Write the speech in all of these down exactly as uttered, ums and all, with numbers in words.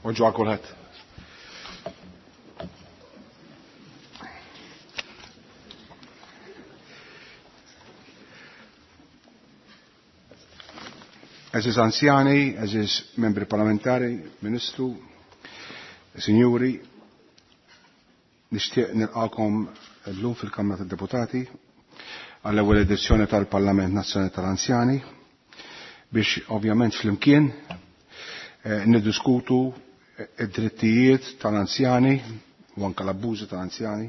Bonġu għal kulħadd. Għeżież anzjani, għeżież membri parlamentari, ministru, sinjuri, nixtieq nilqakom llum fil-Kamra tad-Deputati għall-ewwel edizzjoni tal-Parlament Nazzjonali tal-Anzjani biex ovvjament flimkien eh, niddiskutu id-drittijiet tal-anzjani u anke l-abbużi tal-anzjani.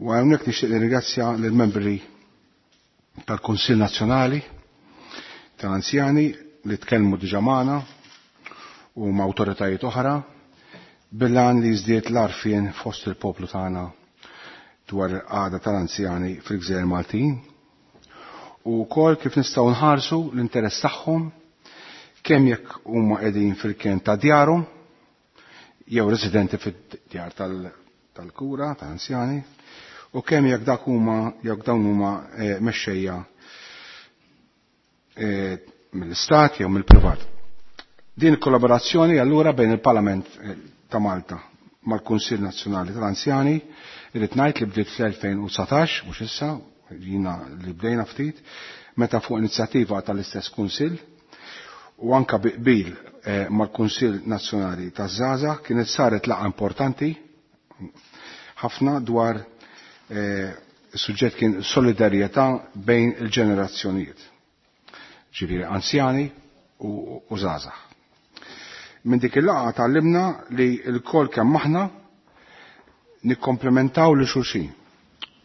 U hawnhekk nixtieq nirringrazzja lill-membri tal-Kunsill Nazzjonali tal-Anzjani li tkellmu diġà magħna u ma' awtoritajiet oħra bil-għan li jiżdied l-għarfien fost il-poplu tagħna dwar il-qagħda tal-anzjani fil-Gżejjer Maltin u wkoll kif nistgħu nħarsu l-interess tagħhom kemm jekk huma qegħdin fil-ken ta' djarhom jew residenti fid-djar tal-kura tal-anzjani u kemm jekk dak huma jekk dawn huma mexxejja mill-istat jew mill-privat. Din il-kollaborazzjoni allura bejn il-Parlament ta' Malta mal-Kunsill Nazzjonali tal-Anzjani irrid ngħid li bdiet fl-elfejn u dsatax, mhux issa, jina li bdejna ftit, meta fuq inizjattiva tal-istess Kunsill u anka bi qbil mal-Kunsill Nazzjonali taż-Żgħażagħ kienet saret laqgħa importanti ħafna dwar is-suġġett kien solidarjetà bejn il-ġenerazzjonijiet. Ġifieri anzjani u żgħażagħ. Minn dik il-laqgħa tgħallimna li l-kol kemm aħna nikkomplementaw li xulxin.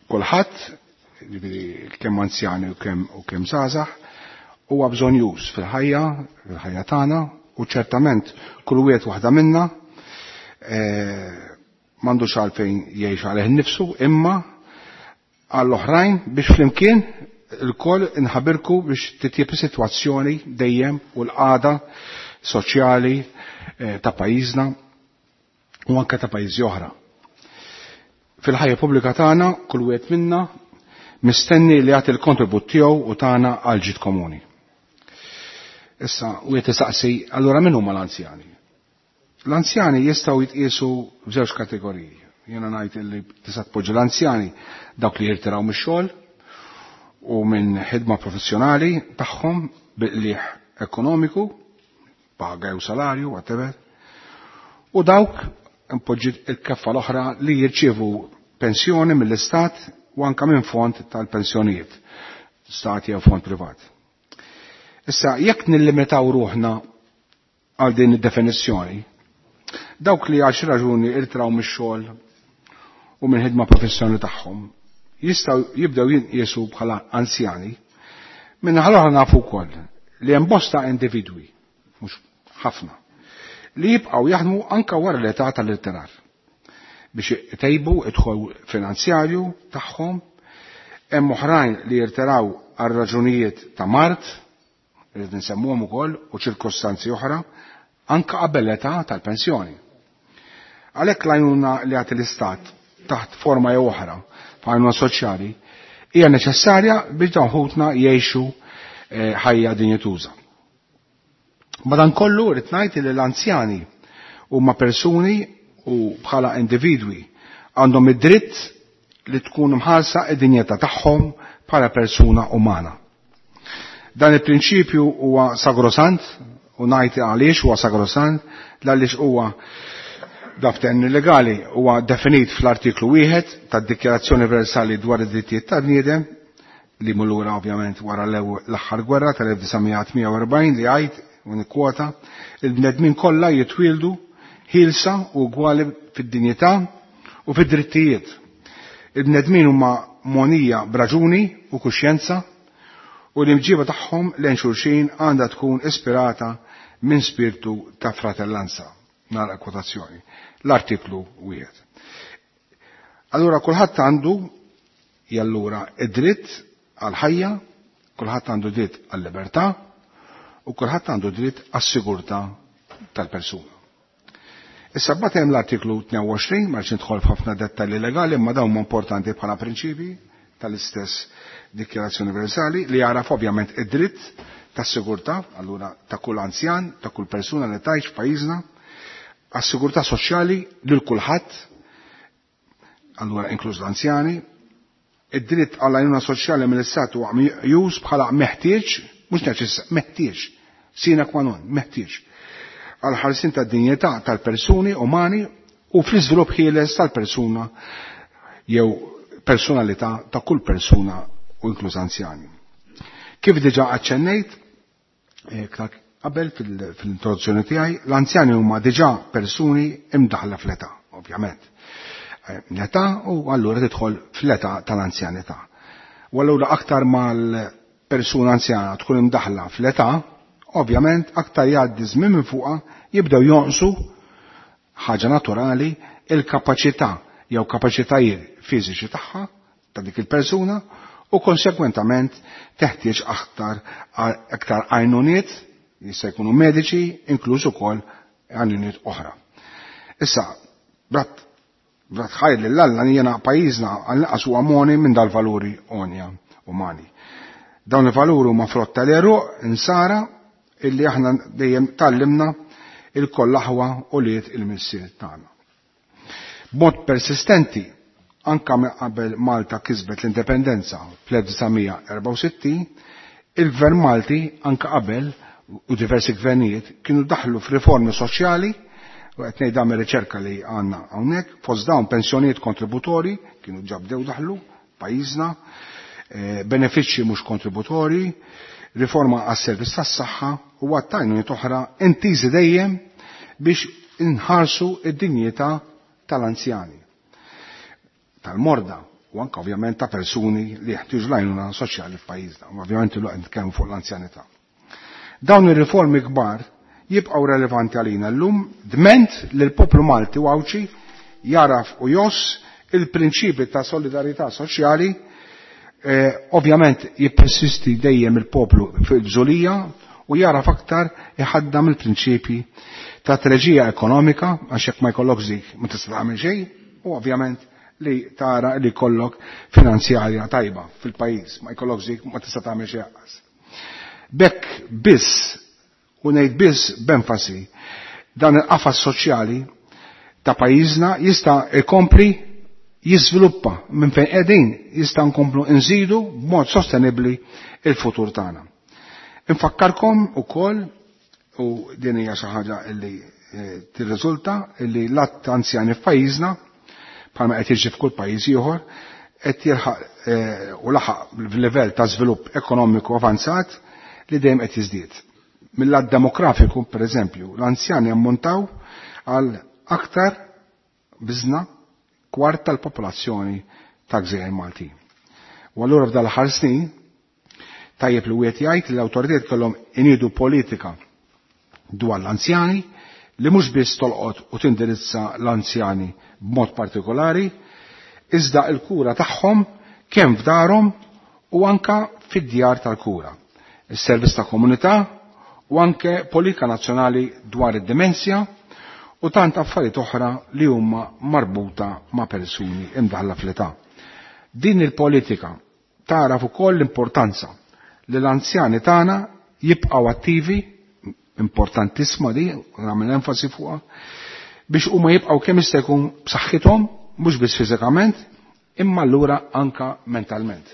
Kulħadd, ġifieri kemm anzjani u kemm u kemm żgħażagħ, huwa bżonjuż fil-ħajja, fil-ħajja tagħna, u ċertament kull wieħed waħda minna m'għandux għalfejn jgħix għalih innifsu, imma għall-oħrajn biex flimkien il-koll inħabirku biex titjib is-sitwazzjoni dejjem u l-qagħda soċjali ta' pajjiżna u anke ta' pajjiżi oħra. Fil-ħajja pubblika tagħna kull wieħed minna mistenni li jagħti l-kontribut tiegħu u tagħna għal ġid komuni. Issa wieħed isaqsi allura min huma l-anzjani? L-anzjani jistgħu jitqiesu f'żewġ kategoriji. Jiena ngħid li tista' tpoġġi l-anzjani dawk li jirtiraw mix-xogħol u minn ħidma professjonali tagħhom bi qligħ ekonomiku, paga jew salarju, whatever, u dawk impoġġi il-keffa l-oħra li jirċievu pensjoni mill-istat u anka minn fond tal-pensjonijiet, stat jew fond privat. Issa, jekk nillimitaw ruħna għal din id-definizzjoni, dawk li għal xi raġuni irtraw mix-xogħol u minn ħidma professjonali tagħhom jistgħu jibdew jinqiesu bħala anzjani, minn l-oħra nafu wkoll li hemm bosta individwi, mhux ħafna, li jibqgħu jaħdmu anka wara l-età tal-irtirar biex itejbu id-dħul finanzjarju tagħhom, hemm oħrajn li jirtiraw għal raġunijiet ta' mard, irid nsemmuhom ukoll, u ċirkostanzi oħra, anka qabel l-età tal-pensjoni. Għalhekk l-għajnuna li jagħti l-istat taħt forma jew oħra b'għajnuna soċjali hija neċessarja biex dawn ħutna jgħixu ħajja dinjituża. Madankollu rrid ngħid li l-anzjani huma persuni u bħala individwi għandhom id-dritt li tkun mħarsa id-dinjità tagħhom bħala persuna umana. Dan il-prinċipju huwa sagrosant u ngħid għaliex huwa sagrosant għaliex huwa daften legali huwa definit fl-artiklu wieħed tad-Dikjarazzjoni Universali dwar id-drittijiet tal-bniedem li mullura ovvjament wara l-aħħar gwerra tal-elf disa' mija u erbgħin li jgħid u nikkwota il-bnedmin kollha jitwieldu ħielsa u ugwali fid-dinjità u fid-drittijiet. Il-bnedmin huma monija b'raġuni u kuxjenza u l-imġiba tagħhom lejn xulxin għandha tkun ispirata minn spirtu ta' fratellanza. Nara kwotazzjoni. L-artiklu wieħed. Allura kulħadd għandu jallura id-dritt għal-ħajja, kulħadd għandu dritt għal-libertà u kulħadd għandu dritt għas-sigurtà tal-persuna. Issa mbagħad hemm l-artiklu tnejn u għoxrin, ma rridx nidħol f'ħafna dettalji legali, imma dawn huma importanti bħala prinċipji tal-istess Dikjarazzjoni Universali li jagħraf ovvjament id-dritt tas-sigurtà, allura ta' kull anzjan, ta' kull persuna li tgħix f'pajjiżna, għas-sigurtà soċjali lil kulħadd, allura inkluż l-anzjani, id-dritt għall għajnuna soċjali mill-istat huwa meqjus bħala meħtieġ, mhux neċess, meħtieġ, sine qua non, meħtieġ, għal ħarsien tad-dinjità tal-persuni umani u fl-iżvilupp ħieles tal-persuna jew personalità ta' kull persuna u inkluż anzjani. Kif diġà aċċennejt, qabel fil-introduzzjoni tiegħi, l-anzjani huma diġà persuni imdaħla fl-età, ovvjament. L-età u allura tidħol fl-età tal-anzjanità. U allura aktar mal-persuna anzjana tkun imdaħla fl-età, ovvjament aktar jgħaddi żmien minn fuqha jibdew jonqsu, ħaġa naturali, il-kapaċità jew kapaċitajiet fiżiċi tagħha ta' dik il-persuna u konsekwentament teħtieġ aktar aktar għajnuniet, jista' jkunu mediċi, inkluż ukoll għajnuniet oħra. Issa, brat brat ħajr lil Alla jiena pajjiżna għall-inqas huwa moni minn dal-valuri onja umani. Dawn il-valuri huma frott tal-għeruq insara illi aħna dejjem tallimna il-koll aħwa u liet il-missier tagħna. B'mod persistenti, anka minn qabel Malta kisbet l-indipendenza fl-elf disa' mija erbgħa u sittin, il-Gvern Malti anka qabel u diversi gvernijiet kienu daħlu f'riformi soċjali, u qed ngħid dan mir-riċerka li għandna hawnhekk, fost dawn pensjonijiet kontributori kienu ġa bdew daħlu pajjiżna, eh, benefiċċji mhux kontributori, riforma għas-servizz tas-saħħa u għat-tajnuniet oħra intiżi dejjem biex inħarsu id-dinjità tal-anzjani, tal-morda u anke ovvjament ta' persuni li jeħtieġu l-għajnuna soċjali f'pajjiżna, u ovvjament illum qed nitkellmu fuq l-anzjanità. Dawn ir-riformi kbar jibqgħu relevanti għalina llum dment li l-poplu Malti u Għawdxi jaraf u joss il-prinċipi ta' solidarità soċjali, eh, ovvjament jippersisti dejjem il-poplu fil-bżulija u jaraf aktar iħaddam il-prinċipi ta' treġija ekonomika, għax jekk ma jkollok dik ma tista' tagħmel xejn, u ovvjament li tara li jkollok finanzjarja tajba fil-pajjiż, ma jkollok dik ma tista' tagħmel xejn aqas. Bekk biss, u ngħid biss b'enfasi, dan il-qafas soċjali ta' pajjiżna jista' jkompli jiżviluppa minn fejn qegħdin, jista' nkomplu nżidu b'mod sostenibbli il-futur tagħna. Infakkarkom ukoll, u din hija xi ħaġa li tirriżulta li l-att anzjani f'pajjiżna, bħalma qed jiġri f'kull pajjiż ieħor, qed jilħaq u laħaq f'livell ta' żvilupp ekonomiku avanzat li dejjem qed jiżdied. Mill-lat demografiku, pereżempju, l-anzjani ammontaw għal aktar biżna kwart tal-popolazzjoni ta' gżejjer Maltin. U allura f'dal aħħar snin tajjeb li wieħed jgħid li l-awtoritajiet kellhom iniedu politika dwar l-anzjani li mhux biss tolqot u tindirizza l-anzjani b'mod partikolari, iżda l-kura tagħhom kemm f'darhom u anka fid-djar tal-kura, is-servizz ta' komunità u anke politika nazzjonali dwar id-demenzja u tant affarijiet oħra li huma marbuta ma' persuni imdaħla fl-età. Din il-politika tagħraf ukoll l-importanza li l-anzjani tagħna jibqgħu attivi, importantissima di, nagħmel enfasi fuqha, biex huma jibqgħu kemm jista' jkun b'saħħithom, mhux biss fiżikament, imma allura anka mentalment.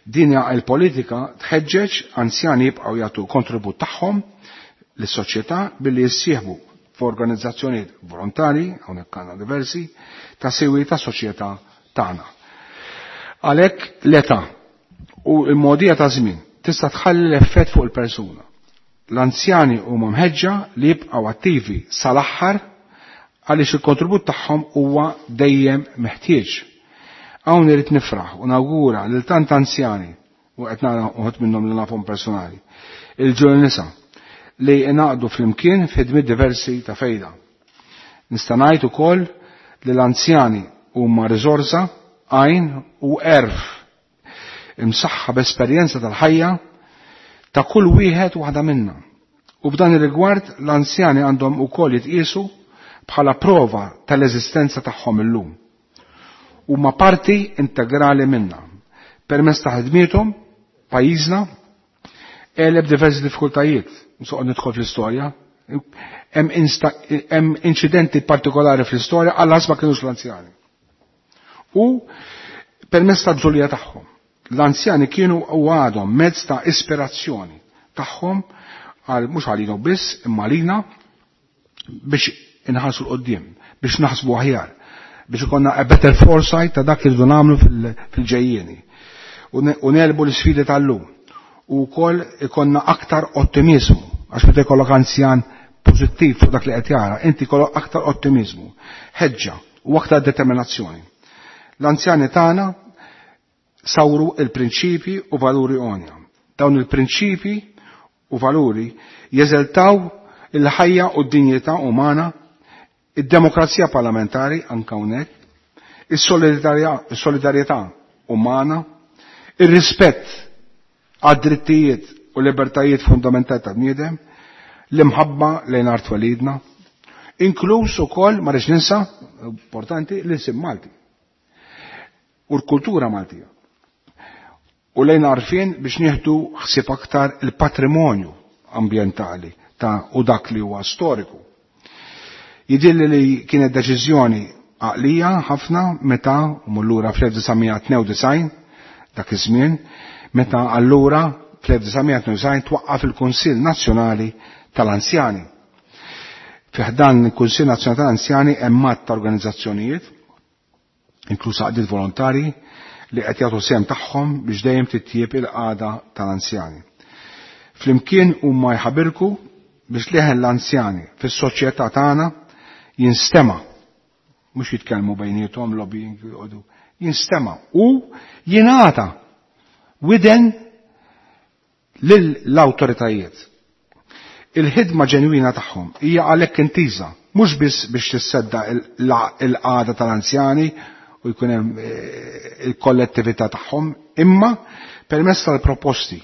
Din il-politika tħeġġeġ anzjani jibqgħu jagħtu kontribut tagħhom lis-soċjetà billi jissieħbu f'organizzazzjonijiet volontari, hawnhekk għandna diversi, ta' siwi ta' soċjetà tagħna. Għalhekk l-età u l-mogħdija ta' żmien tista' tħalli l-effett fuq il-persuna. L-anzjani huma mħeġġa li jibqgħu attivi sal-aħħar għaliex il-kontribut tagħhom huwa dejjem meħtieġ. Hawn irid nifraħ u nawgura lil tant anzjani, u qed nara uħud minnhom li nafhom personali, il-ġol nisa li ingħaqdu flimkien f'ħidmiet diversi ta' fejda. Nista' ngħid ukoll li l-anzjani huma riżorsa, għajn u għerf imsaħħa b'esperjenza tal-ħajja ta' kull wieħed u waħda minna. U b'dan ir-rigward l-anzjani għandhom ukoll jitqiesu bħala prova tal-eżistenza tagħhom illum. Huma parti integrali minna. Permezz ta' ħidmiethom pajjiżna għeleb diversi diffikultajiet. Nsoqgħod nidħol fl-istorja, Hemm inċidenti partikolari fl-istorja għal ma kienux l-anzjani. U permezz tal-bżulija tagħhom. L-anzjani kienu u għadhom mezz ta' ispirazzjoni tagħhom għal mhux għalina biss imma għalina biex inħarsu l-qoddim, biex naħsbu aħjar, biex ikonna a better foresight ta' dak li rridu nagħmlu fil-ġejjieni. U nelbu l-isfidi tal-lum. U wkoll ikonna aktar ottimizmu, għax meta jkollok anzjan pożittiv fuq dak li qed jara, inti jkollok aktar ottimizmu, ħeġġa u aktar determinazzjoni. L-anzjani tagħna sawru il-prinċipi u valuri għonja. Dawn il-prinċipi u valuri jeżeltaw il-ħajja u d-dinjità umana, id-demokrazija parlamentari anke hawnhekk, is-solidarjetà umana, ir-rispett għad-drittijiet u libertajiet fundamentali tal-bniedem, l-imħabba lejn art twelidna, inkluż ukoll ma rridx ninsa, importanti, l-isim Malti u l-kultura Maltija. U lejn għarfien biex nieħdu ħsieb aktar il-patrimonju ambjentali ta' u dak li huwa storiku. Jidilli li kienet deċiżjoni għaqlija ħafna meta u mullura fl-elf disa' mija tnejn u disgħin dak iż-żmien, meta allura fl-elf disa' mija tnejn u disgħin twaqqaf il-Kunsill Nazzjonali tal-Anzjani. Fi ħdan il-Kunsill Nazzjonali tal-Anzjani hemm għadd ta' organizzazzjonijiet, inkluż għaqdiet volontari, li qed jagħtu sehem tagħhom biex dejjem titjieb il-qagħda tal-anzjani. Flimkien huma jħabirku biex leħen l-anzjani fis-soċjetà tagħna jinstema', mhux jitkellmu bejniethom lobbying joqogħdu, jinstema' u jingħata widen lill-awtoritajiet. Il-ħidma ġenwina tagħhom hija għalhekk intiża mhux biss biex tissedda il-qagħda tal-anzjani u jkun hemm il-kollettività tagħhom, imma permezz tal-proposti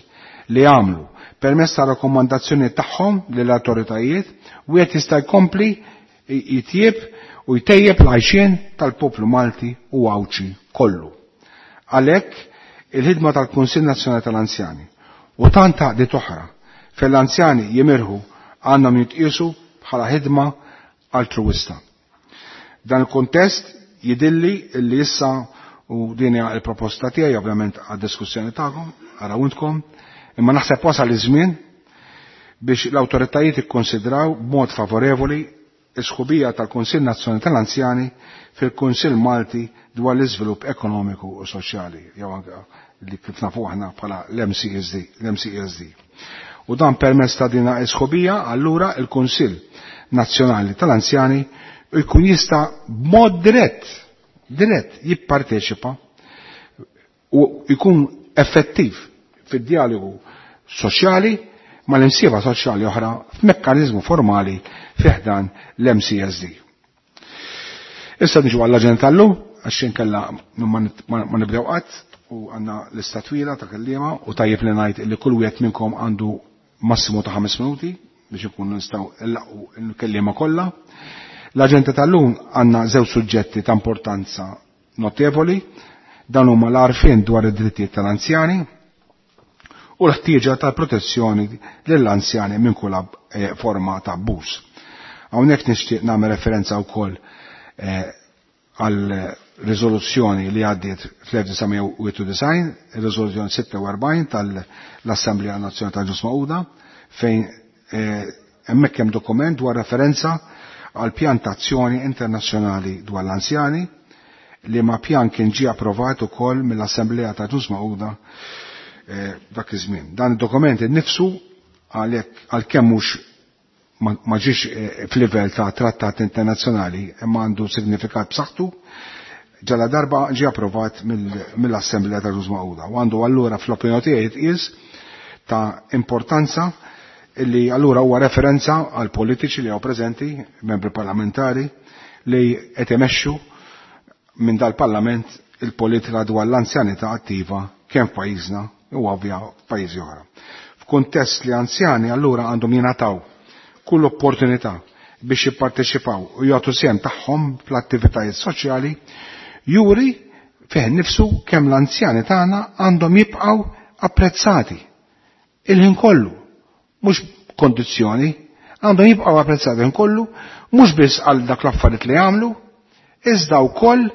li għamlu, permezz tal-rakkomandazzjoni tagħhom lill-awtoritajiet, wieħed jista' jkompli jitjieb u jtejjeb l-għajxien tal-poplu Malti u Għawdxi kollu. Għalhekk il-ħidma tal-Kunsill Nazzjonali tal-Anzjani u tant għaqdiet oħra fejn l-anzjani jimirħu għandhom jitqiesu bħala ħidma altruwista. Dan il-kuntest jidilli li issa u din hija l-proposta tiegħi ovvjament għad-diskussjoni tagħkom, arawntkom, imma naħseb wasal iż-żmien biex l-awtoritajiet ikkonsidraw b'mod favorevoli is-sħubija tal-Kunsill Nazzjonali tal-Anzjani fil-Kunsill Malti dwar l-iżvilupp ekonomiku u soċjali, jew anke li kif nafu aħna bħala l-M C S D, l-M C S D. U dan permezz ta' din is-sħubija, allura il-Kunsill Nazzjonali tal-Anzjani jkun jista' b'mod dirett, dirett jipparteċipa u jkun effettiv fid-dialogu soċjali mal-imsieba soċjali oħra f'mekkaniżmu formali fiħdan l-M C S D. Issa niġu għall-aġenda tal-lum, għax inkella ma nit-, ma nibdew qatt u għandna lista twila ta' kelliema u tajjeb li ngħid li kull wieħed minnkom għandu massimu ta' ħames minuti biex ikun nistgħu nlaqgħu l-kelliema kollha. L-aġenda tal-lum għandna żewġ suġġetti ta' importanza notevoli, dan huma l-għarfien dwar id-drittijiet tal-anzjani u l-ħtieġa tal-protezzjoni lill-anzjani minn kull ab-, eh, forma ta' abbuż. Hawnhekk nixtieq nagħmel referenza wkoll, eh, għal riżoluzzjoni li għaddiet fl-elf disa' mija u wieħed u disgħin, ir-riżoluzzjoni sitta u erbgħin tal-Assemblea Nazzjonali tal-Ġnus Magħquda, fejn, eh, hemmhekk hemm dokument dwar referenza għal pjan ta' azzjoni internazzjonali dwar l-anzjani, li ma pjan kien ġie approvat ukoll mill-Assemblea ta' Ġnus Magħquda, eh, dak iż-żmien. Dan id-dokument innifsu għalhekk għalkemm mhux ma, ma ġiex, eh, f'livell ta' trattat internazzjonali imma għandu signifikat b'saħħtu, ġala darba ġie approvat mill-, mill-Assemblea ta' Ġnus Magħquda u għandu allura fl-opinjoni tiegħi jitqies ta' importanza li allura huwa referenza għal politiċi li hawn preżenti, membri parlamentari, li qed imexxu minn dal-Parlament il-politika dwar l-anzjanità attiva kemm f'pajjiżna u ovvja f'pajjiżi oħra. F'kuntest li anzjani allura għandhom jingħataw kull opportunità biex jipparteċipaw u jagħtu sehem tagħhom fl-attivitajiet soċjali, juri fih nifsu kemm l-anzjani tagħna għandhom jibqgħu apprezzati il-ħin kollu, mhux kondizzjoni, Għandhom jibqgħu apprezzati kollu, mhux biss għal dak l-affarijiet li jagħmlu, iżda wkoll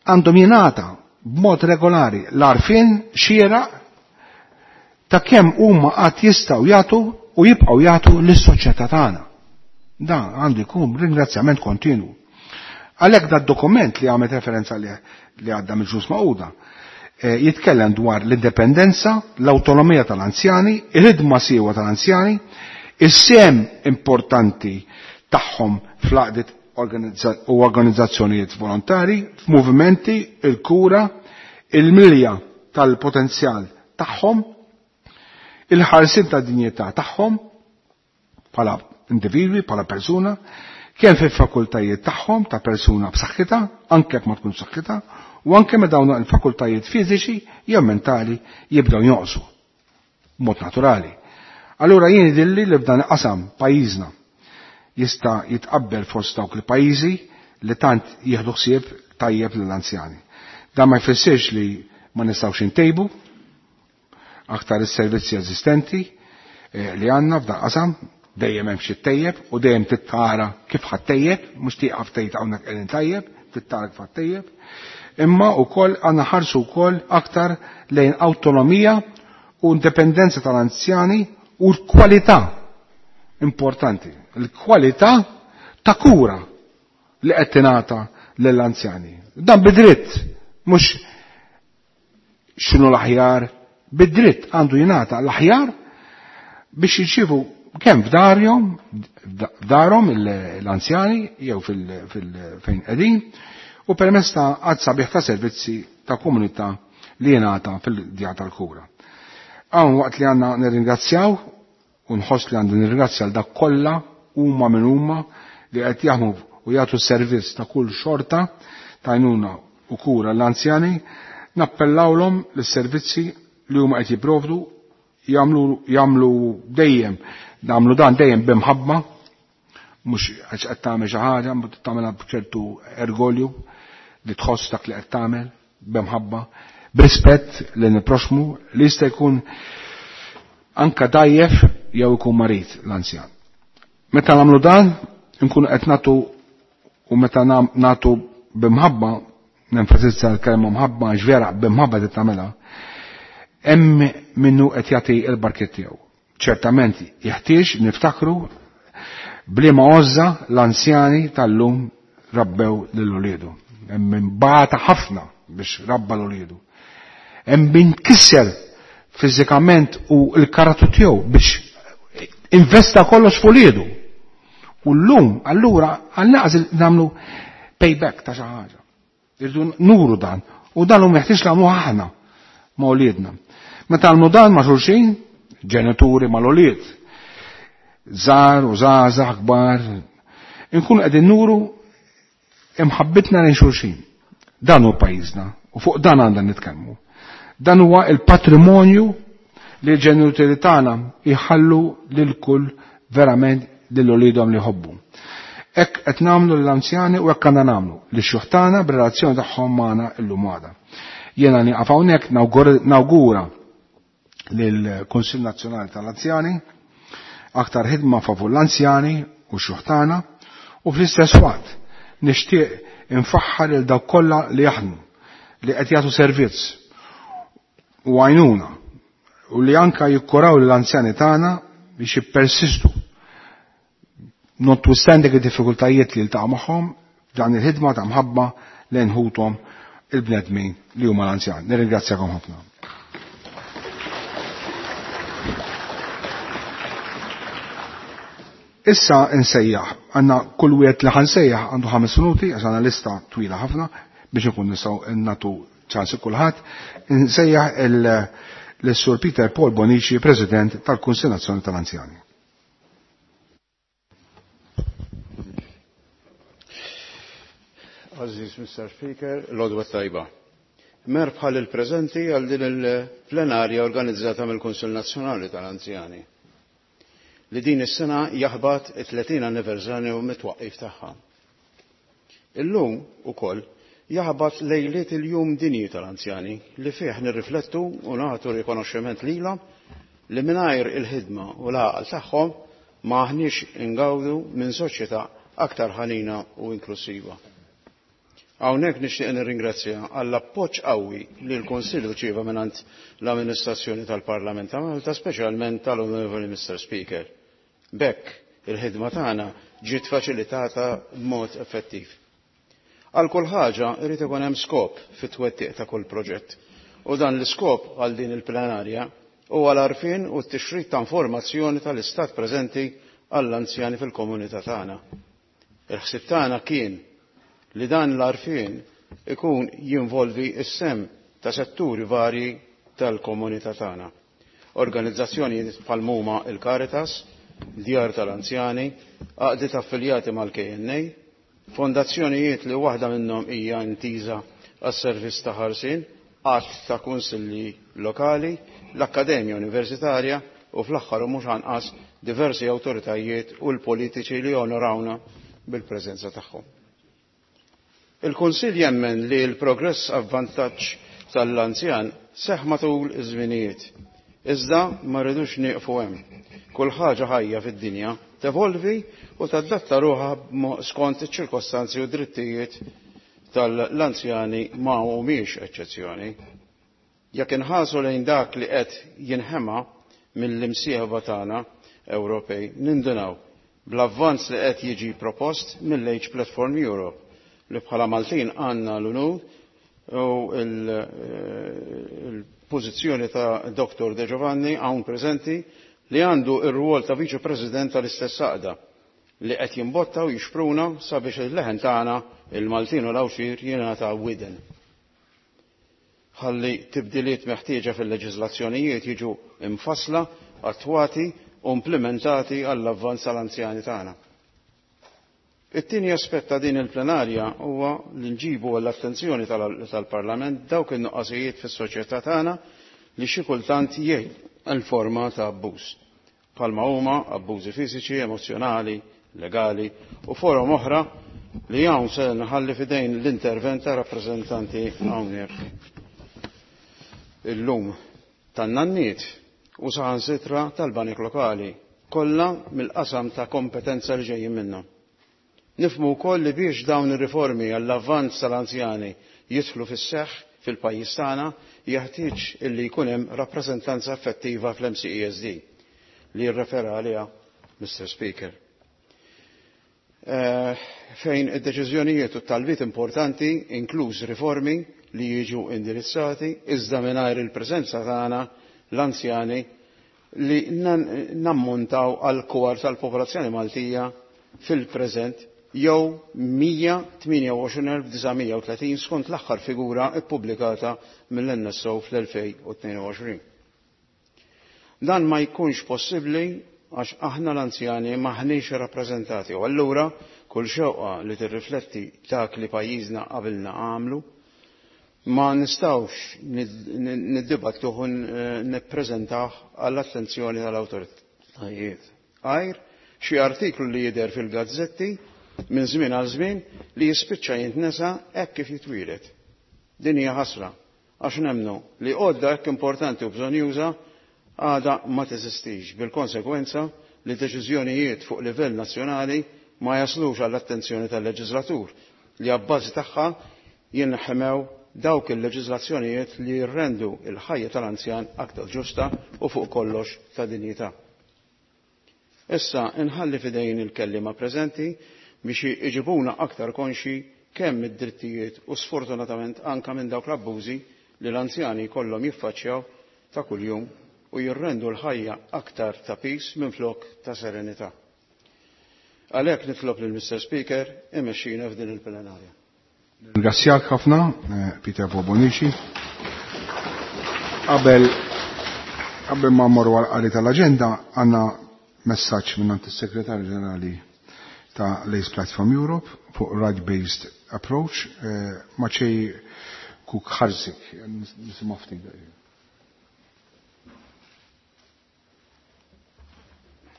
għandhom jingħata b'mod regolari l-għarfien xieraq ta' kemm huma qatt jistgħu jagħtu u jibqgħu jagħtu lis-soċjetà tagħna. Dan għandu jkun ringrazzjament kontinwu. Għalhekk dat dokument li għamet referenza li għadda mill-Ġnus Magħquda jitkellem dwar l-indipendenza, l-awtonomija tal-anzjani, il-ħidma siewa tal-anzjani, is-sehem importanti tagħhom fl-għaqdiet u organizzazzjonijiet volontari, f'movimenti, il-kura, il-milja tal-potenzjal tagħhom, il-ħarsien tad-dinjità tagħhom bħala individwi, bħala persuna, kemm fil-fakultajiet tagħhom ta' persuna b'saħħitha, anke jekk ma tkun b'saħħitha, u anke meta dawn il-fakultajiet fiżiċi jew mentali jibdew jonqsu b'mod naturali. Allura jien jidhirli li f'dan qasam pajjiżna jista' jitqabbel fost dawk il-pajjiżi li tant jieħdu ħsieb tajjeb lill-anzjani. Dan ma jfissirx li ma nistgħux intejbu aktar is-servizzi eżistenti li għandna f'dan qasam, dejjem hemm xi tejjeb u dejjem tittara kif ħadd tejjeb, mhux tieqaf tgħid hawnhekk qegħdin tajjeb, tittara kif ħadd tejjeb. Imma wkoll għandna ħarsu wkoll aktar lejn awtonomija u indipendenza tal-anzjani u l-kwalità importanti, l-kwalità ta' kura li qed tingħata lill-anzjani. Dan bidritt, mhux x'inhu l-aħjar, bidritt għandu jingħata l-aħjar biex jirċievu kemm f'darhom, f'darhom l-anzjani jew fejn qegħdin, u permezz ta' għadd sabiħ ta' servizzi ta' komunità li jingħata fil-djar tal-kura. Hawn waqt li għandna nirringrazzjaw u nħoss li għandu nirringrazzja għal dak kollha huma minn huma li qed jaħdmu u jagħtu servizz ta' kull xorta ta' għajnuna u kura l-anzjani, nappellawlhom lis-servizzi li huma qed jipprovdu jagħmlu jagħmlu dejjem nagħmlu dan dejjem b'imħabba, mhux għax qed tagħmel xi ħaġa, ma tagħmelha b'ċertu ergolju li tħoss dak li qed tagħmel b'imħabba, b'rispett lejn il-proxmu li jista' jkun anka dajjef jew ikun marid l-anzjan. Meta nagħmlu dan, nkunu qed nagħtu u meta nagħtu b'imħabba, nenfasizza l-kelma mħabba għax vera b'imħabba qed tagħmilha, hemm minnu qed jagħti l-barkiet tiegħu. Ċertament jeħtieġ niftakru bliema għożża l-anzjani tal-lum rabbew lil uliedu. Hemm min bata ħafna biex rabba l-uliedu. Hemm min kisser fiżikament u l-karattru tiegħu biex investa kollox f'uliedu. U llum allura għal-naqas nagħmlu payback ta' xi ħaġa. Irridu nuru dan. U dan hu meħtieġ nagħmluh aħna ma' uliedna. Meta nagħmlu dan ma' xulxin, ġenituri mal-ulied, żgħar u żgħażagħ kbar, inkunu qegħdin nuru imħabbitna lejn xulxin. Dan hu pajjiżna u fuq dan għandna nitkellmu. Dan huwa il-patrimonju li l-ġenituri tagħna jħallu lil kull verament lil uliedhom li jħobbu. Hekk qed nagħmlu lill-anzjani u hekk għandna nagħmlu lix-xjuħ tagħna b'relazzjoni tagħhom magħna llum għada. Jiena nieqaf hawnhekk nawgura lill-Kunsill Nazzjonali tal-Anzjani aktar ħidma favur l-anzjani u x-xjuħ tagħna, u fl-istess waqt nixtieq infaħħar lil dawk kollha li jaħdmu, li qed jagħtu servizz u għajnuna u li anka jikkuraw lill-anzjani tagħna biex jippersistu notwithstanding id-diffikultajiet li ltaqgħu magħhom f'dan il-ħidma ta' mħabba lejn ħuthom il-bnedmin li huma l-anzjan. Nirringrazzjakom ħafna. Issa nsejjaħ, għandna kull wieħed li ħansejjaħ għandu ħames minuti għax għandna lista twila ħafna biex ikun nistgħu nagħtu ċans kulħadd. Nsejjaħ l-Sur Peter Paul Bonici, President tal-Kunsill Nazzjonali tal-Anzjani. Aziz Mister Speaker, l-għodwa tajba. Merħba il-preżenti għal din il-plenarja organizzata mill-Kunsill Nazzjonali tal-Anzjani li din is-sena jaħbat it-tletin anniversarju mit-twaqqif tagħha. Illum ukoll jaħbat lejliet il-Jum Dinji tal-Anzjani li fih nirriflettu u nagħtu rikonoxximent lilhom li mingħajr il-ħidma u l-għaqal tagħhom ma aħniex ingawdu minn soċjetà aktar ħanina u inklusiva. Hawnhekk nixtieq nirringrazzja għall appoġġ qawwi li l-Kunsill rċieva mingħand l-Amministrazzjoni tal-Parlament ta' Malta, speċjalment tal-Onorevoli Mister Speaker. B'hekk il-ħidma tagħna ġiet faċilitata b'mod effettiv. Għal kull ħaġa irid ikun hemm skop fit-twettiq ta' kull proġett. U dan l-iskop għal din il-plenarja huwa l-għarfien u t-tixrid ta' informazzjoni tal-istat preżenti għall-anzjani fil-komunità tagħna. Il-ħsieb tagħna kien li dan l-għarfien ikun jinvolvi s-sem ta' setturi varji tal-komunità tagħna. Organizzazzjoni bħal huma il-Caritas, Djar tal-Anzjani, għaqdiet affiljati mal-K N A, fondazzjonijiet li waħda minnhom hija intiża għas-servizz ta' ħarsien, għadd ta' kunsilli lokali, l-Akkademja Universitarja u fl-aħħar u mhux anqas diversi awtoritajiet u l-politiċi li onorawna bil-preżenza tagħhom. Il-Kunsill jemmen li l-progress avvantaġġ tal-anzjan seħħ matul iż-żminijiet. Iżda ma rridux nieqfu hemm. Kull ħaġa ħajja fid-dinja tevolvi u tadatta ruħha skont iċ-ċirkostanzi u drittijiet tal-anzjani ma humiex eċċezzjoni. Jekk inħarsu lejn dak li qed jinħema mill-imsieħba tagħna Ewropej, nindunaw bl-avvanz li qed jiġi propost mill-Age Platform Europe li bħala Maltin għandna l-unur u il-pożizzjoni ta' Doktor De Giovanni hawn preżenti li għandu ir-rwol ta' Viċi President tal-istess għaqda li qed jimbotta u jixpruna sabiex il-leħen tagħna il-Maltin u l-Għawxir jingħata widen. Ħalli tibdiliet meħtieġa fil-leġiżlazzjonijiet jiġu imfassla, attwati u implementati għall-avvanz tal-anzjani tagħna. It-tieni aspett ta' din il-plenarja huwa li nġibu għall-attenzjoni tal-Parlament dawk in-nuqqasijiet fis-soċjetà tagħna li xi kultant jgħid l-forma ta' abbuż. Bħalma huma abbużi fiżiċi, emozjonali, legali u forom oħra li hawn se nħalli f'idejn l-intervent ta' rappreżentanti hawnhekk illum tan-nanniet u saħansitra tal-banek lokali, kollha mill-qasam ta' kompetenza li ġejjin minnhom. Nifhmu wkoll li biex dawn ir-riformi għall-avvanz tal-anzjani jidħlu fis-seħħ fil-pajjiż tagħna jeħtieġ illi jkun hemm rappreżentanza effettiva fl-M C E S D li jirrefera għaliha Mister Speaker. Eh, fejn id-deċiżjonijiet u t-talbiet importanti, inkluż riformi li jiġu indirizzati, iżda mingħajr il-preżenza tagħna l-anzjani li nan-, nammontaw għal kwart tal-popolazzjoni Maltija fil-preżent jew mija tmienja u għoxrin elf disa' mija u tletin skont l-aħħar figura ppubblikata mill-N S O fl-elfejn u tnejn u għoxrin. Dan ma jkunx possibbli għax aħna l-anzjani maħniex rappreżentati u allura kull xewqa li tirrifletti dak li pajjiżna qabilna għamlu ma nistgħux niddibattuh u nippreżentah għall-attenzjoni tal-awtoritajiet. Għajr xi artiklu li jidher fil-gazzetti minn żmien għal żmien li jispiċċa jintnesa hekk kif jitwieled. Din hija ħasra għax nemmnu li għodda hekk importanti u bżonjuża għada ma teżistix, bil-konsekwenza li deċiżjonijiet fuq livell nazzjonali ma jaslux għall-attenzjoni tal-leġislatur li għabbażi tagħha jinħemew dawk il-leġislazzjonijiet li jirrendu il-ħajja tal-anzjan aktar ġusta u fuq kollox ta' dinjità. Issa inħalli fidejn il-kellima preżenti biex iġibuna aktar konxi kemm id-drittijiet u sfortunatament anka minn dawk l-abbużi li l-anzjani kollhom jiffaċċjaw ta' kuljum u jirrendu l-ħajja aktar ta' pis minflok ta' serenità. Għalhekk nitlob lil Mister Speaker imexxina f'din il-plenarja. Ringrazzjak ħafna, eh, Peter Bonnici. Qabel, qabel ma mmorru għal-qari tal-aġenda, għandna messaġġ minn għand is-Segretarju Ġenerali ta' l-Age Platform Europe fuq right-based approach, eh, Maciej Kucharczyk, nisimgħu ftit.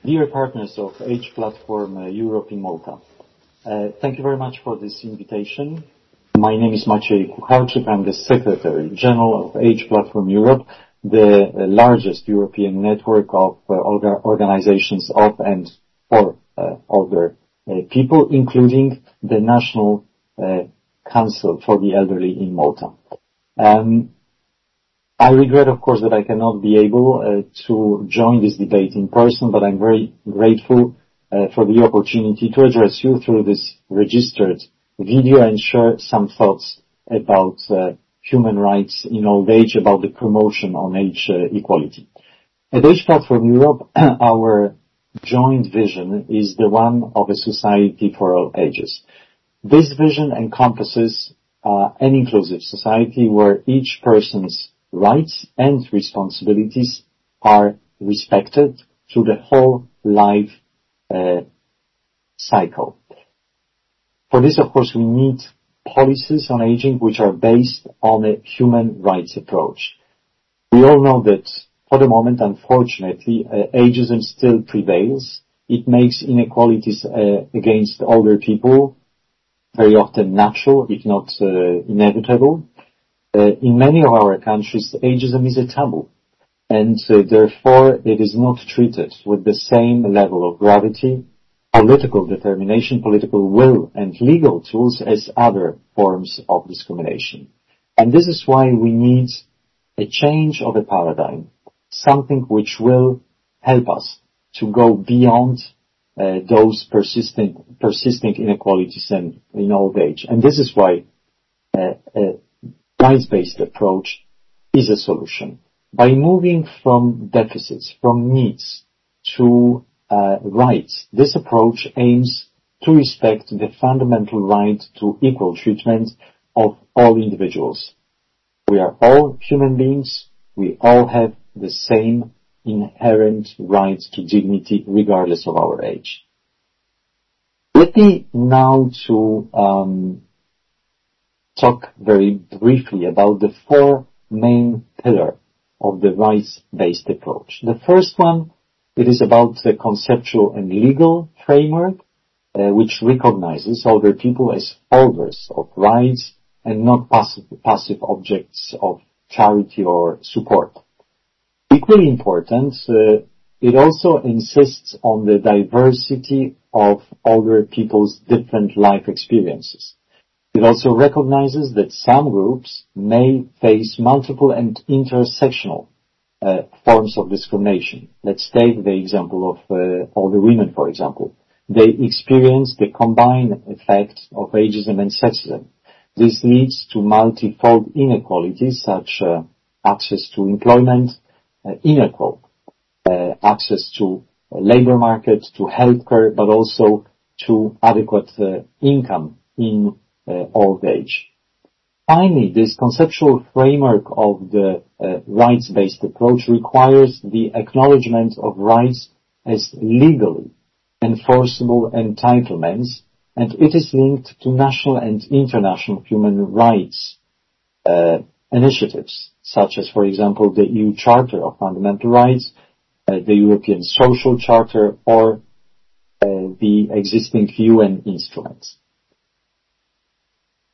Dear partners of Age Platform, uh, Europe in Malta, uh, thank you very much for this invitation. My name is Maciej Kucharczyk. I'm the Secretary General of Age Platform Europe, the largest European network of, uh, orga-, organizations of and for uh, older uh, people, including the National uh, Council for the Elderly in Malta. Um, I regret, of course, that I cannot be able uh, to join this debate in person, but I'm very grateful uh, for the opportunity to address you through this registered video and share some thoughts about uh, human rights in old age, about the promotion on age uh, equality. At Age Platform Europe, our joint vision is the one of a society for all ages. This vision encompasses uh, an inclusive society where each person's rights and responsibilities are respected through the whole life uh, cycle. For this, of course, we need policies on aging which are based on a human rights approach. We all know that for the moment, unfortunately, uh, ageism still prevails. It makes inequalities uh, against older people very often natural, if not uh, inevitable. Uh, in many of our countries, ageism is a taboo, and uh, therefore it is not treated with the same level of gravity, political determination, political will, and legal tools as other forms of discrimination. And this is why we need a change of a paradigm, something which will help us to go beyond uh, those persistent, persisting inequalities in, in old age. And this is why uh, a rights-based approach is a solution. By moving from deficits, from needs to uh, rights, this approach aims to respect the fundamental right to equal treatment of all individuals. We are all human beings. We all have the same inherent right to dignity regardless of our age. Let me now to um, talk very briefly about the four main pillars of the rights-based approach. The first one, it is about the conceptual and legal framework, uh, which recognizes older people as holders of rights and not passive, passive objects of charity or support. Equally important, uh, it also insists on the diversity of older people's different life experiences. It also recognizes that some groups may face multiple and intersectional uh, forms of discrimination. Let's take the example of uh, older women, for example. They experience the combined effect of ageism and sexism. This leads to multifold inequalities such uh, access to employment, uh, unequal uh, access to labor market, to healthcare, but also to adequate uh, income in uh, old age. Finally, this conceptual framework of the uh, rights-based approach requires the acknowledgement of rights as legally enforceable entitlements, and it is linked to national and international human rights uh, initiatives, such as, for example, the E U Charter of Fundamental Rights, uh, the European Social Charter, or uh, the existing U N instruments.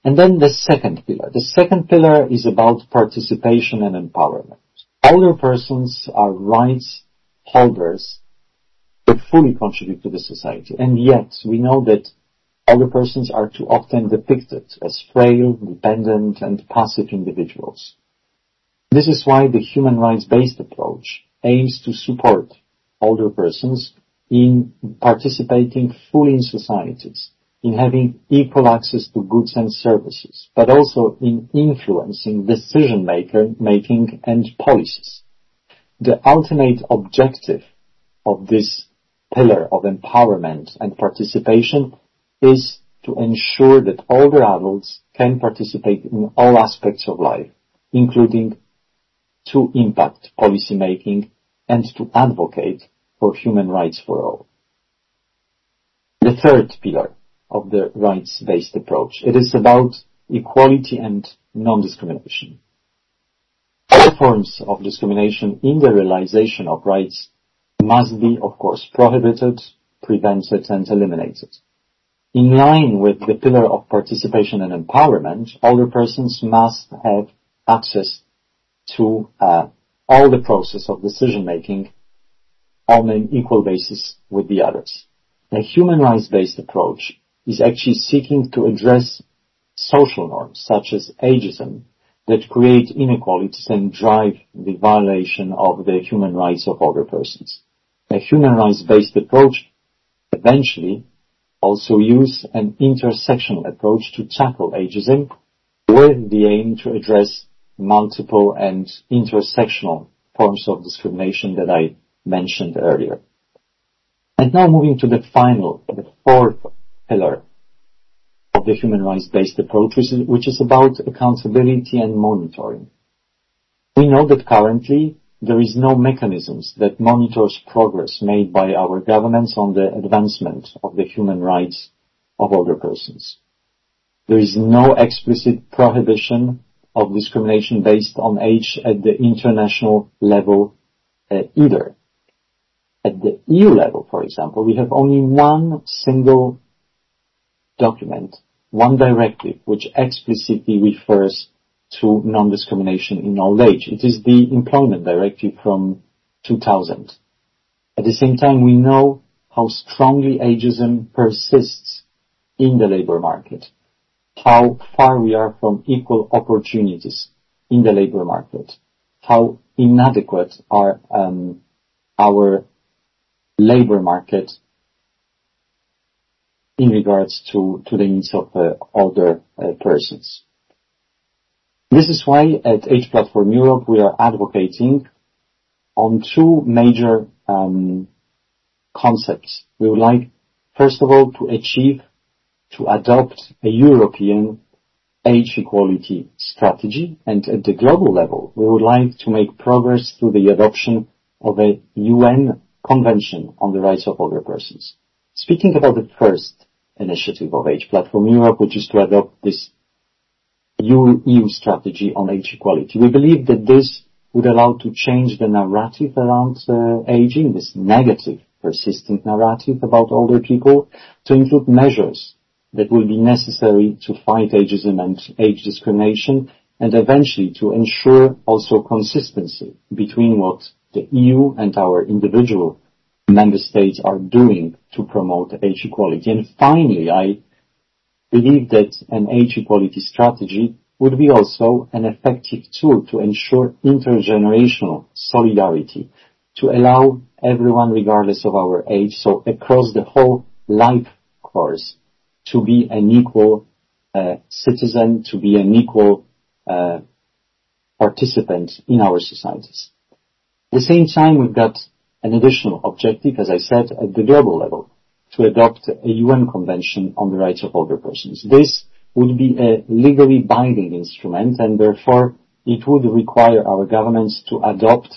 And then the second pillar. The second pillar is about participation and empowerment. Older persons are rights holders that fully contribute to the society. And yet we know that older persons are too often depicted as frail, dependent, and passive individuals. This is why the human rights-based approach aims to support older persons in participating fully in societies, in having equal access to goods and services, but also in influencing decision-making and policies. The ultimate objective of this pillar of empowerment and participation is to ensure that older adults can participate in all aspects of life, including to impact policymaking and to advocate for human rights for all. The third pillar of the rights-based approach, it is about equality and non-discrimination. All forms of discrimination in the realization of rights must be, of course, prohibited, prevented, and eliminated. In line with the pillar of participation and empowerment, older persons must have access to uh, all the process of decision-making on an equal basis with the others. A human rights-based approach is actually seeking to address social norms such as ageism that create inequalities and drive the violation of the human rights of older persons. A human rights-based approach eventually also use an intersectional approach to tackle ageism with the aim to address multiple and intersectional forms of discrimination that I mentioned earlier. And now moving to the final, the fourth pillar of the human rights-based approach, which is, which is about accountability and monitoring. We know that currently there is no mechanisms that monitors progress made by our governments on the advancement of the human rights of older persons. There is no explicit prohibition of discrimination based on age at the international level uh, either. At the E U level, for example, we have only one single document, one directive, which explicitly refers to non-discrimination in old age. It is the Employment Directive from two thousand. At the same time, we know how strongly ageism persists in the labor market, how far we are from equal opportunities in the labor market, how inadequate are um, our labor market in regards to, to the needs of uh, older uh, persons. This is why at Age Platform Europe we are advocating on two major um, concepts. We would like, first of all, to achieve, to adopt a European age equality strategy, and at the global level, we would like to make progress through the adoption of a U N Convention on the Rights of Older Persons. Speaking about the first initiative of Age Platform Europe, which is to adopt this E U strategy on age equality. We believe that this would allow to change the narrative around uh, aging, this negative, persistent narrative about older people, to include measures that will be necessary to fight ageism and age discrimination, and eventually to ensure also consistency between what the E U and our individual member states are doing to promote age equality. And finally, I believe that an age equality strategy would be also an effective tool to ensure intergenerational solidarity, to allow everyone, regardless of our age, so across the whole life course, to be an equal uh, citizen, to be an equal uh, participant in our societies. At the same time, we've got an additional objective, as I said, at the global level, to adopt a U N Convention on the Rights of Older Persons. This would be a legally binding instrument, and therefore it would require our governments to adopt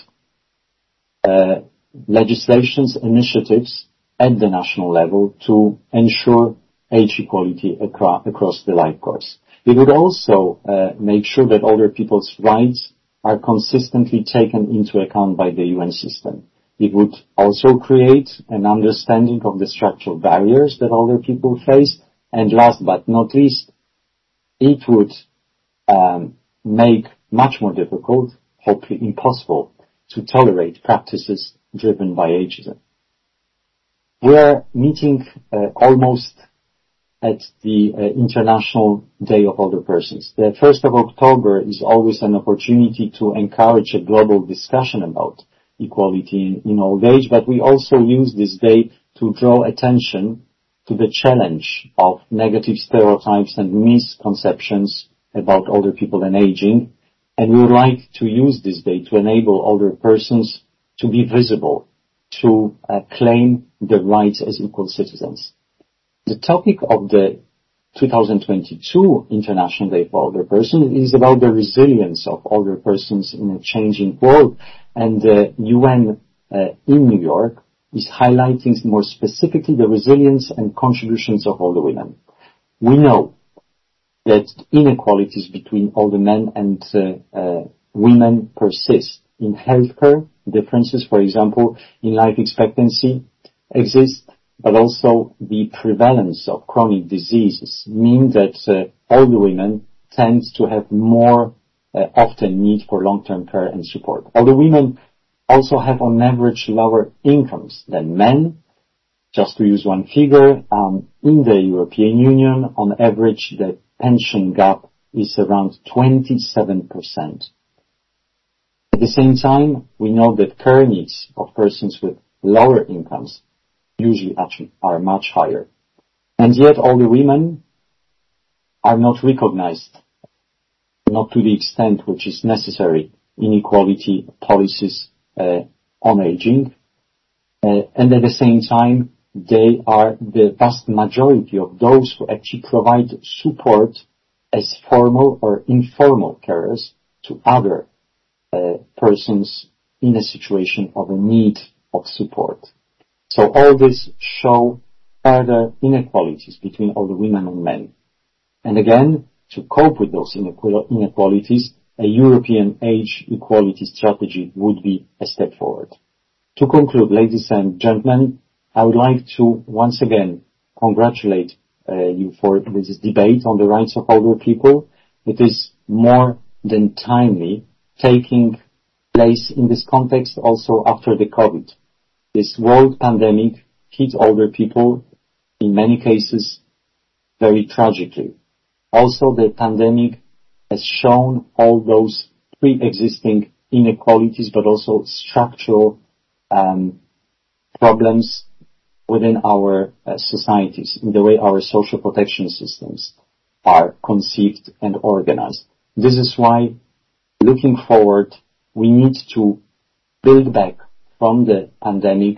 uh, legislations, initiatives at the national level to ensure age equality acro- across the life course. It would also uh, make sure that older people's rights are consistently taken into account by the U N system. It would also create an understanding of the structural barriers that older people face. And last but not least, it would um, make much more difficult, hopefully impossible, to tolerate practices driven by ageism. We are meeting uh, almost at the uh, International Day of Older Persons. The first of October is always an opportunity to encourage a global discussion about equality in, in old age, but we also use this day to draw attention to the challenge of negative stereotypes and misconceptions about older people and aging. And we would like to use this day to enable older persons to be visible, to uh, claim their rights as equal citizens. The topic of the two thousand twenty-two International Day for Older Persons is about the resilience of older persons in a changing world, and the U N uh, in New York is highlighting more specifically the resilience and contributions of older women. We know that inequalities between older men and uh, uh, women persist. In healthcare, differences, for example, in life expectancy exist, but also the prevalence of chronic diseases mean that uh, older women tend to have more uh, often need for long-term care and support. Older women also have on average lower incomes than men, Just to use one figure, um, in the European Union, on average, the pension gap is around twenty-seven percent. At the same time, we know that care needs of persons with lower incomes usually actually are much higher. And yet older women are not recognized, not to the extent which is necessary in equality policies, uh, on aging. Uh, and at the same time, they are the vast majority of those who actually provide support as formal or informal carers to other, uh, persons in a situation of a need of support. So all this show further inequalities between older women and men. And again, to cope with those inequalities, a European age equality strategy would be a step forward. To conclude, ladies and gentlemen, I would like to once again congratulate, uh, you for this debate on the rights of older people. It is more than timely, taking place in this context also after the COVID. This world pandemic hit older people, in many cases, very tragically. Also, the pandemic has shown all those pre-existing inequalities, but also structural, um, problems within our, uh, societies, in the way our social protection systems are conceived and organized. This is why, looking forward, we need to build back from the pandemic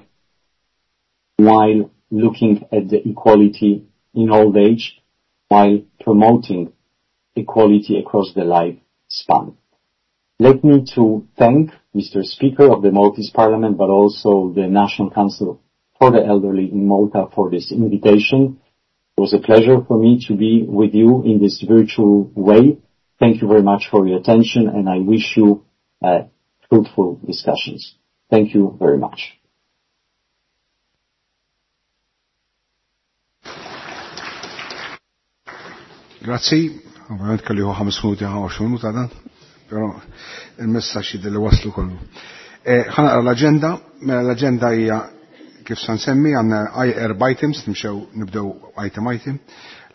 while looking at the equality in old age, while promoting equality across the lifespan. Let me to thank Mister Speaker of the Maltese Parliament, but also the National Council for the Elderly in Malta for this invitation. It was a pleasure for me to be with you in this virtual way. Thank you very much for your attention, and I wish you, uh, fruitful discussions. Thank you very much. Grazzi, ovvjament kelli hu ħames minuti ħa għoxrin minuta dan, però il-messaġġ jidher li waslu kollu. Eh, ħa naqra l-aġenda, mela l-aġenda hija kif sa nsemmi, għandna erba' items, nimxew nibdew item item,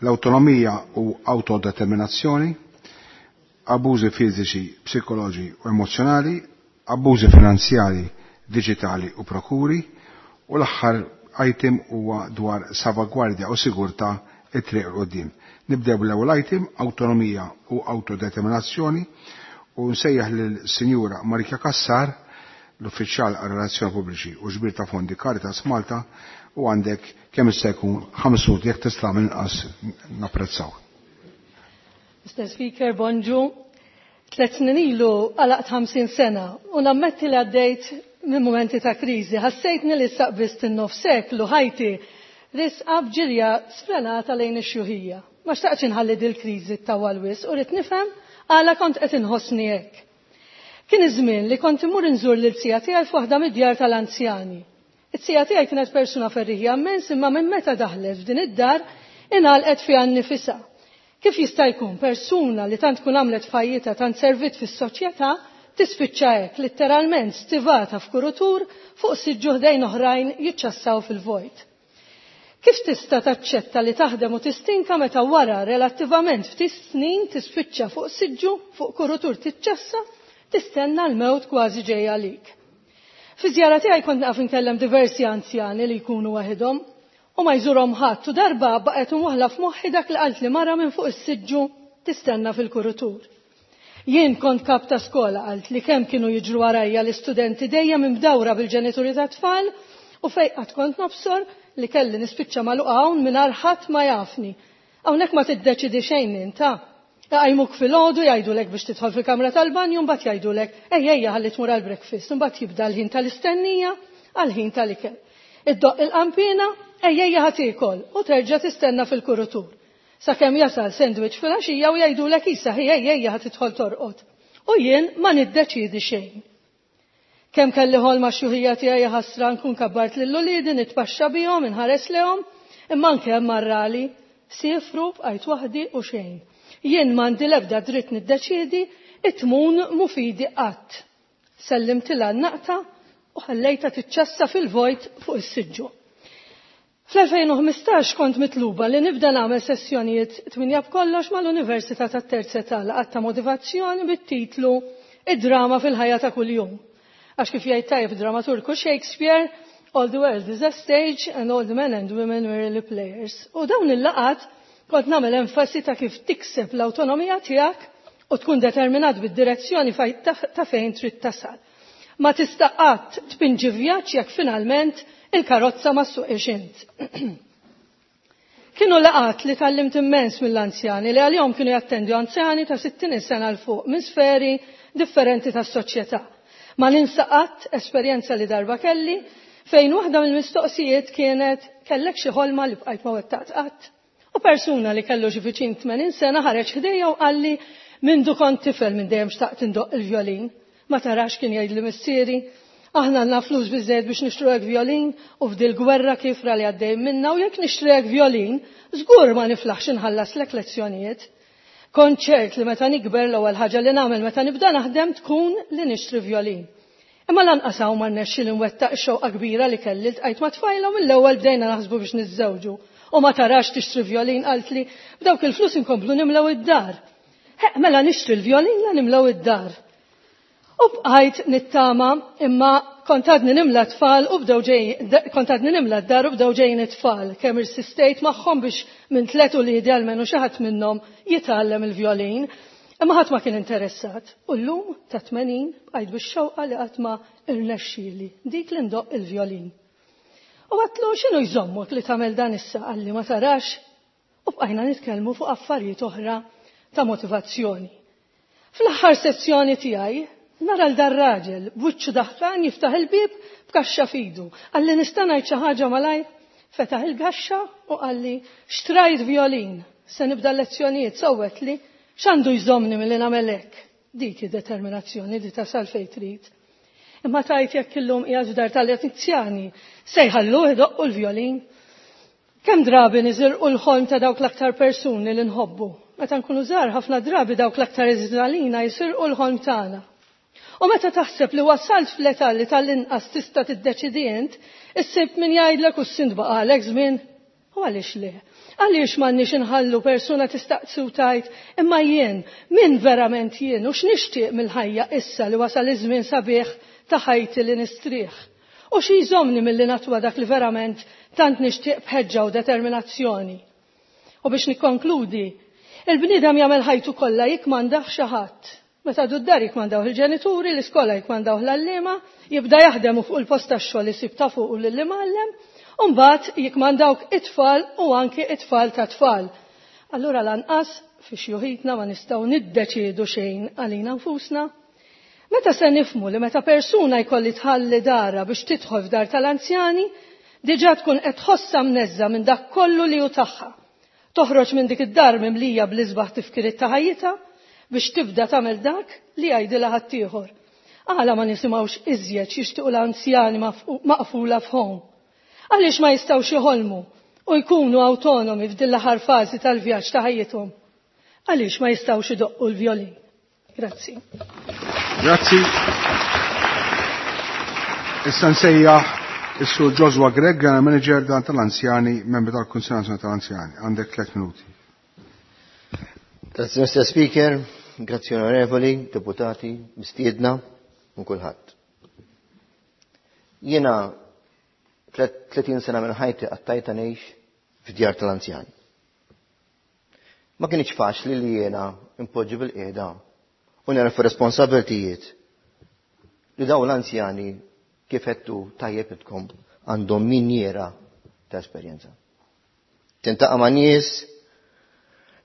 l-awtonomija u autodeterminazzjoni, abbużi fiżiċi, psikoloġi u emozjonali, abbużi finanzjari, digitali u prokuri, u l-aħħar item huwa dwar salvagwardja u sigurtà it-triq 'l quddiem. Nibdew bl-ewwel item, awtonomija u autodeterminazzjoni, u nsejjaħ lil-Sinjura Marika Cassar, l-uffiċjal għal relazzjoni pubbliċi u ġbir ta' fondi Caritas Malta, u għandek kemm jista' jkun ħames minuti jekk tista' minn inqas napprezzaw. Mister Speaker, bonġu. Tliet snin ilu għalaqt ħamsin sena u nammetti li għaddejt minn momenti ta' kriżi. Ħassejtni li saqbist in-nofs seklu ħajti risqa b'ġirja sfrenata lejn ix-xjuħija. Ma xtaqtx inħalli dil-kriżi tawwal wisq u rrid nifhem għala kont qed inħossni hekk. Kien iż-żmien li kont immur inżur lil sija tiegħi f'waħda mid-djar tal-anzjani. It-sija tiegħi kienet persuna ferriħija immens, imma minn meta daħlet f'din id-dar ingħalqet fiha nnifisha. Kif jista' jkun persuna li tant tkun għamlet fajjita, tant servit fis-soċjetà, tispiċċa hekk litteralment stivata f'kurutur fuq siġġu ħdejn oħrajn jiċċassaw fil-vojt. Kif tista' taċċetta li taħdem u tistinka meta wara relattivament ftit snin tispiċċa fuq siġġu fuq kurutur tiċċassa, tistenna l-mewt kważi ġejja għalik. Fi żjara tiegħi kont naqaf inkellem diversi anzjani li jkunu waħedhom u ma jżurhom ħadd, u darba baqgħet imwaħla f'moħħi dak li qalt li mara minn fuq is-siġġu tistenna fil-kurutur. Jien kont kap ta' skola, qalt li kemm kienu jiġru warajja l-istudenti dejjem imdawra bil-ġenituri ta' tfal, u fejn qatt kont nobsor li kelli nispiċċa magħluqa hawn mingħajr ħadd ma jafni. Hawnhekk ma tiddeċidi xejn inta. Jqajmuk filgħodu jgħidulek biex tidħol fil-kamra tal-banju, mbagħad jgħidulek ejja ejja ħalli tmur għall-breakfast, mbagħad jibda l-ħin tal-istennija għall-ħin tal-ikel. Iddoq il-qampina, ejja ejja ħa tiekol u terġa' tistenna fil-kurutur. Sakemm jasal sandwich fil-għaxija u jgħidulek issa ħi ejja ejja ħa tidħol torqod. U jien ma niddeċidi xejn. Kemm kelli ħolma x-xjuħija tiegħi ħasra nkun kabbart lil uliedi, nitpaxxa bihom, inħares lehom, imma anke hemm marrali, siefru bqajt waħdi u xejn. Jien m'għandi l-ebda dritt niddeċiedi, it-tmun mufidi qatt. Sellimtilha n-naqta u ħallejtha tiċċassa fil-vojt fuq is-siġġu. Fl-elfejn u ħmistax kont mitluba li nibda nagħmel sessjonijiet tminja b'kollox mal-Università tat-Terza Età laqgħat ta' motivazzjoni bit-titlu Id-drama fil-ħajja ta' kuljum. Għax kif jgħid tajjeb dramaturgu Shakespeare, all the world is a stage and all the men and women were really players. U dawn il-laqgħat kont nagħmel enfasi ta' kif tikseb l-awtonomija tiegħek u tkun determinat bid-direzzjoni ta' fejn trid tasal. Ma tista' qatt tpinġi vjaġġ jekk finalment il-karozza ma ssuqix int. Kienu laqgħat li tgħallimt immens mill-anzjani li għalihom kienu jattendu anzjani ta' sittin sena 'l fuq minn sferi differenti tas-soċjetà. Ma ninsa qatt esperjenza li darba kelli fejn waħda mill-mistoqsijiet kienet kellek xi ħolma li bqajt ma wettaqt qatt. U persuna li kellu xi viċin tmenin sena ħareġ ħdejja u qalli mindu kont tifel minn dejjem xtaqt indoqq il-vjolin. Ma tarax kien jgħidli missieri, aħna għandna flus biżżejjed biex nixtru violin u f'dil gwerra kifra li għaddej minna u jekk nixtru violin, żgur ma niflaħx inħallaslek lezzjonijiet. Kont ċert li meta nikber l-ewwel ħaġa li nagħmel meta nibda naħdem tkun li nixtri violin. Imma lanqas hawn ma rnexxi li nwettaq xewqa kbira li kelli ltqajt ma' tfajla u mill-ewwel bdejna naħsbu biex niżżewġu. U ma tarax tixtri violin qaltli b'dawk il-flus inkomplu nimlew id-dar. Heq mela nixtri l-violin la nimlew id-dar. U bqajt nittama imma kont għadni nimla tfal u bdew ġej, kont għadni nimla d-dar u bdew ġejjin it-tfal. Kemm irsistejt magħhom biex minn tliet uliedi almenu xi ħadd minnhom jitgħallem il-violin. Imma ħadd ma kien interessat. U llum ta' tmenin bqajt bix-xewqa li qatt ma irnexxieli dik li ndoqq il-violin. U għatlu x'inhu jżommok li tagħmel dan issa qalli ma tarax. U bqajna nitkellmu fuq affarijiet oħra ta' motivazzjoni. Fl-aħħar sessjoni tiegħi nara l dar-raġel b'wiċċu daħkan jiftaħ il-bieb b'kaxxa fidu. Qalli nista' ngħid xi ħaġa malajr, fetaħ il-kaxxa u qalli xtrajt violin, se nibda l-lezzjonijiet sewwet li x'għandu jżommni milli nagħmel hekk. Dik id-determinazzjoni li tasal fejn trid. Imma tajt jekk illum qiegħed f'dar tal-anzjani se jħalluh idoqqu l-violin. Kemm drabi niżirqu l-ħolm ta' dawk l-aktar persuni li nħobbu. Meta nkunu żgħar ħafna drabi dawk l-aktar iżżalina jisirqu l-ħolm tagħna. U meta taħseb li wasalt fl-età li tal-inqas tista' tiddeċidi int, issib min jgħidlek u s-sint baqalek żmien. U għaliex le? Għaliex m'għandniex inħallu persuna tistaqsi u tgħid, imma jien, min verament jien u x'nixtieq mill-ħajja issa li wasal iż-żmien sabiħ ta' ħajti li nistrieħ. U xi jżommni milli natwa dak li verament tant nixtieq b'ħeġġa u determinazzjoni. U biex nikkonkludi, il-bniedem jagħmel ħajtu kollha jikmandah xi ħadd. Meta għadu d-dar jikmandaw il-ġenituri, l-iskola jikmandaw l-għalliema, jibda jaħdem u fuq il-post tax-xogħol isib ta' fuq u lill-imgħallem, u mbagħad jikmandawk it-tfal u anki it-tfal ta' tfal. Allura lanqas fi xjuħitna ma nistgħu niddeċiedu xejn għalina nfusna. Meta se nifmu li meta persuna jkolli tħalli dara biex tidħol f'dar tal-anzjani, diġà tkun qed tħossha mneżża minn dak kollu li hu tagħha. Toħroġ minn dik id-dar mimlija bl-isbaħ tifkiriet ta' ħajjitha biex tibda tagħmel dak li jgħidilha ħaddieħor. Għala ma nisimgħux iżjed x'jixtiequ l-anzjani maqfula f'home. Għaliex ma jistgħux joħolmu u jkunu awtonomi f'din l-aħħar fażi tal-vjaġġ ta' ħajjithom. Għaliex ma jistgħux idoqqu l-violin. Grazzi. Grazzi. Issa nsejjaħ is-Sur Joshua Grech, General Manager dan tal-Anzjani, membru tal-Kunsill Nazzjonali tal-Anzjani. Għandek tliet minuti. Grazzi, Mister Speaker, grazzi onorevoli, deputati, mistiedna, u kulħadd. Jiena tletin sena minn ħajti qattajta ngħix f'djar tal-anzjani. Ma kienx faċli li jiena impoġġi bil-qiegħda u nerfa' responsabiltijiet li dawn l-anzjani kif għedtu tajjeb intkom għandhom minjera ta' esperjenza. Tintaqa' ma' nies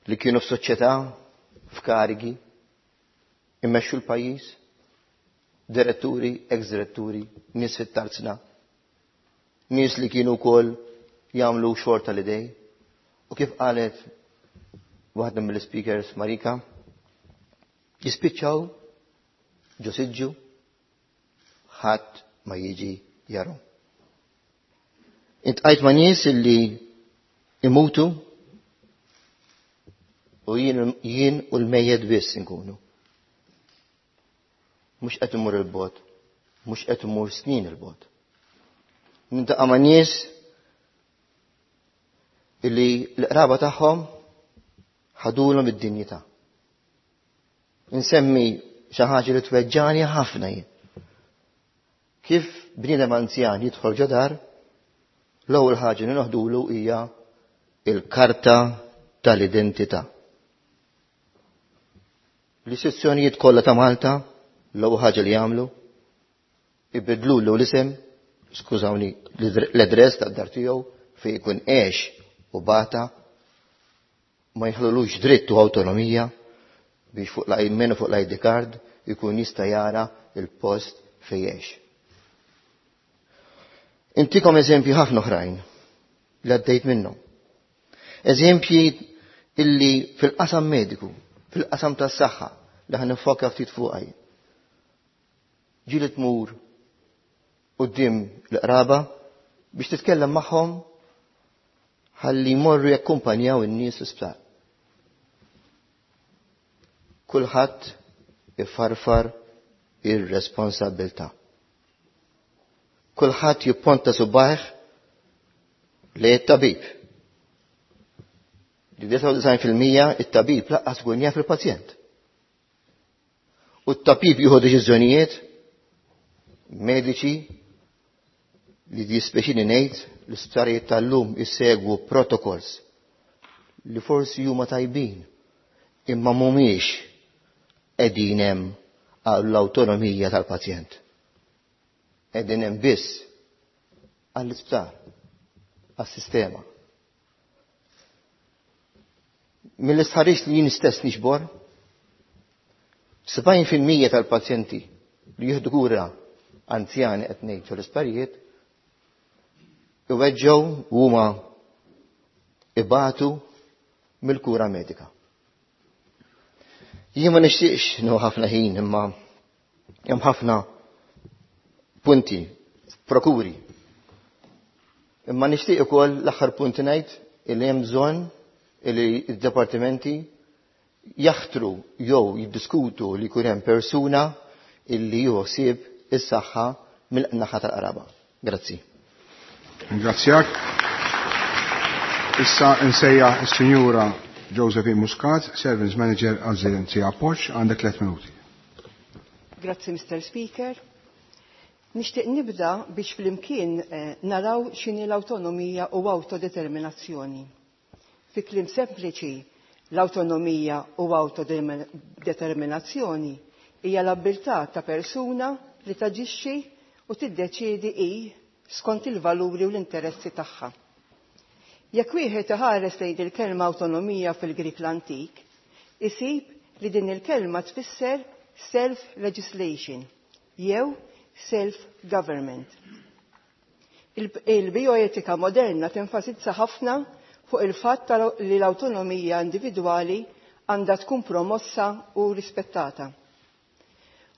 li kienu f'soċjetà, f'karigi, immexxu l-pajjiż, diretturi, ex-diretturi, nies fit-tarzna, nies li kienu wkoll jagħmlu xogħol tal-idej. U kif qalet waħda mill-speakers Marika, jispiċċaw ġo siġġu, ħadd ma jiġi jaru. Iltqajt ma' nies illi imutu u jien, jien u l-mejjet biss nkunu. Mhux qed imur il-bogħod, mhux qed imur snin il-bogħod. Niltaqa' ma' nies Il-qraba tagħhom ħadulhom id-dinjità. Insemmi xi ħaġa li tweġġani ħafna jien. Kif bniedem anzjan jidħol ġo dar, l-ewwel ħaġa li noħdulu hija il-karta tal-identità. L-istituzzjonijiet kollha ta' Malta l-ewwel ħaġa li jagħmlu ibidlulu l-isem, skużawni, l-adress tad-dar tiegħu fejn jkun għex u bata, ma jħallulux dritt u awtonomija biex fuq l fuq l-I D card ikun jista' jara il-post fejn għex. Intikom eżempji ħafna oħrajn li għaddejt minnhom. Eżempji illi fil-qasam mediku, fil-qasam tas-saħħa li ħa nifoka ftit fuqha. Ġieli tmur quddiem l-qraba biex titkellem magħhom ħalli jmorru jakkumpanjaw in-nies l-isptar. Kulħadd ifarfar ir-responsabilità. Kulħadd jipponta subajh lejn it-tabib. Li disgħa u disgħin fil-mija it-tabib laqqas ikun jaf il-pazjent. U t-tabib jieħu deċiżjonijiet mediċi li dispeċini ngħid l-isptarijiet tal-lum jissegwu protocols li forsi huma tajbin imma mhumiex qegħdin hemm għall-awtonomija tal-pazjent. Qegħdin hemm biss għall-isptar, għas-sistema. Mill-istħarriġ li jien stess nixbor, sebgħin fil-mija tal-pazjenti li jieħdu kura anzjani qed ngħid fl-isptarijiet iweġġew u huma ibatu mill-kura medika. Jien ma nixtieqx nieħu ħafna ħin imma hemm ħafna punti, prokuri. Imma nixtieq ukoll l-aħħar punt ngħid illi hemm bżonn illi d-dipartimenti jaħtru jew jiddiskutu li jkun hemm persuna illi jieħu ħsieb is-saħħa mill-naħa tal-qraba. Grazzi. Ringrazzjak. Issa nsejjaħ is-Sinjura Josephine Muscat, Service Manager għall-Aġenzija Appoġġ, għandek tliet minuti. Grazzi, Mister Speaker. Nixtieq nibda biex flimkien, eh, naraw x'inhi l-awtonomija u awtodeterminazzjoni. Fi kliem sempliċi, l-awtonomija u awtodeterminazzjoni hija l-abbiltà ta' persuna li taġixxi u tiddeċiedi hi skont il-valuri u l-interessi tagħha. Jekk wieħed iħares lejn il-kelma awtonomija fil-Grik l-antik, isib li din il-kelma tfisser self-legislation jew self-government. Il-bioetika moderna tenfasizza ħafna fuq il-fatt li l-awtonomija individwali għandha tkun promossa u rispettata.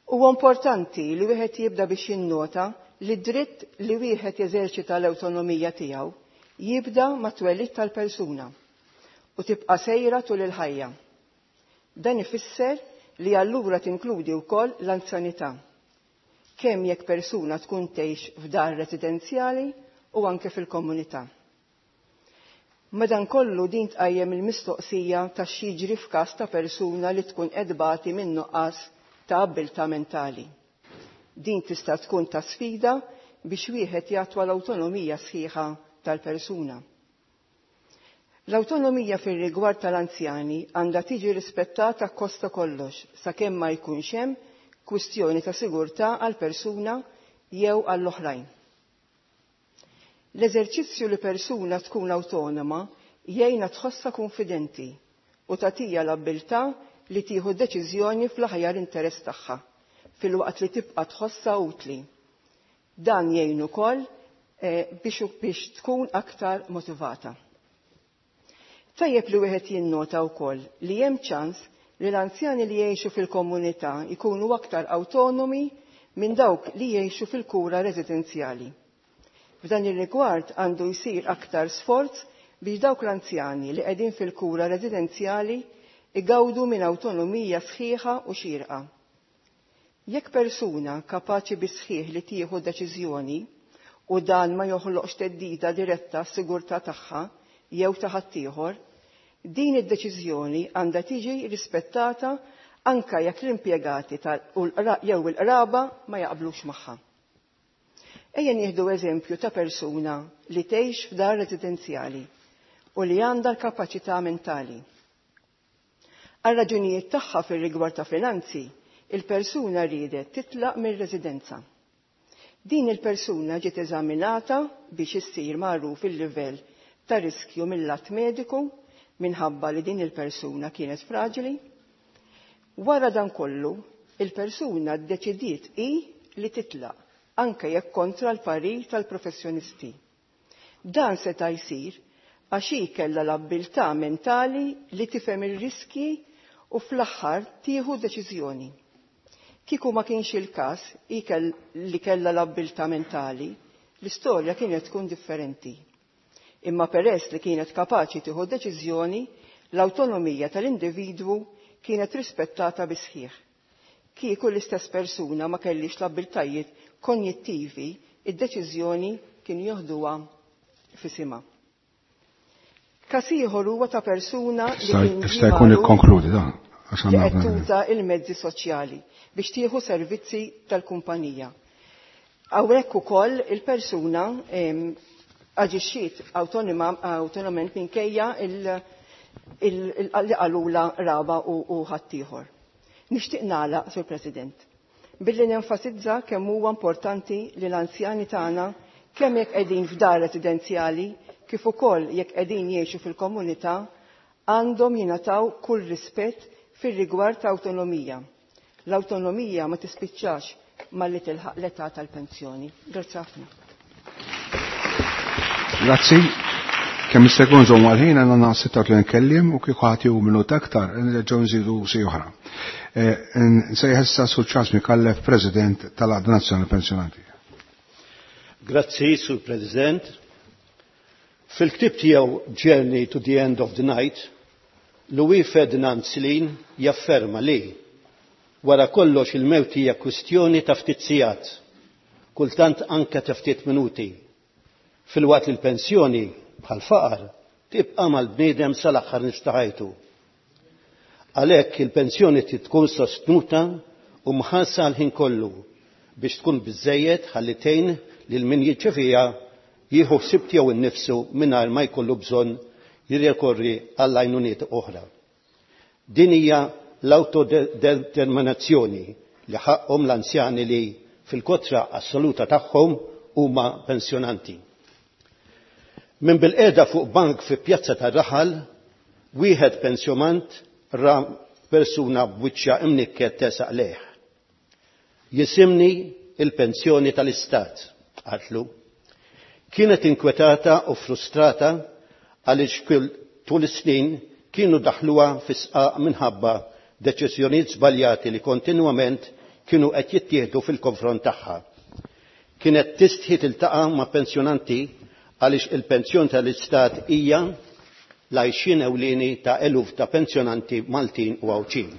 Huwa importanti li wieħed jibda biex jinnota li dritt li wieħed jeżerċita l-awtonomija tiegħu jibda mat-twelid tal-persuna u tibqa' sejra tul il-ħajja. Dan ifisser li allura tinkludi wkoll l-anzjanità, kemm jekk persuna tkun tgħix f'dar residenzjali u anke fil-komunità. Madankollu din tqajjem il-mistoqsija ta' x'jiġri f'każ ta' persuna li tkun qed tbati minn nuqqas ta' abbiltà mentali. Din tista' tkun ta' sfida biex wieħed jatwa l-awtonomija sħiħa tal-persuna. L-awtonomija fir-rigward tal-anzjani għandha tiġi rispettata kosta kollox sakemm ma jkunx hemm kwistjoni ta' sigurtà għall-persuna jew għall-oħrajn. L-eżerċizzju li persuna tkun awtonoma jgħinha tħossha konfidenti u tagħtiha l-abbiltà li tieħu deċiżjoni fl-aħjar interess tagħha filwaqt li tibqa' tħossha utli. Dan jgħin ukoll, eh, biex, biex tkun aktar motivata. Tajjeb li wieħed jinnota wkoll li hemm ċans li l-anzjani li jgħixu fil-komunità jkunu aktar awtonomi minn dawk li jgħixu fil-kura residenzjali. F'dan ir-rigward għandu jsir aktar sforz biex dawk l-anzjani li qegħdin fil-kura residenzjali igawdu minn awtonomija sħiħa u xierqa. Jekk persuna kapaċi bisħiħ li tieħu deċiżjoni u dan ma joħloqx theddida diretta s-sigurtà tagħha jew ta' ħaddieħor, din id-deċiżjoni għandha tiġi rispettata anka jekk l-impjegati jew il-qraba ma jaqblux magħha. Ejja nieħdu eżempju ta' persuna li tgħix f'dar residenzjali u li għandha l-kapaċità mentali. Għal raġunijiet tagħha fir-rigward ta' finanzi, il-persuna riedet titlaq mir-residenza. Din il-persuna ġiet eżaminata biex issir magħruf il-livell ta' riskju mill-lat mediku minħabba li din il-persuna kienet fraġili. Wara dan kollu, il-persuna ddeċidiet hi li titlaq anke jekk kontra l-parir tal-professjonisti. Dan seta' jsir għax hi kellha l-abbiltà mentali li tifhem ir-riskji u fl-aħħar tieħu deċiżjoni. Kieku ma kienx il-każ hi li kellha l-abbiltà mentali, l-istorja kienet tkun differenti. Imma peress li kienet kapaċi tieħu deċiżjoni, l-awtonomija tal-individwu kienet rispettata bisħieħ. Kieku l-istess persuna ma kellix l-abbiltajiet konjittivi, id-deċiżjoni kien joħduha f'isimha. Każ ieħor huwa ta' persuna li kien Jista' jkun ikkonkludi dan. Għax li għandna qed tuża il-mezzi soċjali biex tieħu servizzi tal-kumpanija. Hawnhekk ukoll il-persuna aġixxiet awtonomament minkejja li qalula raba u ħaddieħor. Nixtieq nagħlaq, Sur President, billi nenfasizza kemm huwa importanti li l-anzjani tagħna kemm jekk qegħdin f'dar residenzjali kif ukoll jekk qegħdin jgħixu fil-komunità għandhom jingħataw kull rispett fir-rigward ta' awtonomija. L-awtonomija ma tispiċċax malli tilħaq l-età tal-pensjoni. Grazzi ħafna. Grazzi. Kemm jista' jkun żomm għal-ħin għandna sitta u tletin kellim u kieku ħadd jieħu minuta aktar nerġgħu nżidu si oħra. Nsejjaħ issa Sur Charles Micallef, President tal-Għaqda Nazzjonali Pensjonanti. Grazzi, Sur President. Fil-ktib tiegħu Journey to the End of the Night, Louis Ferdinand Céline jafferma li wara kollox il-mewt hija kwistjoni ta' ftit sigħat, kultant anke ta' ftit minuti. Filwaqt li l-pensjoni bħal faqar tibqa' mal-bniedem sal-aħħar nifs ta' ħajtu. Għalhekk il-pensjoni trid tkun sostnuta u mħarsa għal ħin kollu biex tkun biżejjed ħalli tgħin lil min jirċeviha jieħu ħsieb tiegħu innifsu mingħajr ma jkollu bżonn jirrikorri għall għajnuniet oħra. Din hija l-autodeterminazzjoni li ħaqhom l-anzjani li fil-kotra assoluta tagħhom huma pensjonanti. Minn bilqiegħda fuq bank fi pjazza tar-raħal, wieħed pensjonant ra persuna b'wiċċa imnikket tesaq lejh. Jisimni il-pensjoni tal-istat, qatlu. Kienet inkwetata u frustrata għaliex tul is-snin kienu daħluha fi sqaq minħabba deċiżjonijiet żbaljati li kontinwament kienu qed jittieħdu fil-konfront tagħha. Kienet tistħi tiltaqa' ma' pensjonanti għaliex il-pensjon tal-istat hija l-għajxien ewlieni ta' eluf ta' pensjonanti Maltin u Għawdxin.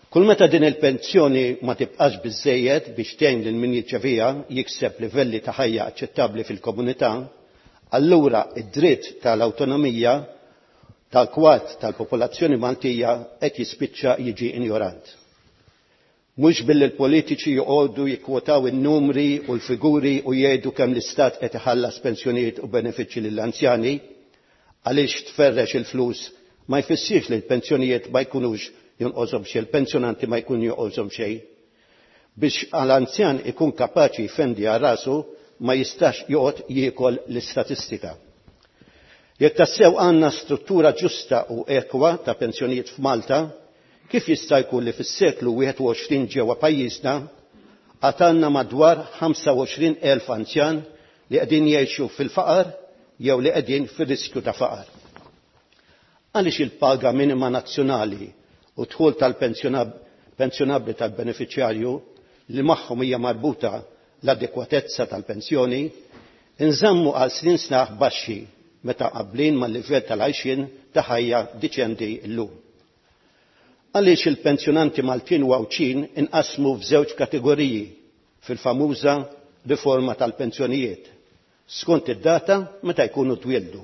Kull meta din il-pensjoni ma tibqax biżejjed biex tgħin lil min jirċeviha jikseb livelli ta' ħajja aċċettabbli fil-komunità, allura id-dritt tal-awtonomija tal-kwart tal-popolazzjoni Maltija qed jispiċċa jiġi injorant. Mhux billi l-politiċi joqogħdu jikkwotaw in-numri u l-figuri u jgħidu kemm l-istat qed iħallas pensjonijiet u benefiċċji lill-anzjani, għaliex tferrex il-flus ma jfissirx li l-pensjonijiet ma jkunux jonqoshom xejn, il-pensjonanti ma jkun jonqoshom xejn. Biex għal-anzjan ikun kapaċi jfendi għal rasu ma jistax joqgħod jiekol l-istatistika. Jekk tassew għandna struttura ġusta u ekwa ta' pensjonijiet f'Malta, kif jista' jkun li fis-seklu wieħed u għoxrin ġewwa pajjiżna għad għandna madwar ħamsa u għoxrin elf anzjan li qegħdin jgħixu fil-faqar jew li qegħdin fir-riskju ta' faqar. Għaliex il-paga minima nazzjonali u dħul tal-pensjonabbli tal-beneficjarju li magħhom hija marbuta l-adekwatezza tal-pensjoni inżammu għal snin snaħ baxxi meta qablin mal-livell tal-għajxien ta' ħajja diċendi llum. Għaliex il-pensjonanti Maltin u Għawdxin inqasmu f'żewġ kategoriji fil-famuża riforma tal-pensjonijiet skont id-data meta jkunu twieldu.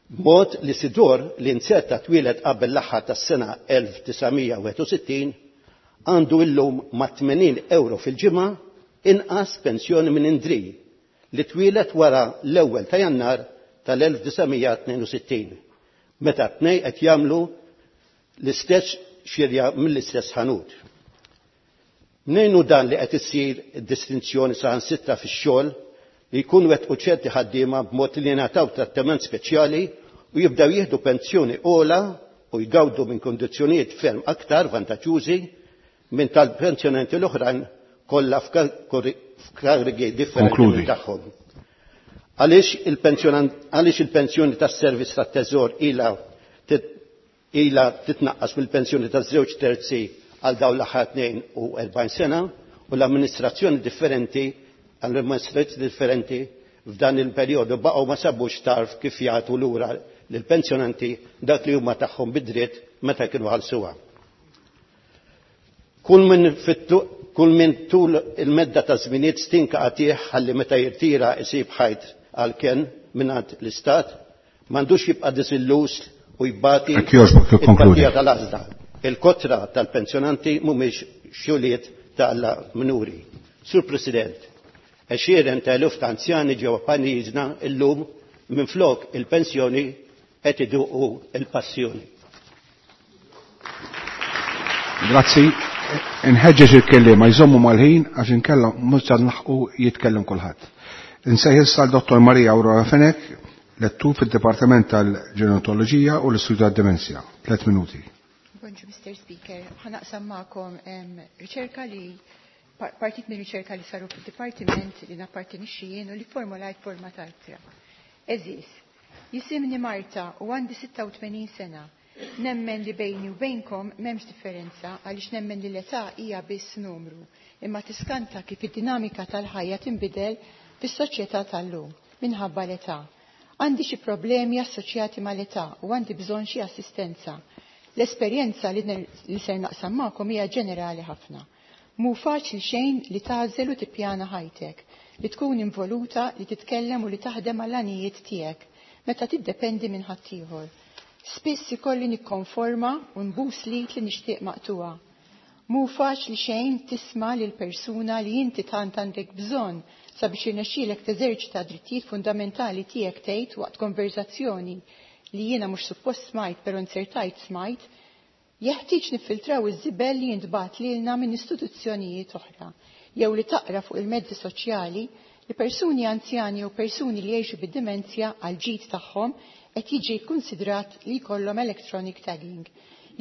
Mod li Sidor li nzerta twieled qabel l-aħħar tas-sena elf disa' mija wieħed u sittin għandu illum ma' tmenin euro fil-ġimgħa inqas pensjoni minn Indri li twieled wara l-ewwel ta' Jannar tal-elf disa' mija tnejn u sittin, meta t-tnejn qed jagħmlu l-istess xirja mill-istess ħanut. Mnejn hu dan li qed issir distinzjoni saħansitra fix-xogħol li jkunu wettqu ċerti ħaddiema b'mod li jingħataw trattament speċjali u jibdew jieħdu pensjoni ogħla u jgawdu minn kondizzjonijiet ferm aktar vantaġġużi minn tal-pensjonanti l-oħrajn kollha f'karigi differenti Konkludi. tagħhom. Għaliex il-pensjonan-, għaliex il-pensjoni tas-servizz tat-teżor ilha tit-, ilha titnaqqas mill-pensjoni taż-żewġ terzi għal dawn l-aħħar tnejn u erbgħin sena u l-amministrazzjoni differenti, għall-amministrazzjoni differenti f'dan il-perjodu baqgħu ma sabux tarf kif jagħtu lura lill-pensjonanti dak li huma tagħhom bid-dritt meta kienu ħallsuha. Kull min fit-tu-, kull min tul il-medda ta' żminijiet stinka qatih ħalli meta jirtira isib ħajt għal ken mingħand l-Istat, m'għandux jibqa' disilluż u jbati Jekk jogħġbok, tikkonkludi. il-partija tal-għażla. Il-kotra tal-pensjonanti mhumiex xuliet ta' Alla minuri. Sur President, għexieren ta' eluf ta' anzjani ġewwa pajjiżna illum minflok il-pensjoni qed iduqu il-passjoni. Grazzi. Inħeġġeġ il-kelliema jżommu mal-ħin għax inkella mhux se nlaħqu jitkellem kulħadd. Insejħ issa l-Dottor Maria Aurora Fenech, lettur fid-Dipartiment tal-Ġerontoloġija u l-Istudju tad-Demenzja. Tliet minuti. Bonġu, Mister Speaker. Ħanaqsam magħkom, em, riċerka li par-, partit minn riċerka li saru fid-dipartiment li nappartenixxi jien u li formulajt forma ta' ittra. Eżis, jisimni Marta u għandi sitta u tmenin sena. Nemmen li bejni u bejnkom m'hemmx differenza għaliex nemmen li l-età hija biss numru, imma tiskanta kif id-dinamika tal-ħajja tinbidel fis-soċjetà tal-lum minħabba l-età. Għandi xi problemi assoċjati mal-età u għandi bżonn xi assistenza. L-esperjenza li ner-, li ser naqsam magħkom hija ġenerali ħafna. Mhu faċli xejn li tagħżel u tippjana ħajtek, li tkun involuta, li titkellem u li taħdem għall-għanijiet tiegħek meta tiddependi minn ħaddieħor. Spiss ikolli nikkonforma u nbus lit li nixtieq maqtuha. Mhu faċli xejn tisma' lil persuna li inti tant għandek bżonn sabiex irnexxielek teżerċita drittijiet fundamentali tiegħek tgħid waqt konverzazzjoni li jiena mhux suppost smajt però nzertajt smajt, jeħtieġ niffiltraw iż-żibel li jintbagħat lilna minn istituzzjonijiet oħra, jew li taqra fuq il-mezzi soċjali li persuni anzjani jew persuni li jgħixu bid-dimenzja għal ġid tagħhom qed jiġi kkunsidrat li jkollhom electronic tagging,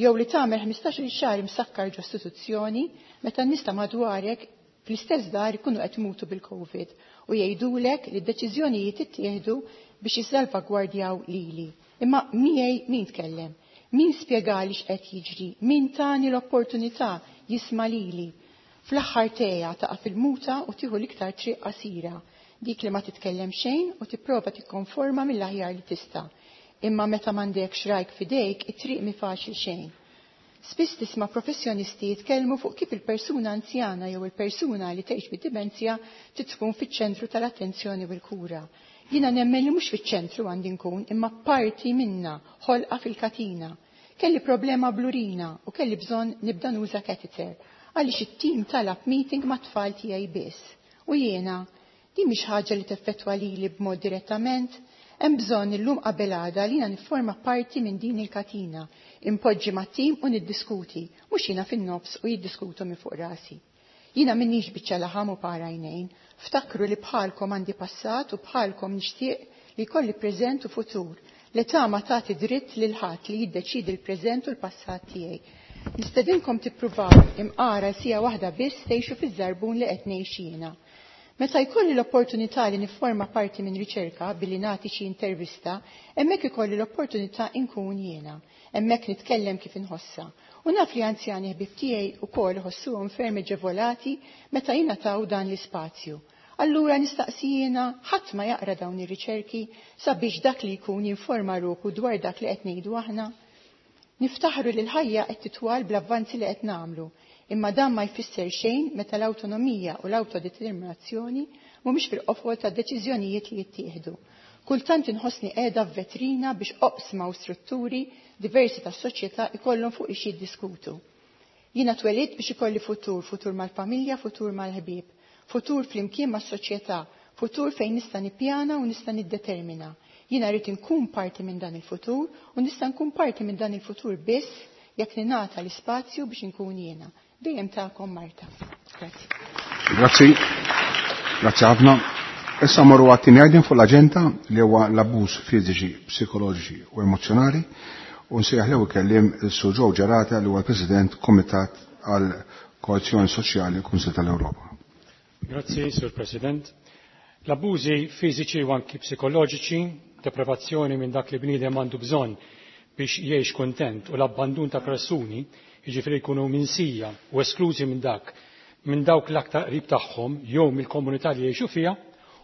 jew li tagħmel ħmistax-il xahar imsakkar ġo istituzzjoni meta n-nies ta' madwarek fl-istess dar ikunu qed imutu bil-COVID u jgħidulek li d-deċiżjonijiet ittieħdu biex jissalvagwardjaw lili. Imma miegħi min tkellem? Min spjegali x'qed jiġri? Min tani l-opportunità jisma' lili? Fl-aħħar teja taqa' fil-muta u tieħu l-iktar triq qasira, dik li ma titkellem xejn u tipprova tikkonforma mill-aħjar li tista'. Imma meta m'għandekx rajk f'idejk, it-triq mi faċli xejn. Spiss tisma' professjonisti jitkellmu fuq kif il-persuna anzjana jew il-persuna li tgħix bid-dimenzja trid tkun fiċ-ċentru tal-attenzjoni u l-kura. Jiena nemmen li mhux fiċ-ċentru għandi nkun, imma parti minna, ħolqa fil-katina. Kelli problema blurina u kelli bżonn nibda nuża catheter għaliex it-tim talab meeting mat-tfal tiegħi biss. U jiena, din mhix ħaġa li teffettwa lili b'mod direttament, hemm bżonn illum qabel għada li jiena nifforma parti minn din il-katina, impoġġi mat-tim u niddiskuti, mhux jiena fin-nofs u jiddiskutu minn fuq rasi. Jiena m'innix biċċa laħam u para għajnejn, ftakru li bħalkom għandi passat u bħalkom nixtieq li jkolli preżent u futur. L-età ma tagħti dritt lil ħadd li jiddeċiedi l-preżent u l-passat tiegħi. Nistedinkom tippruvaw imqara sija waħda biss tgħixu fiż-żarbun li qed ngħix jiena. Meta jkolli l-opportunità li nifforma parti minn riċerka billi nagħti xi intervista, hemmhekk ikolli l-opportunità inkun jiena, hemmhekk nitkellem kif inħossha. U naf li anzjani ħbieb tiegħi wkoll iħossuhom ferm eġevolati meta jingħataw dan l-ispazju. Allura nistaqsi jiena ħadd ma jaqra dawn ir-riċerki sabiex dak li jkun jinforma ruħu dwar dak li qed ngħidu aħna. Niftaħru li l-ħajja qed titwal bl-avvanzi li qed nagħmlu, imma dan ma jfisser xejn meta l-awtonomija u l-awtodeterminazzjoni mhumiex fil-qofol tad-deċiżjonijiet li jittieħdu. Kultant inħossni qiegħda f'vetrina biex oqsma u strutturi diversi tas-soċjetà ikollhom fuq ix jiddiskutu. Jiena twelidt biex ikolli futur, futur mal-familja, futur mal-ħbieb, futur flimkien mas-soċjetà, futur fejn nista' nippjana u nista' niddetermina. Jiena rrid inkun parti minn dan il-futur u nista' nkun parti minn dan il-futur biss jekk ningħata l-ispazju biex inkun jiena. Dejjem tagħkom Marta. Grazzi. Grazzi. Grazzi ħafna. Issa morru għat-tieni item fuq l-aġenda li huwa l-abbuż fiżiċi, psikoloġiċi u emozjonali u nsejjaħ l kelliem il-Sur Joe Gerada li huwa l-President Komitat għal Koeżjoni Soċjali Kunsil tal-Ewropa. Grazzi, Sur President. L-abbużi fiżiċi u anki psikoloġiċi, deprivazzjoni minn dak li bniedem għandu bżonn biex jgħix kontent u l-abbandun ta' persuni, jiġifieri jkunu minsija u esklużi minn dak minn dawk l-aktar qrib tagħhom jew mill-komunità li jgħixu fiha,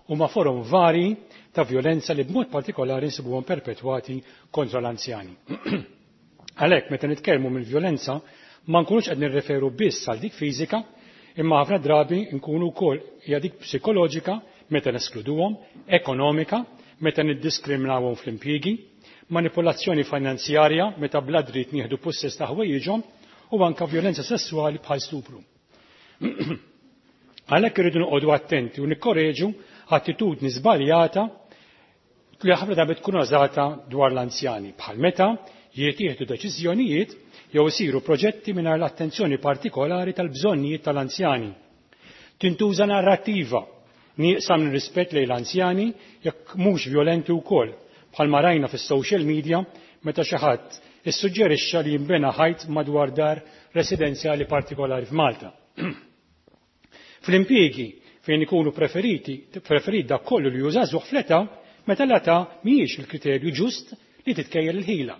huma forom vari ta' violenza li b'mod partikolari nsibuhom perpetwati kontra l-anzjani. Għalhekk meta nitkellmu mill-violenza ma nkunux qed nirreferu biss għal dik fiżika, imma ħafna drabi nkunu wkoll hija dik psikoloġika meta neskluduhom, ekonomika meta niddiskriminawhom fl-impjiegi, manipolazzjoni finanzjarja meta bla dritt nieħdu pussess ta' ħwejjiġhom u anka violenza sessuali bħal stupru. Għalhekk irridu noqogħdu attenti u nikkoreġu attitudni żbaljata li ħafna drabi tkun użata dwar l-anzjani bħal meta jittieħdu deċiżjonijiet jew isiru proġetti mingħajr l-attenzjoni partikolari tal-bżonnijiet tal-anzjani. Tintuża narrattiva nieqsa minn rispett lejn l-anzjani jekk mhux violenti wkoll bħalma rajna fis-social media meta xi ħadd issuġġerixxa li jinbena ħajt madwar dar residenzjali partikolari f'Malta. Fl-impjiegi fejn ikunu preferiti, preferit dak kollu li hu żagħżugħ fl-età, meta l-età mhijiex il-kriterju ġust li titkejjel il-ħila.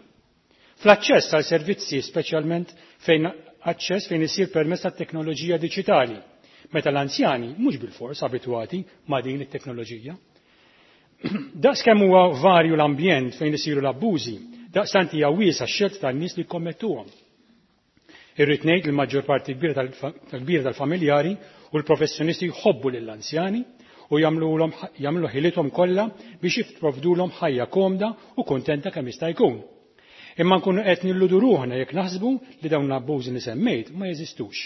Fl-aċċess għal servizzi speċjalment fejn aċċess fejn isir permezz tat-teknoloġija diġitali, meta l-anzjani mhux bil-fors abitwati ma' din it-teknoloġija. Daqs kemm huwa varju l-ambjent fejn isiru l-abbużi, daqstant hija wiesa x-xelt tan-nies li jkommettuhom. Irrid ngħid li l-maġġor parti kbira tal-kbira tal-familjari u l-professjonisti jħobbu lill-anzjani u jagħmlu ħilithom kollha biex jipprovdulhom ħajja komda u kontenta kemm jista' jkun. Imma nkunu qed nilludu ruħna jekk naħsbu li dawn l-abbużi li semmejt ma jeżistux.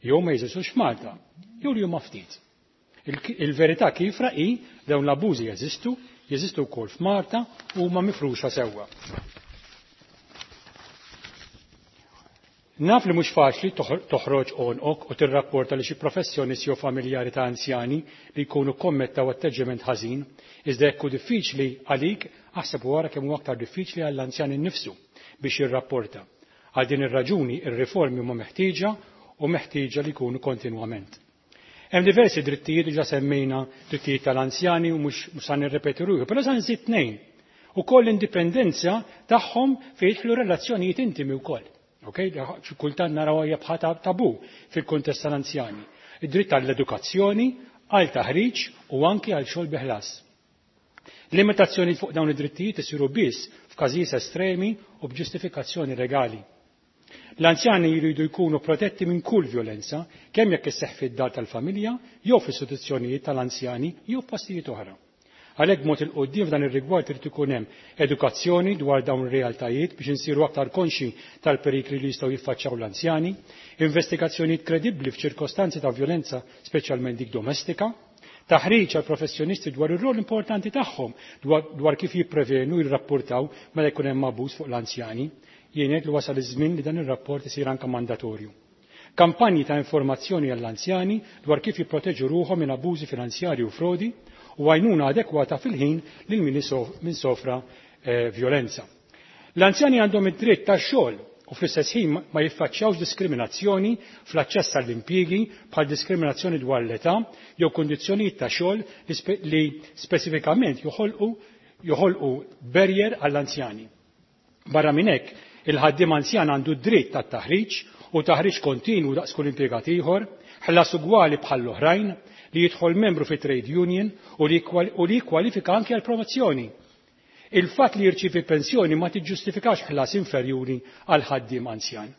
Jew ma jeżistux f'Malta, jew li huma ftit. Il-verità kiefra hi dawn l-abbużi jeżistu, jeżistu wkoll f'Malta u huma mifruxa sewwa. Naf li mhux faċli toħroġ għonqok u tirrapporta li xi professjonisti jew familjari ta' anzjani li jkunu kommettaw atteġġament ħażin, iżda jekk hu diffiċli għalik, aħseb wara kemm huwa aktar diffiċli għall-anzjan innifsu biex jirrapporta. Għal din ir-raġuni ir-riformi huma meħtieġa u meħtieġa li jkunu kontinwament. Hemm diversi drittijiet diġà semmejna drittijiet tal-anzjani u mhux se nirrepeti ruħi, però se nżid tnejn. Ukoll l-indipendenza tagħhom fejn jidħlu relazzjonijiet intimi wkoll. Okay? Kultant naraw hija bħal tabu fil-kuntest tal-anzjani. Id-dritt għall-edukazzjoni, għal taħriġ u anki għal xogħol biħlas. Limitazzjoni fuq dawn id-drittijiet isiru biss f'każijiet estremi u b'ġustifikazzjoni legali. L-anzjani jridu jkunu protetti minn kull violenza, kemm jekk isseħħ fid-dar tal-familja, jew fl-istituzzjonijiet tal-anzjani, jew f'postijiet oħra. Għalhekk b'mod il quddiem f'dan ir-rigward irid ikun hemm edukazzjoni dwar dawn ir-realtajiet biex insiru aktar konxi tal-perikli li jistgħu jiffaċċjaw l-anzjani, investigazzjonijiet kredibbli f'ċirkostanzi ta' violenza, speċjalment dik domestika, taħriġ għal professjonisti dwar ir-rol importanti tagħhom dwar kif jipprevenu jirrapportaw meta jkun hemm abbuż fuq l-anzjani. Jien ngħid li wasal iż-żmien li dan ir-rapport isir anke mandatorju. Kampanji ta' informazzjoni għall-anzjani dwar kif jipproteġu ruħhom minn abbużi finanzjarji u frodi u għajnuna adekwata fil-ħin lil min sofra eh, violenza. L-anzjani għandhom id-dritt tax-xogħol u fl-istess ħin ma jiffaċċjawx diskriminazzjoni fl-aċċess għall-impjiegi bħal diskriminazzjoni dwar l-età jew kundizzjonijiet ta' xogħol li speċifikament joħolqu joħolqu barrier għall-anzjani. Barra minn hekk, il-ħaddiem anzjan għandu dritt tat-taħriġ u taħriġ kontinwu daqs kull impjegat ieħor, ħlas ugwali bħall-oħrajn, li jidħol membru fi trade union u li jikkwalifika anke għal promozzjoni. Il-fatt li jirċievi pensjoni ma tiġġustifikax ħlas inferjuri għal ħaddiem anzjan.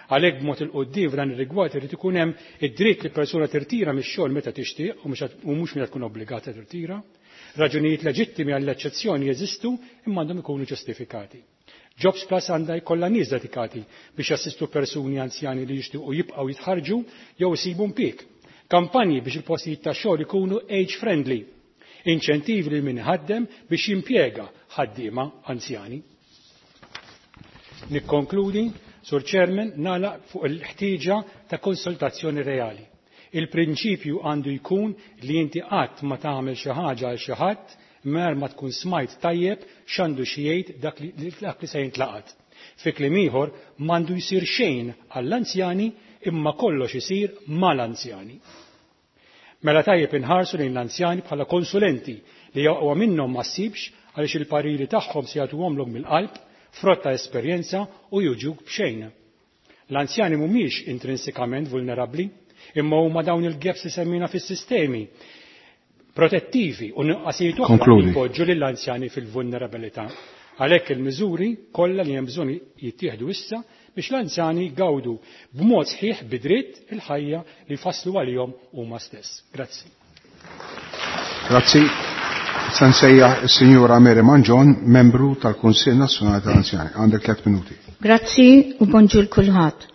Għalhekk b'mod 'il quddiem f'dan ir-rigward irid ikun hemm id-dritt li persuna tirtira mix-xogħol meta tixtieq u mhux meta tkun obbligata tirtira. Raġunijiet leġittimi għall-eċċezzjoni jeżistu imma għandhom ikunu ġustifikati. Jobs Plus għandha jkollha nies dedikati biex jassistu persuni anzjani li jixtiequ jibqgħu jitħarġu jew isibu impjieg. Kampanji biex il-postijiet ta' xogħol ikunu age friendly. Inċentivi lil min iħaddem biex jimpjega ħaddiema anzjani. Nikkonkludi, Sur Chairman, nagħlaq fuq il-ħtieġa ta' konsultazzjoni reali. Il-prinċipju għandu jkun li inti qatt ma tagħmel xi ħaġa għal xi ħadd mer ma tkun smajt tajjeb x'għandu xi jgħid dak li, dak li se jintlaqat. Fi kliem ieħor m'għandu jsir xejn għall-anzjani imma kollox isir mal-anzjani. Mela tajjeb inħarsu lejn l-anzjani bħala konsulenti li aqwa minnhom ma ssibx għaliex il-pariri tagħhom se jagħtuhomlok mill-qalb, frott ta' esperjenza u jiġuk b'xejn. L-anzjani mhumiex intrinsikament vulnerabbli, imma huma dawn il-gaps li semmina fis-sistemi protettivi u nuqqasijiet oħra li jpoġġu lill-anzjani fil-vulnerabilità. Għalhekk il-miżuri kollha li hemm bżonn jittieħdu issa biex l-anzjani jgawdu b'mod sħiħ bidritt il-ħajja li jfasslu għalihom huma stess. Grazzi. Grazzi. Se nsejjaħ is-Sinjura Mary Mangion, membru tal-Kunsill Nazzjonali tal-Anzjani. Għandek tliet minuti. Grazzi u bonġur kulħadd.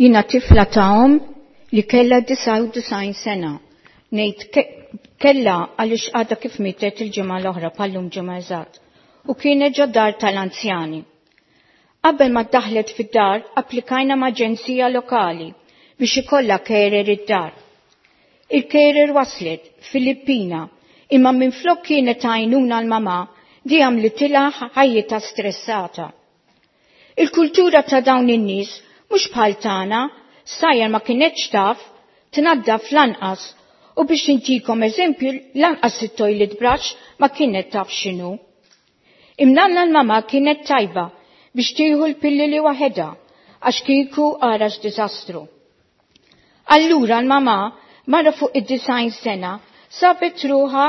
Jiena tifla ta' omm li kellha disgħa u disgħin sena. Ngħid kella għaliex għadha kif mietet il-ġimgħa l-oħra bħallum ġimgħa eżatt. U kienet ġo dar tal-anzjani. Qabel ma ddaħlet fid-dar, applikajna ma' aġenzija lokali biex ikollha carer id-dar. Il-carer waslet, Filippina, imma minflok kienet għajnuna l-mama di għamlitilha ħajjitha stressata. Il-kultura ta' dawn in-nies mhux bħal tagħna, sajjar ma kienetx taf, tnaddaf lanqas u biex intikom eżempju lanqas it-toilet brush ma kienet taf x'inhu. Imnalla l-mama kienet tajba biex tieħu l-pilloli waħedha għax kieku għarax diżastru. Allura l-mama mara fuq id-disgħin sena sabet ruħha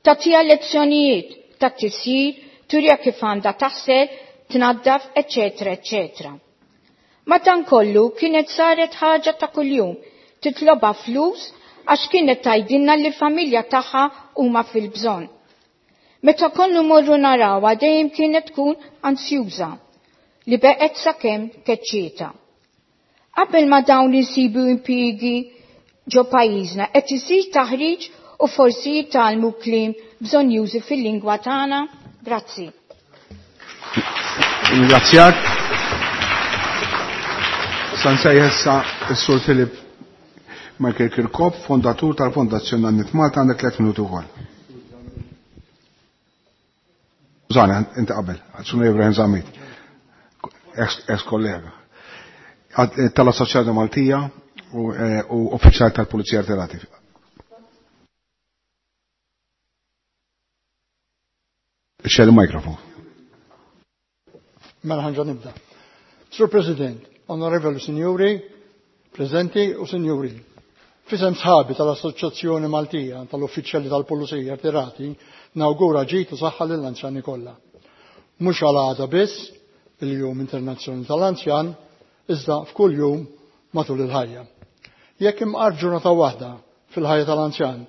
tagħtiha lezzjonijiet ta' tisjir, turja kif għandha taħsel, tnaddaf, eċetera, eċetera. Madankollu kienet saret ħaġa ta' kuljum, titloba flus għax kienet tgħidilna li familja tagħha huma fil-bżonn. Meta konna morru narawha dejjem kienet tkun ansjuża li beqgħet sakemm keċċieta. Qabel ma dawn isibu impjiegi ġo pajjiżna qed isir taħriġ u forsi jitgħallmu kliem bżonjużi fil-lingwa tagħna. Grazzi. Ringrazzjak. Se nsejjaħ issa s-Sur Philip Michael Kirkop, fondatur tal-Fondazzjoni Nanniet Malta, għandek tliet minuti wkoll. Skużani, inti qabel, Sur Ibrahim Zammit, ex kollega. Tal-Assoċjazzjoni Maltija u, u uffiċjal tal-Pulizija Rtirati. Ixxel il-mikrofon. Mela ħa nġa nibda. Sur President, Onorevoli Sinjuri, Prezenti u Sinjuri, f'isem sħabi tal-Assoċjazzjoni Maltija tal-Uffiċjali tal-Pulizija Rtirati nawgura ġid u saħħa lill-anzjani kollha. Mhux għal għada biss, il-Jum Internazzjonali tal-Anzjan, iżda f'kull jum matul il-ħajja. Jekk imqar ġurnata waħda fil-ħajja tal-anzjan,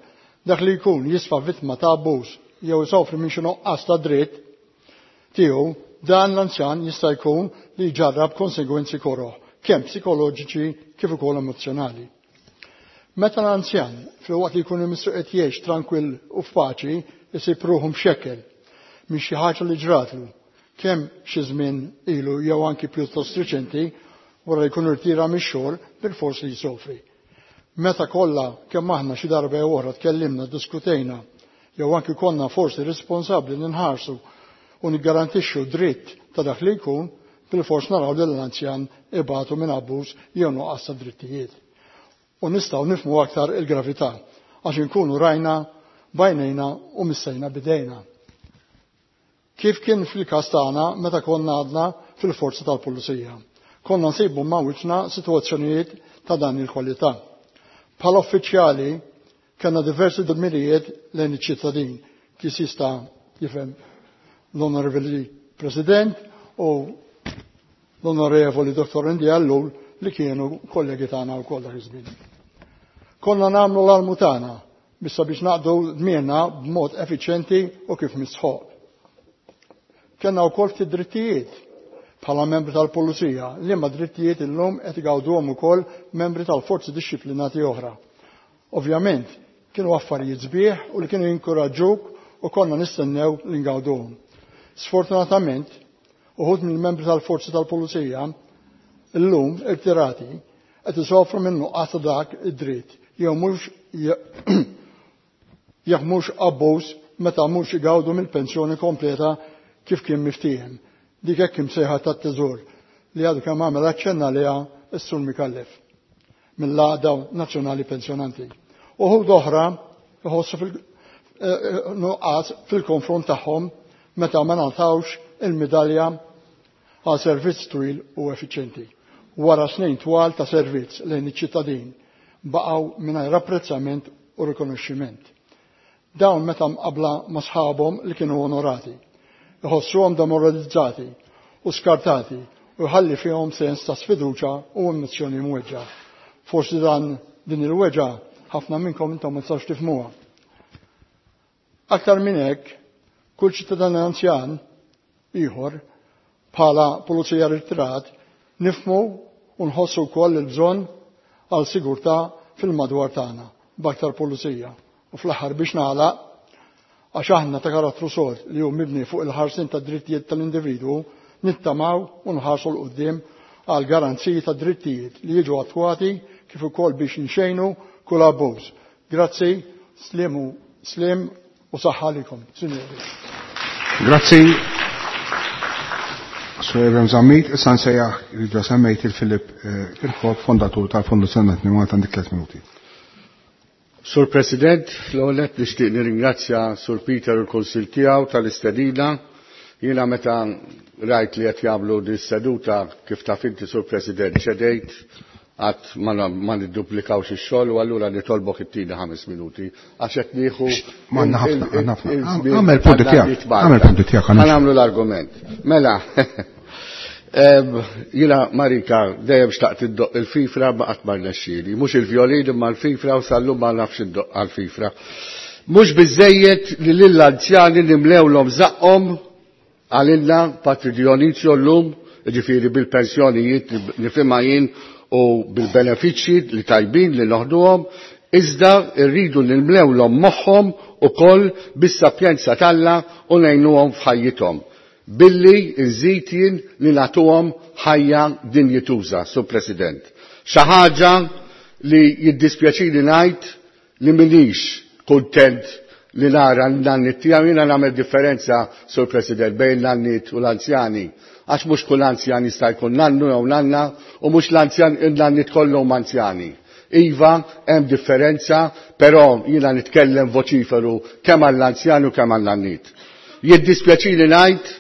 dak li jkun jisfa vittma ta' abbuż jew isofri minn xi nuqqas ta' dritt tiegħu, dan l-anzjan jista' jkun li jġarrab konsegwenzi koroh, kemm psikoloġiċi kif ukoll emozjonali. Meta l-anzjan filwaqt li jkun imissu qed jgħix trankwill u f'paċi isib ruħu mxekkel minn xi ħaġa li ġratlu, kemm xi żmien ilu jew anki pjuttost riċenti wara li jkun irtira mix-xogħol bil-fors li jsofri. Meta kollha kemm aħna xi darba jew oħra tkellimna, diskutejna, jew anki konna forsi responsabbli li nħarsu u niggarantixxu dritt ta' dak li jkun, bil-fors naraw li l-anzjan ibatu minn abbuż jew nuqqas ta' drittijiet. U nistgħu nifhmu aktar il-gravità għax inkunu rajna b'għajnejna u missejna bidejna. Kif kien fil-każ tagħna meta konna għadna fil-forza tal-pulizija. Konna nsibu ma' wiċċna sitwazzjonijiet ta' dan il-kwalità. Bħala uffiċjali kellna diversi dmirijiet lejn iċ-ċittadin, kif jista' jifhem l-Onorevoli President u l-Onorevoli Dottor Andy Ellul li kienu kollegi tagħna wkoll dak iż-żmien. Konna nagħmlu l-almu tagħna biex sabiex naqdu dmirna b'mod effiċjenti u kif mistħoq. Kellna wkoll ftit drittijiet bħala membri tal-Pulizija, liema drittijiet illum qed igawduhom ukoll membri tal-forzi dixxiplinati oħra. Ovvjament, kienu affarijiet sbieħ u li kienu jinkoraġġuk u konna nistennew li ngawduhom. Sfortunatament, uħud mill-membri tal-forzi tal-Pulizija illum irtirati qed isofru minn nuqqas ta' dak id-dritt jew mhux jekk mhux abbuż meta mhux igawdu mill-pensjoni kompleta kif kien miftiehem. Dik hekk imsejħa tat-teżor li għadu kemm għamel aċċenna għaliha s-Sur Micallef mill-Għaqda Nazzjonali Pensjonanti. Uħud oħra iħossu fil-nuqqas fil-konfront tagħhom meta ma ngħatawx il-midalja għal servizz twil u effiċjenti. Wara snin twal ta' servizz lejn iċ-ċittadin baqgħu mingħajr apprezzament u rikonoxximent. Dawn meta mqabla ma' sħabhom li kienu onorati, iħossuhom demoralizzati u skartati u jħalli fihom sens ta' sfiduċa u emozzjoni mweġġa. Forsi dan din il-weġġa ħafna minnkom intom ma tistax tifhmuha. Aktar minn hekk, kull ċittadin anzjan ieħor bħala pulizija ritirat nifhmu u nħossu wkoll il-bżonn għal sigurtà fil-madwar tagħna b'aktar pulizija. U fl-aħħar biex nagħlaq, għax aħna ta' karattru sod li hu mibni fuq il-ħarsin ta' drittijiet tal-individwu, nittamaw u nħarsu 'l quddiem għal garanziji ta' drittijiet li jiġu attwati kif ukoll biex nxejnu kull abbuż. Grazzi, slim u slim u saħħa għalikom, sinjuri. Grazzi. Sur Ebrahim Zammit, issa nsejjaħ li semmejt il-Filip Kirkop, fondatur tal-Fondazzjoni Malta, għandek tliet minuti. Sur President, l-ewwel nett nixtieq nirringrazzja Sur Peter u l-Kunsill tiegħu tal-istedina. Jiena meta rajt li qed jagħmlu din seduta kif taf inti Sur President ċedejt għat ma nidduplikawx ix-xogħol u allura nitolbok it-tieni ħames minuti għax qed nieħu M'għandna ħafna, għandna ħafna. Għamel punti tiegħek, għamel punti tiegħek. Ħa nagħmlu l-argument. Mela, jiena Marika dejjem xtaqt iddoq il-fifra ma qatt ma rnexxieli, mhux il-vjolin imma l-fifra u sal-lum ma nafx iddoq għall-fifra. Mhux biżejjed li lill-anzjani nimlewlhom żaqqhom għalilna Patri Dionizio llum, jiġifieri bil-pensjonijiet nifhimha jien u bil-benefiċċji li tajbin li noħduhom, iżda rridu nimlewlhom moħħhom ukoll bis-sapjenza t'Alla u ngħinuhom f'ħajjithom. Billi nżid jien li nagħtuhom ħajja dinjituża, Sur President. Xi ħaġa li jiddispjaċini ngħid li m'iniex kuntent li nara n-nanniet tiegħu, jiena nagħmel differenza, Sur President, bejn n-nanniet u l-anzjani. Għax mhux kull anzjan jista' jkun nannu jew nanna u mhux l-anzjan in-nanniet kollhom anzjani. Iva, hemm differenza, però jiena nitkellem voċiferu kemm għall-anzjani u kemm għall-nanniet. Jiddispjaċini ngħid,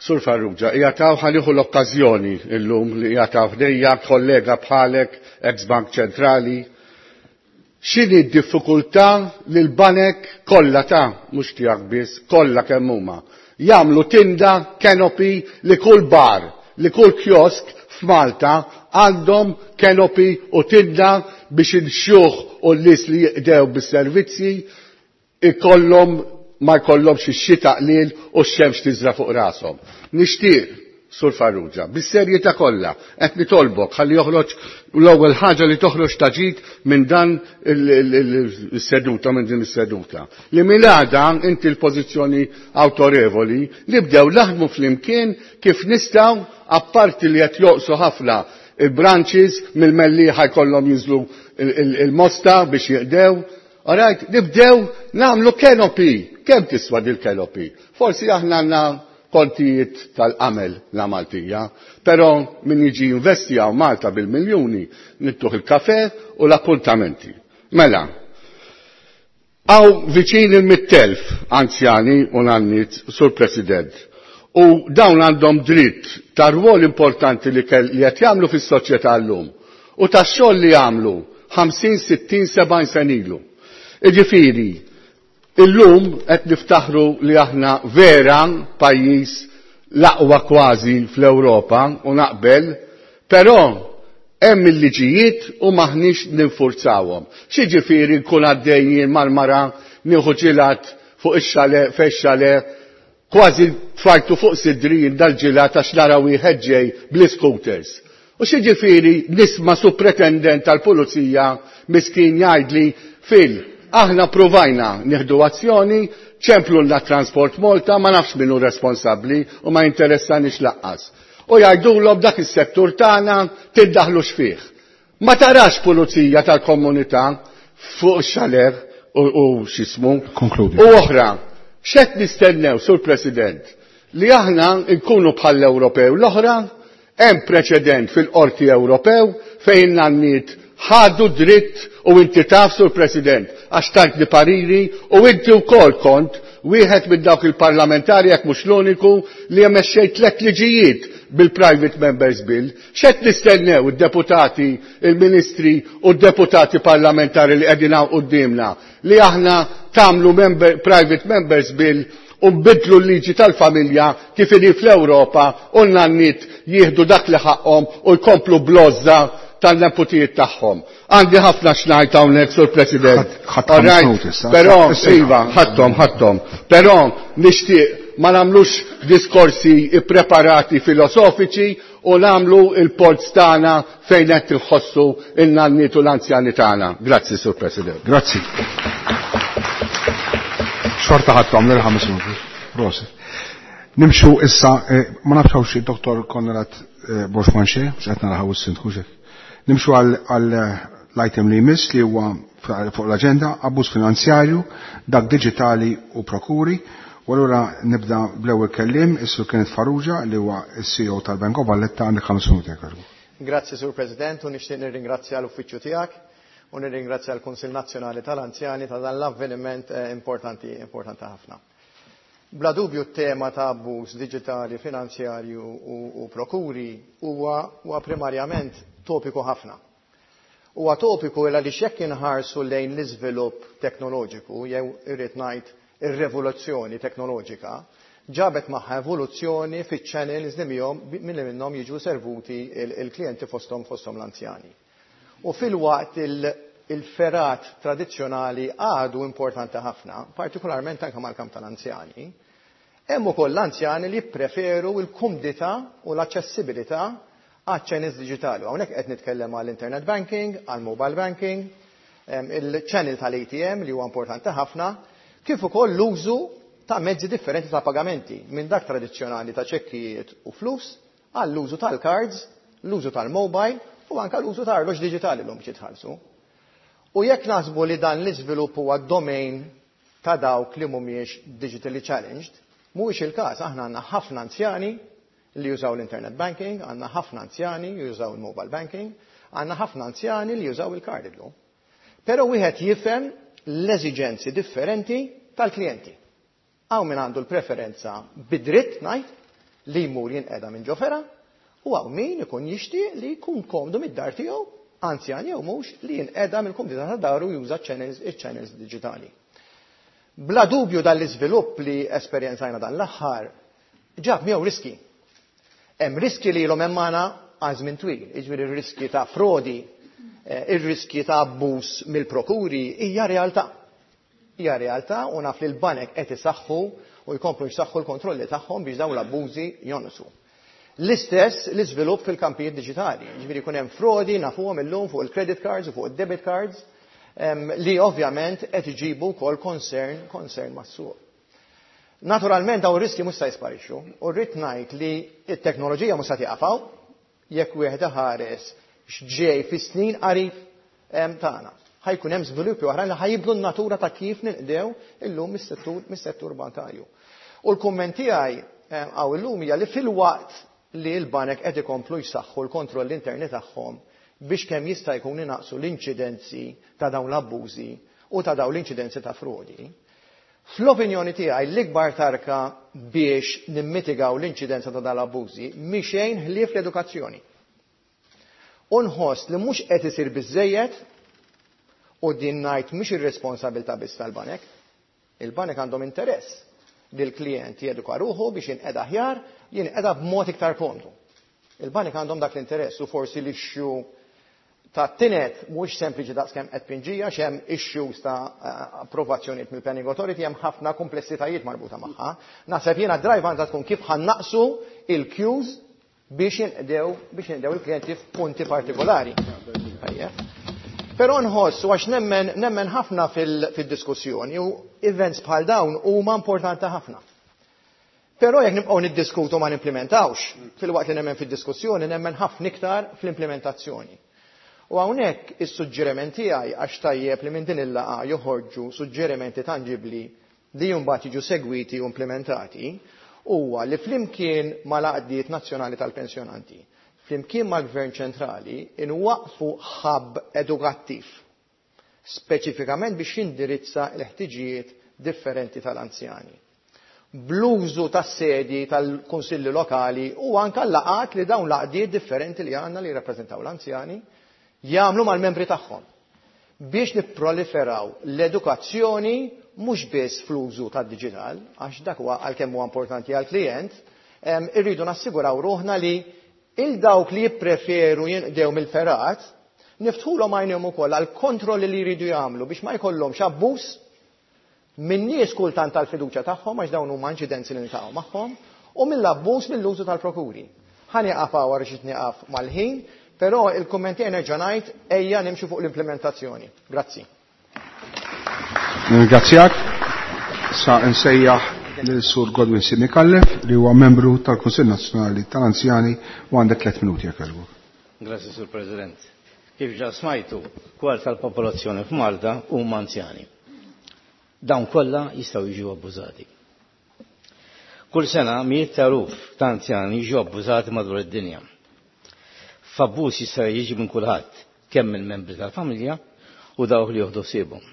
Sur Farrugia, jgħataw ħaniħu l-okkażjoni illum li jgħataw ħdejja kollega bħalek, ex-Bank Ċentrali. X'inhi d-diffikultà li l-banek kollha ta' mhux tiegħek biss, kollha kemm huma, jagħmlu tinda canopy li kull bar, li kull kiosk f'Malta għandhom canopy u tinda biex il-xjuħ u l-nies li jiqdew bis-servizzi ikollhom ma jkollhomx ix-xita qliel u x-xemx tiżra fuq rashom. Nixtieq, Sur Farrugia, bis-serjetà kollha qed nitolbok ħalli joħroġ l-ewwel ħaġa li toħroġ taġid minn dan is-seduta, minn din is-seduta. Li minn għada inti l-pożizzjoni awtorevoli li bdew naħdmu flimkien kif nistgħu, apparti li qed joqsu ħafna il-branches mill-Mellieħa jkollhom jinżlu il-Mosta biex jiqdew. Alright, nibdew nagħmlu canopy. Kemm tiswa dil-canopy? Forsi aħna għandna kontijiet tal-qamel la Maltija, però min jiġi investi għaw Malta bil-miljuni, nittuħ il-kafe u l-appuntamenti. Mela, għaw viċin il-mittelf anzjani u nannit, Sur President, u dawn għandhom dritt ta' rwol importanti li qed jagħmlu fis-soċjetà llum u ta' xogħol li jagħmlu ħamsin, sittin, sebgħin sen ilu. Iġifieri, illum qed niftaħru li aħna vera pajjiż l-aqwa kważi fl-Ewropa u naqbel, Però hemm il-liġijiet u maħniex ninfurzawhom. X'jiġifieri nkun għaddejjin mal-mara nieħu ġilat fuq ix-xale fex-xale kważi tfajtu fuq sidri dal-ġilat għax nara wieħed ġej bl-scooters. U x'jiġifieri nisma' supretendent tal-pulizija miskin jgħidli fil aħna provajna nieħdu azzjoni, ċemplulna Transport Malta, ma nafx min hu responsabbli u ma jinteressanix laqqas. U jgħidulhom dak is-settur tagħna tiddaħlux fih. Ma tarax pulizija tal-komunità fuq xaler u, u x'ismu. Konkludi. U oħra, x'qed nistennew, Sur President, li aħna nkunu bħall-Ewropew l-oħra, hemm preċedent fil-Qorti Ewropew fejn nanniet ħadu dritt u inti taf, Sur President, għax tajtni pariri u inti wkoll kont wieħed minn dawk il-parlamentari jekk mhux l-uniku li mexxejt tliet liġijiet bil-Private Members Bill. X'qed nistennew id-deputati, il-ministri u d-deputati parlamentari li qegħdin hawn quddiemna li aħna tagħmlu member, Private Members Bill u nbidlu l-liġi tal-familja kif inhi fl-Ewropa u n-nanniet jieħdu dak li ħaqhom u jkomplu blozza tal-neputijiet tagħhom. Għandi ħafna x'ngħid hawnhekk, Sur President. Ħadd All right, ħames minuti issa. Però, Issa. iva, ħadthom, ħadthom. Però nixtieq ma nagħmlux diskorsi ippreparati filosofiċi u nagħmlu il-polz tagħna fejn qed inħossu in-nanniet u l-anzjani tagħna. Grazzi, Sur President. Grazzi. Xorta ħadthom lil ħames minuti. Prosit. Nimxu issa, eh, ma nafx hawn xi Doktor Konrad eh, Borg Manché, mhux qed naraħaw is-sindku xek. Nimxu għal għal l-item li jmiss li huwa fuq l-aġenda, abbuż finanzjarju, dak diġitali u prokuri. U allura nibda bl-ewwel kelliem, is-Sur Kenneth Farrugia li huwa s-C E O tal-Bank of Valletta, għandek ħames minuti jekk jogħġbok. Grazzi, Sur President, u nixtieq nirringrazzja l-uffiċċju tiegħek u nirringrazzja l-Kunsill Nazzjonali tal-Anzjani ta' dan l-avveniment, eh, importanti, importanti ħafna. Bla dubju t-tema ta' abbuż diġitali, finanzjarju u, u prokuri huwa, huwa primarjament topiku ħafna. Huwa topiku għaliex jekk inħarsu lejn l-iżvilupp teknoloġiku, jew irrid ngħid ir-revoluzzjoni teknoloġika, ġabet magħha evoluzzjoni fiċ-channels li miegħhom minn minnhom jiġu servuti il-, il-klijenti fosthom, fosthom l-anzjani. U fil-waqt il-, il-ferat tradizzjonali għadu importanti ħafna, partikolarment anke mal-kamp tal-anzjani, hemm ukoll l-anzjani li jippreferu l-kumdità u l-aċċessibilità għaċ-channels diġitali. Hawnhekk qed nitkellem għall-internet banking, għall-mobile banking, em, il-channel tal-A T M li huwa importanti ħafna, kif ukoll l-użu ta' mezzi differenti ta' pagamenti, minn dak tradizzjonali ta' ċekkijiet u flus, għall-użu tal-cards, l-użu tal-mobile u anke l-użu ta' arloġġ diġitali llum biex jitħallsu. U jekk naħsbu li dan l-iżvilupp huwa domain ta' dawk li mhumiex digitally challenged, mhuwiex il-każ, aħna għandna ħafna anzjani li jużaw l-internet banking, għandna ħafna anzjani li jużaw il-mobile banking, għandna ħafna anzjani li jużaw il-card illum. Però wieħed jifhem l-eżiġenzi differenti tal-klijenti. Hawn min għandu l-preferenza bidritt ngħid li jmur jinqeda minn ġofera, u hawn min ikun jixtieq li jkun komdu mid-dar tiegħu, anzjan jew mhux, li jinqeda mill-kumdità ta' daru juża channels, il-channels diġitali. Bla dubju dan l-iżvilupp li esperjenzajna dan l-aħħar ġab miegħu riski. Hemm riski li ilhom hemm magħna għal żmien twil, jiġifieri r-riski ta' frodi, eh, ir-riski ta' abbuż mill-prokuri hija realtà. Hija realtà u naf li l-banek qed isaħħu u jkomplu jsaħħu l-kontrolli tagħhom biex dawn l-abbużi jonqsu. L-istess l-iżvilupp fil-kampijiet diġitali, jiġifieri jkun hemm frodi nafuhom illum fuq il-credit cards u fuq id-debit cards, em, li ovvjament qed iġibu wkoll concern, concern mas-suq. Naturalment dawn ir-riski mhux se jisparixxu, u rrid ngħid li t-teknoloġija mhux se tieqaf jekk wieħed iħares x'ġej fis-snin qarib, em, tagħna. Ħajkun hemm żviluppi oħrajn li ħajibdlu n-natura ta' kif ninqdew illum mis-settur, mis-settur bankarju. U l-kumment tiegħi, em, hawn illum hija li fil-waqt li l-banek qed ikomplu jsaħħu l-kontroll interni tagħhom biex kemm jista' jkun inaqsu l-inċidenzi ta' dawn l-abbużi u ta' dawn l-inċidenzi ta' frodi. Fl-opinjoni tiegħi l-ikbar tarka biex nimmitigaw l-inċidenza ta' dawn l-abbużi mhi xejn ħlief l-edukazzjoni. U nħoss li mhux qed isir biżżejjed, u din ngħid mhix ir-responsabilità biss tal-banek. Il-banek għandhom interess li l-klient jeduka ruħu biex jinqeda aħjar, jinqeda b'mod iktar komdu. Il-banek għandhom dak l-interess u forsi l-issue ta' tined mhux sempliċi daqskemm qed pinġija x'hemm issues ta' approvazzjonijiet mill-Planning Authority, hemm ħafna komplessitajiet marbuta magħha. Naħseb jiena drive għandha tkun kif ħa nnaqqsu il-queues biex jinqdew biex jinqdew il-klijenti f'punti partikolari. Però nħoss u għax nemmen nemmen ħafna fil-diskussjoni u events bħal dawn huma importanti ħafna. Però jekk nibqgħu niddiskutu ma nimplementawx, filwaqt li nemmen fid-diskussjoni nemmen ħafna iktar fl-implementazzjoni. U hawnhekk is-suġġeriment tiegħi, għax tajjeb li minn din il-laqgħa joħorġu suġġerimenti tanġibbli li mbagħad jiġu segwiti u implementati, huwa li flimkien mal-għaqdiet nazzjonali tal-pensjonanti, flimkien mal-Gvern ċentrali, inwaqfu hub edukattiv, speċifikament biex jindirizza l-ħtiġijiet differenti tal-anzjani. Bl-użu tas-sedi tal-kunsilli lokali u anka l-laqgħat li dawn l-għaqdiet differenti li għandna li jirrappreżentaw l-anzjani jagħmlu mal-membri tagħhom biex nipproliferaw l-edukazzjoni mhux biss fl-użu tad-diġital, għax dak huwa għalkemm huwa importanti għall-klijent, irridu nassiguraw ruħna li il dawk li jippreferu jinqdew mill-fergħat niftħulhom għajnejhom ukoll għal kontrolli li jridu jagħmlu biex ma jkollhomx abbuż minn nies kultant tal-fiduċja tagħhom, għax dawn huma inċidenzi li niltaqgħu magħhom, u mill-abbuż mill-użu tal-prokuri. Ħa nieqaf hawn għax nieqaf mal-ħin, però il-kummenti nerġa' ngħid ejja nimxu fuq l-implementazzjoni. Grazzi. Ringrazzjak. Sa nsejjaħ lil Sur Godwin Simikallef li huwa membru tal-Kunsill Nazzjonali tal-Anzjani u għandek tliet minuti jekk jogħġbok. Grazzi, Sur President. Kif ġa smajtu, kwart tal-popolazzjoni f'Malta huma anzjani. Dawn kollha jistgħu jiġu abbużati. Kull sena mijiet ta' eluf ta' anzjani jiġu abbużati madwar id-dinja. F'abbuż jista' jiġi minn kulħadd, kemm mill-membri tal-familja u dawk li joħdu ħsiebhom.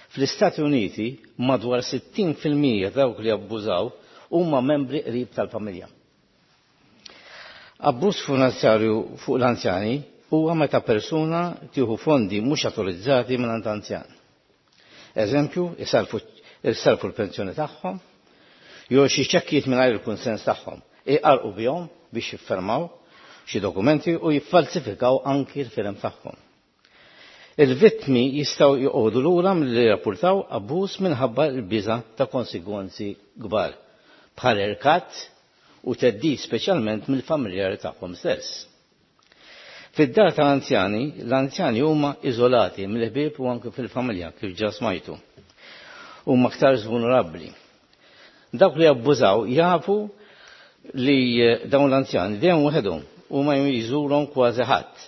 Fl-Istati Uniti madwar sittin fil-mija dawk li abbużaw huma membri qrib tal-familja. Abbuż finanzjarju fuq l-anzjani huwa meta persuna tieħu fondi mhux autorizzati minn anzjan. Eżempju, isalfu l-pensjoni tagħhom, jew xi ċekkijiet mingħajr il-kunsens tagħhom, iqarqu bihom biex jiffermaw xi dokumenti u jiffalsifikaw anki l-firem tagħhom. Il-vittmi jistgħu joqogħdu lura milli jirrapportaw abbuż minħabba l-biża' ta' konsegwenzi kbar, bħal irkat u theddid speċjalment mill-familjari tagħhom stess. Fid-dar tal-anzjani, l-anzjani huma iżolati mill-ħbieb u anke fil-familja kif ġa smajtu. Huma aktar vulnerabbli. Dawk li abbużaw jafu li dawn l-anzjani dejjem waħedhom u ma jżurhom kważi ħadd.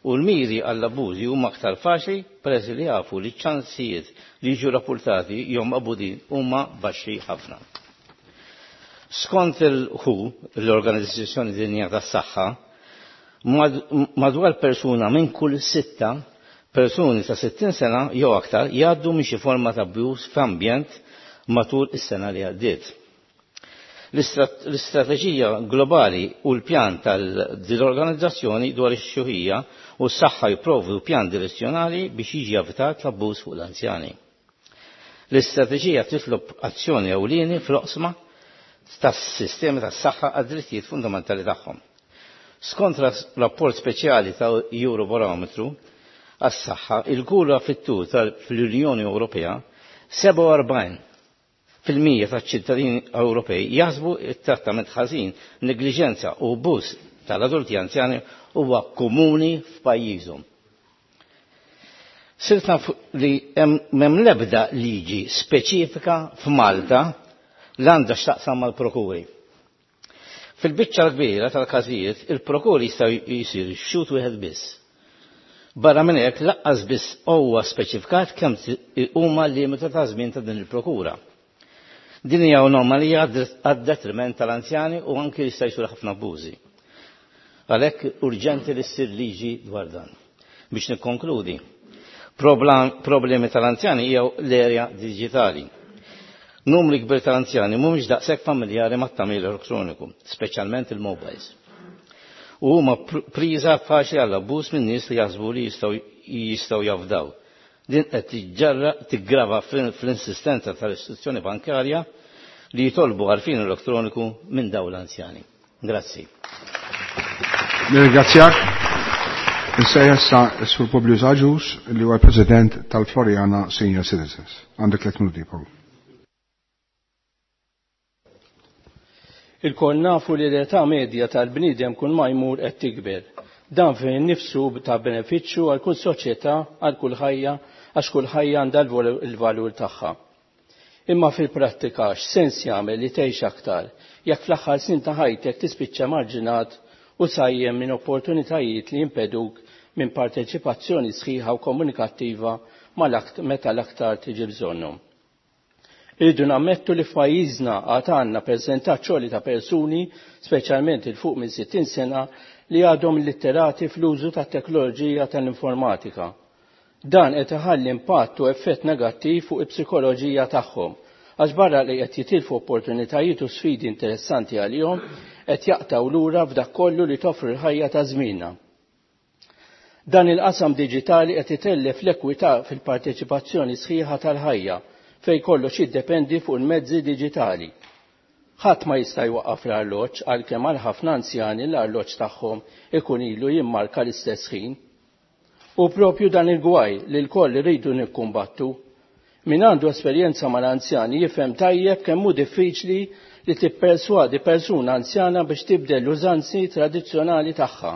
U l-miri għall-abbużi huma aktar faċli peress li jafu li ċ-ċansijiet li jiġu rapportati jew maqbudin huma baxxi ħafna. Skont il-W H O, l-Organizzazzjoni Dinjija tas-Saħħa, madwar persuna minn kull sitta persuni ta' sittin sena jew aktar jgħaddu minn xi forma ta' abbuż f'ambjent matul is-sena li għaddiet. L-istrateġija globali u l-pjan tal-organizzazzjoni dwar ix-xjuħija u s-saħħa jipprovdu pjan direzzjonali biex jiġi evitat l-abbuż fuq l-anzjani. L-istrateġija titlob azzjoni ewlieni fl-oqsma tas-sistemi tas-saħħa għad-drittijiet fundamentali tagħhom. Skont rapport speċjali ta' Eurobarometru għas-saħħa, il-kura fit-tul fl-Unjoni Ewropea sebgħa u erbgħin fil-mija taċ-ċittadini Ewropej jaħsbu t-trattament ħażin, negliġenza u abbuż tal-adulti anzjani huwa komuni f'pajjiżhom. Sirt naf li m'hemm l-ebda liġi speċifika f'Malta li għandha x'taqsam mal-prokuri. Fil-biċċa l-kbira tal-każijiet, il-prokuri jistgħu jsir xhud wieħed biss. Barra minn hekk laqqas biss huwa speċifikat kemm huma l-limitu ta' żmien ta' din il-prokura. Din hija anomalija għad-detriment tal-anzjani u anki jista' jsir ħafna abbużi. Għalhekk urġenti li ssir liġi dwar dan. Biex nikkonkludi, problemi tal-anzjani hija l-erja diġitali. Numri kbir tal-anzjani mhumiex daqshekk familjari mat-tagħmir elettroniku, speċjalment il-mobiles. U huma priża faċli għall abbuż minn nies li jaħsbu li jistgħu jistgħu jafdaw. Din qed tiġġarra tiggrava fl-insistenza tal-istituzzjoni bankarja li jitolbu għarfien elettroniku minn dawn l-anzjani. Grazzi. Nirringrazzjak. Issa issa s-Sur Publius Agius li huwa l-President tal-Floriana Senior Citizens. Għandek tliet minuti, Paul. Ilkoll nafu li l-età medja tal-bniedem kull ma jmur qed tikber. Dan fejn nifsu ta' benefiċċju għal kull soċjetà, għal kull ħajja, għax kull ħajja għandha l-valur tagħha. Imma fil-prattika x'sens jagħmel li tgħix aktar jekk fl-aħħar snin ta' ħajtek tispiċċa marġinat u sajjem minn opportunitajiet li jimpeduk minn parteċipazzjoni sħiħa u komunikattiva meta l-aktar tiġi bżonnhom. Irridu nammettu li f'pajjiżna għad għandna percentaġġ għoli ta' persuni, speċjalment il fuq minn sittin sena, li għadhom illitterati fl-użu tat-teknoloġija tal-informatika. Dan qed iħalli impatt u effett negattiv fuq il-psikoloġija tagħhom, għax barra li qed jitilfu opportunitajiet u sfidi interessanti għalihom, qed jaqtgħu lura f'dak kollu li toffri l-ħajja ta' żmienna. Dan il-qasam diġitali qed itellef l-ekwità fil-parteċipazzjoni sħiħa tal-ħajja, fej kollox jiddependi fuq il-mezzi diġitali. Ħadd ma jista' jwaqqaf l-arloġġ għalkemm għal ħafna anzjani l-arloġġ tagħhom ikun ilu jimmarka l-istess ħin. U propju dan il-gwaj li l-koll iridu nikkumbattu. Min għandu esperjenza mal-anzjani jifhem tajjeb kemm hu diffiċli li tipperswadi persuna anzjana biex tibdel l-użanzi tradizzjonali tagħha.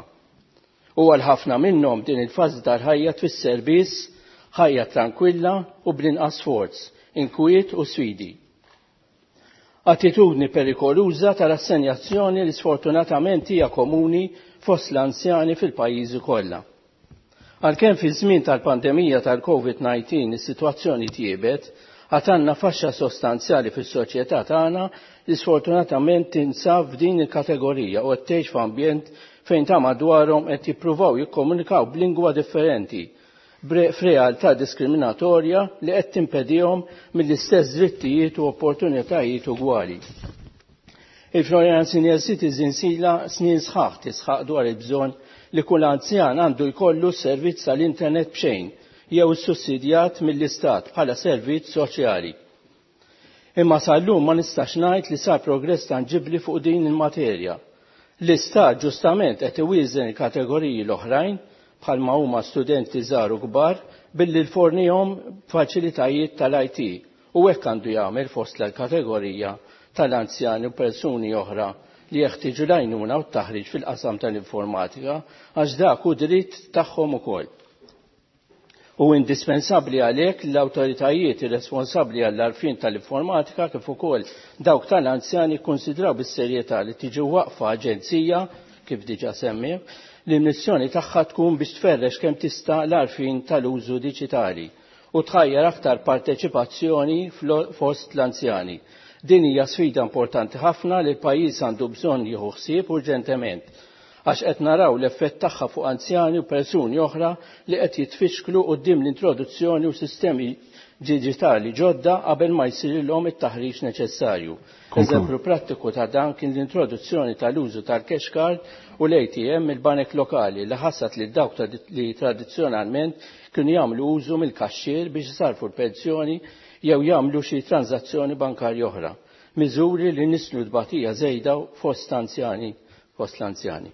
U għal ħafna minnhom din il-fażi tal-ħajja tfisser biss ħajja tranquilla u bl-inqas sforz, inkwiet u sfidi. Attitudni perikoluża tal-assenjazzjoni li sfortunatament hija komuni fost l-anzjani fil-pajjiżi kollha. Għalkemm fi żmien tal-pandemija tal-Covid nineteen is-sitwazzjoni tjiebet, għad għandna faxxa sostanzjali fis-soċjetà tagħna li sfortunatament tinsab f'din il-kategorija u qed tgħix f'ambjent fejn ta' madwarhom qed jippruvaw jikkomunikaw b'lingwa differenti, f'realtà diskriminatorja li qed timpedihom mill-istess drittijiet u opportunitajiet ugwali. Il-Floriana Senior Citizens ilha snin sħaħ tisħaq dwar il-bżonn li kull anzjan għandu jkollu servizz tal-internet b'xejn jew sussidjat mill-istat bħala servizz soċjali. Imma sal-lum ma nistax ngħid li sar progress tanġibbli fuq din il-materja. L-istat ġustament qed iwieżen il-kategoriji l-oħrajn bħalma huma studenti żgħar u kbar billi l-fornihom faċilitajiet tal-I T u hekk għandu jagħmel fost l-kategorija tal-anzjani u persuni oħra li jeħtieġu l-għajnuna u t-taħriġ fil-qasam tal-informatika għax dak hu dritt tagħhom ukoll. U indispensabbli għalhekk l-awtoritajiet irresponsabbli għall-għarfien tal-informatika kif ukoll dawk tal-anzjani kkunsidraw bis-serjetà li tiġi waqfa aġenzija kif diġà semmew li l-missjoni tagħha tkun biex tferrex kemm tista' l-għarfien tal-użu diġitali u tħajjar aktar parteċipazzjoni fost l-anzjani. Din hija sfida importanti ħafna li l-pajjiż għandu bżonn jieħu ħsieb urġentement għax qed naraw l-effett tagħha fuq anzjani u persuni oħra li qed jitfixklu quddiem l-introduzzjoni u sistemi diġitali ġodda qabel ma jsirilhom it-taħriġ neċessarju. Eżempju prattiku ta' dan kien l-introduzzjoni tal-użu tal-cash card u l-A T M mill-banek lokali li ħassat lil dawk li tradizzjonalment kienu jagħmlu użu mill-kaxxier biex isarfu l-pensjoni jew jagħmlu xi transazzjoni bankarja oħra. Miżuri li nislu tbatija żejda fost anzjani, fost l-anzjani.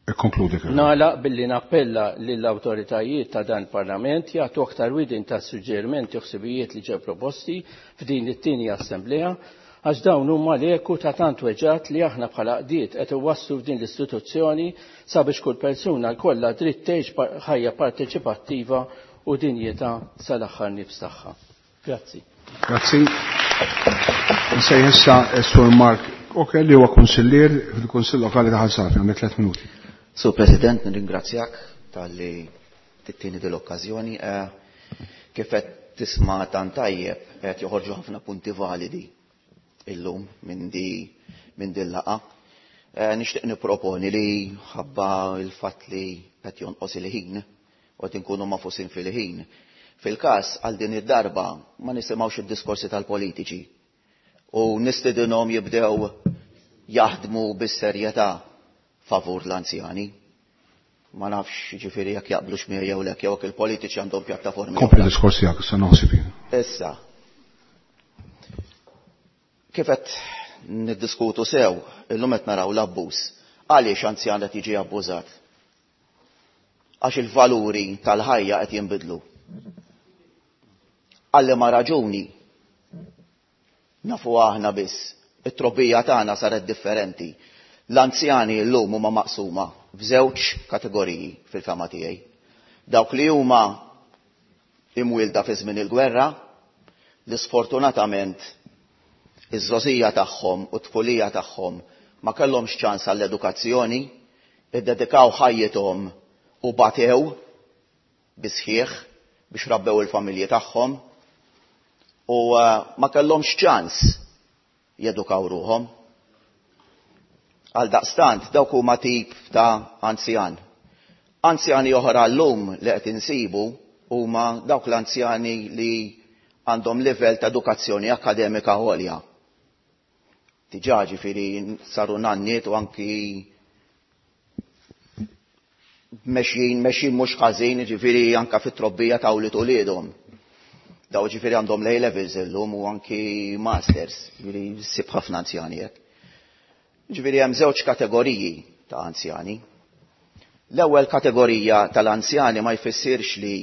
Ikkonkludi, Kevin. Nagħlaq billi nappella lill-awtoritajiet ta' dan il-Parlament jagħtu aktar widin ta' suġġerimenti u ħsibijiet li ġew proposti f'din it-tieni assemblea għax dawn huma l-eku ta' tant weġgħat li aħna bħala qdiet qed iwasslu f'din l-istituzzjoni sabiex kull persuna jkollha dritt tgħix par-, ħajja parteċipattiva u dinjità sal-aħħar nifs tagħha. Grazzi. Grazzi. Nsejħ issa s-Sur Mark Oke li huwa kunsillier fil-Kunsill Lokali ta' Ħal Safi, għandek tliet minuti. Sur President, nirringrazzjak tal-li tittini dil-okkażjoni. Eh, kif qed tisma' tant tajjeb qed joħorġu ħafna punti validi illum minn di minn din laqgħa. Eh, nixtieq nipproponi li ħabba l-fatt li qed jonqos il-ħin u qed inkunu mafusin fil-ħin. Fil-każ għal din id-darba ma nisimgħux id-diskorsi tal-politiċi u nistedinhom jibdew jaħdmu bis-serjetà favur l-anzjani. Ma nafx ġifieri jekk jaqblux miegħi jew lek, jew jekk il-politiċi għandhom pjattaformi Kompli oħra. diskors tiegħek, issa naħseb jien. Issa, kif qed niddiskutu sew, illum qed naraw l-abbuż Għaliex anzjan qed jiġi abbużat? Għax il-valuri tal-ħajja qed jinbidlu. Għal liema raġuni nafu aħna biss, it-trobbija tagħna saret differenti. L-anzjani llum huma maqsuma f'żewġ kategoriji fil-fehma tiegħi. Dawk li huma imwielda fi żmien il-gwerra, li sfortunatament iż-żgħożija tagħhom u t-tfulija tagħhom ma kellhomx ċans għall-edukazzjoni, iddedikaw ħajjithom u batew bisħieħ biex rabbew il-familji tagħhom u ma kellhomx ċans jedukaw ruħhom. Għal daqstant dawk huma tip ta' anzjan. Anzjani oħra llum li qed insibu huma dawk l-anzjani li għandhom livell ta' edukazzjoni akademika għolja. Diġà ġifieri saru nanniet u anki mexjin, mexjin mhux ħażin, ġifieri anka fit-trobbija ta' wlied uliedhom. Daw ġifieri għandhom A levels illum u anki masters, ġifieri ssib ħafna anzjani hekk. Ġifieri hemm żewġ kategoriji ta' anzjani. L-ewwel kategorija tal-anzjani ma jfissirx li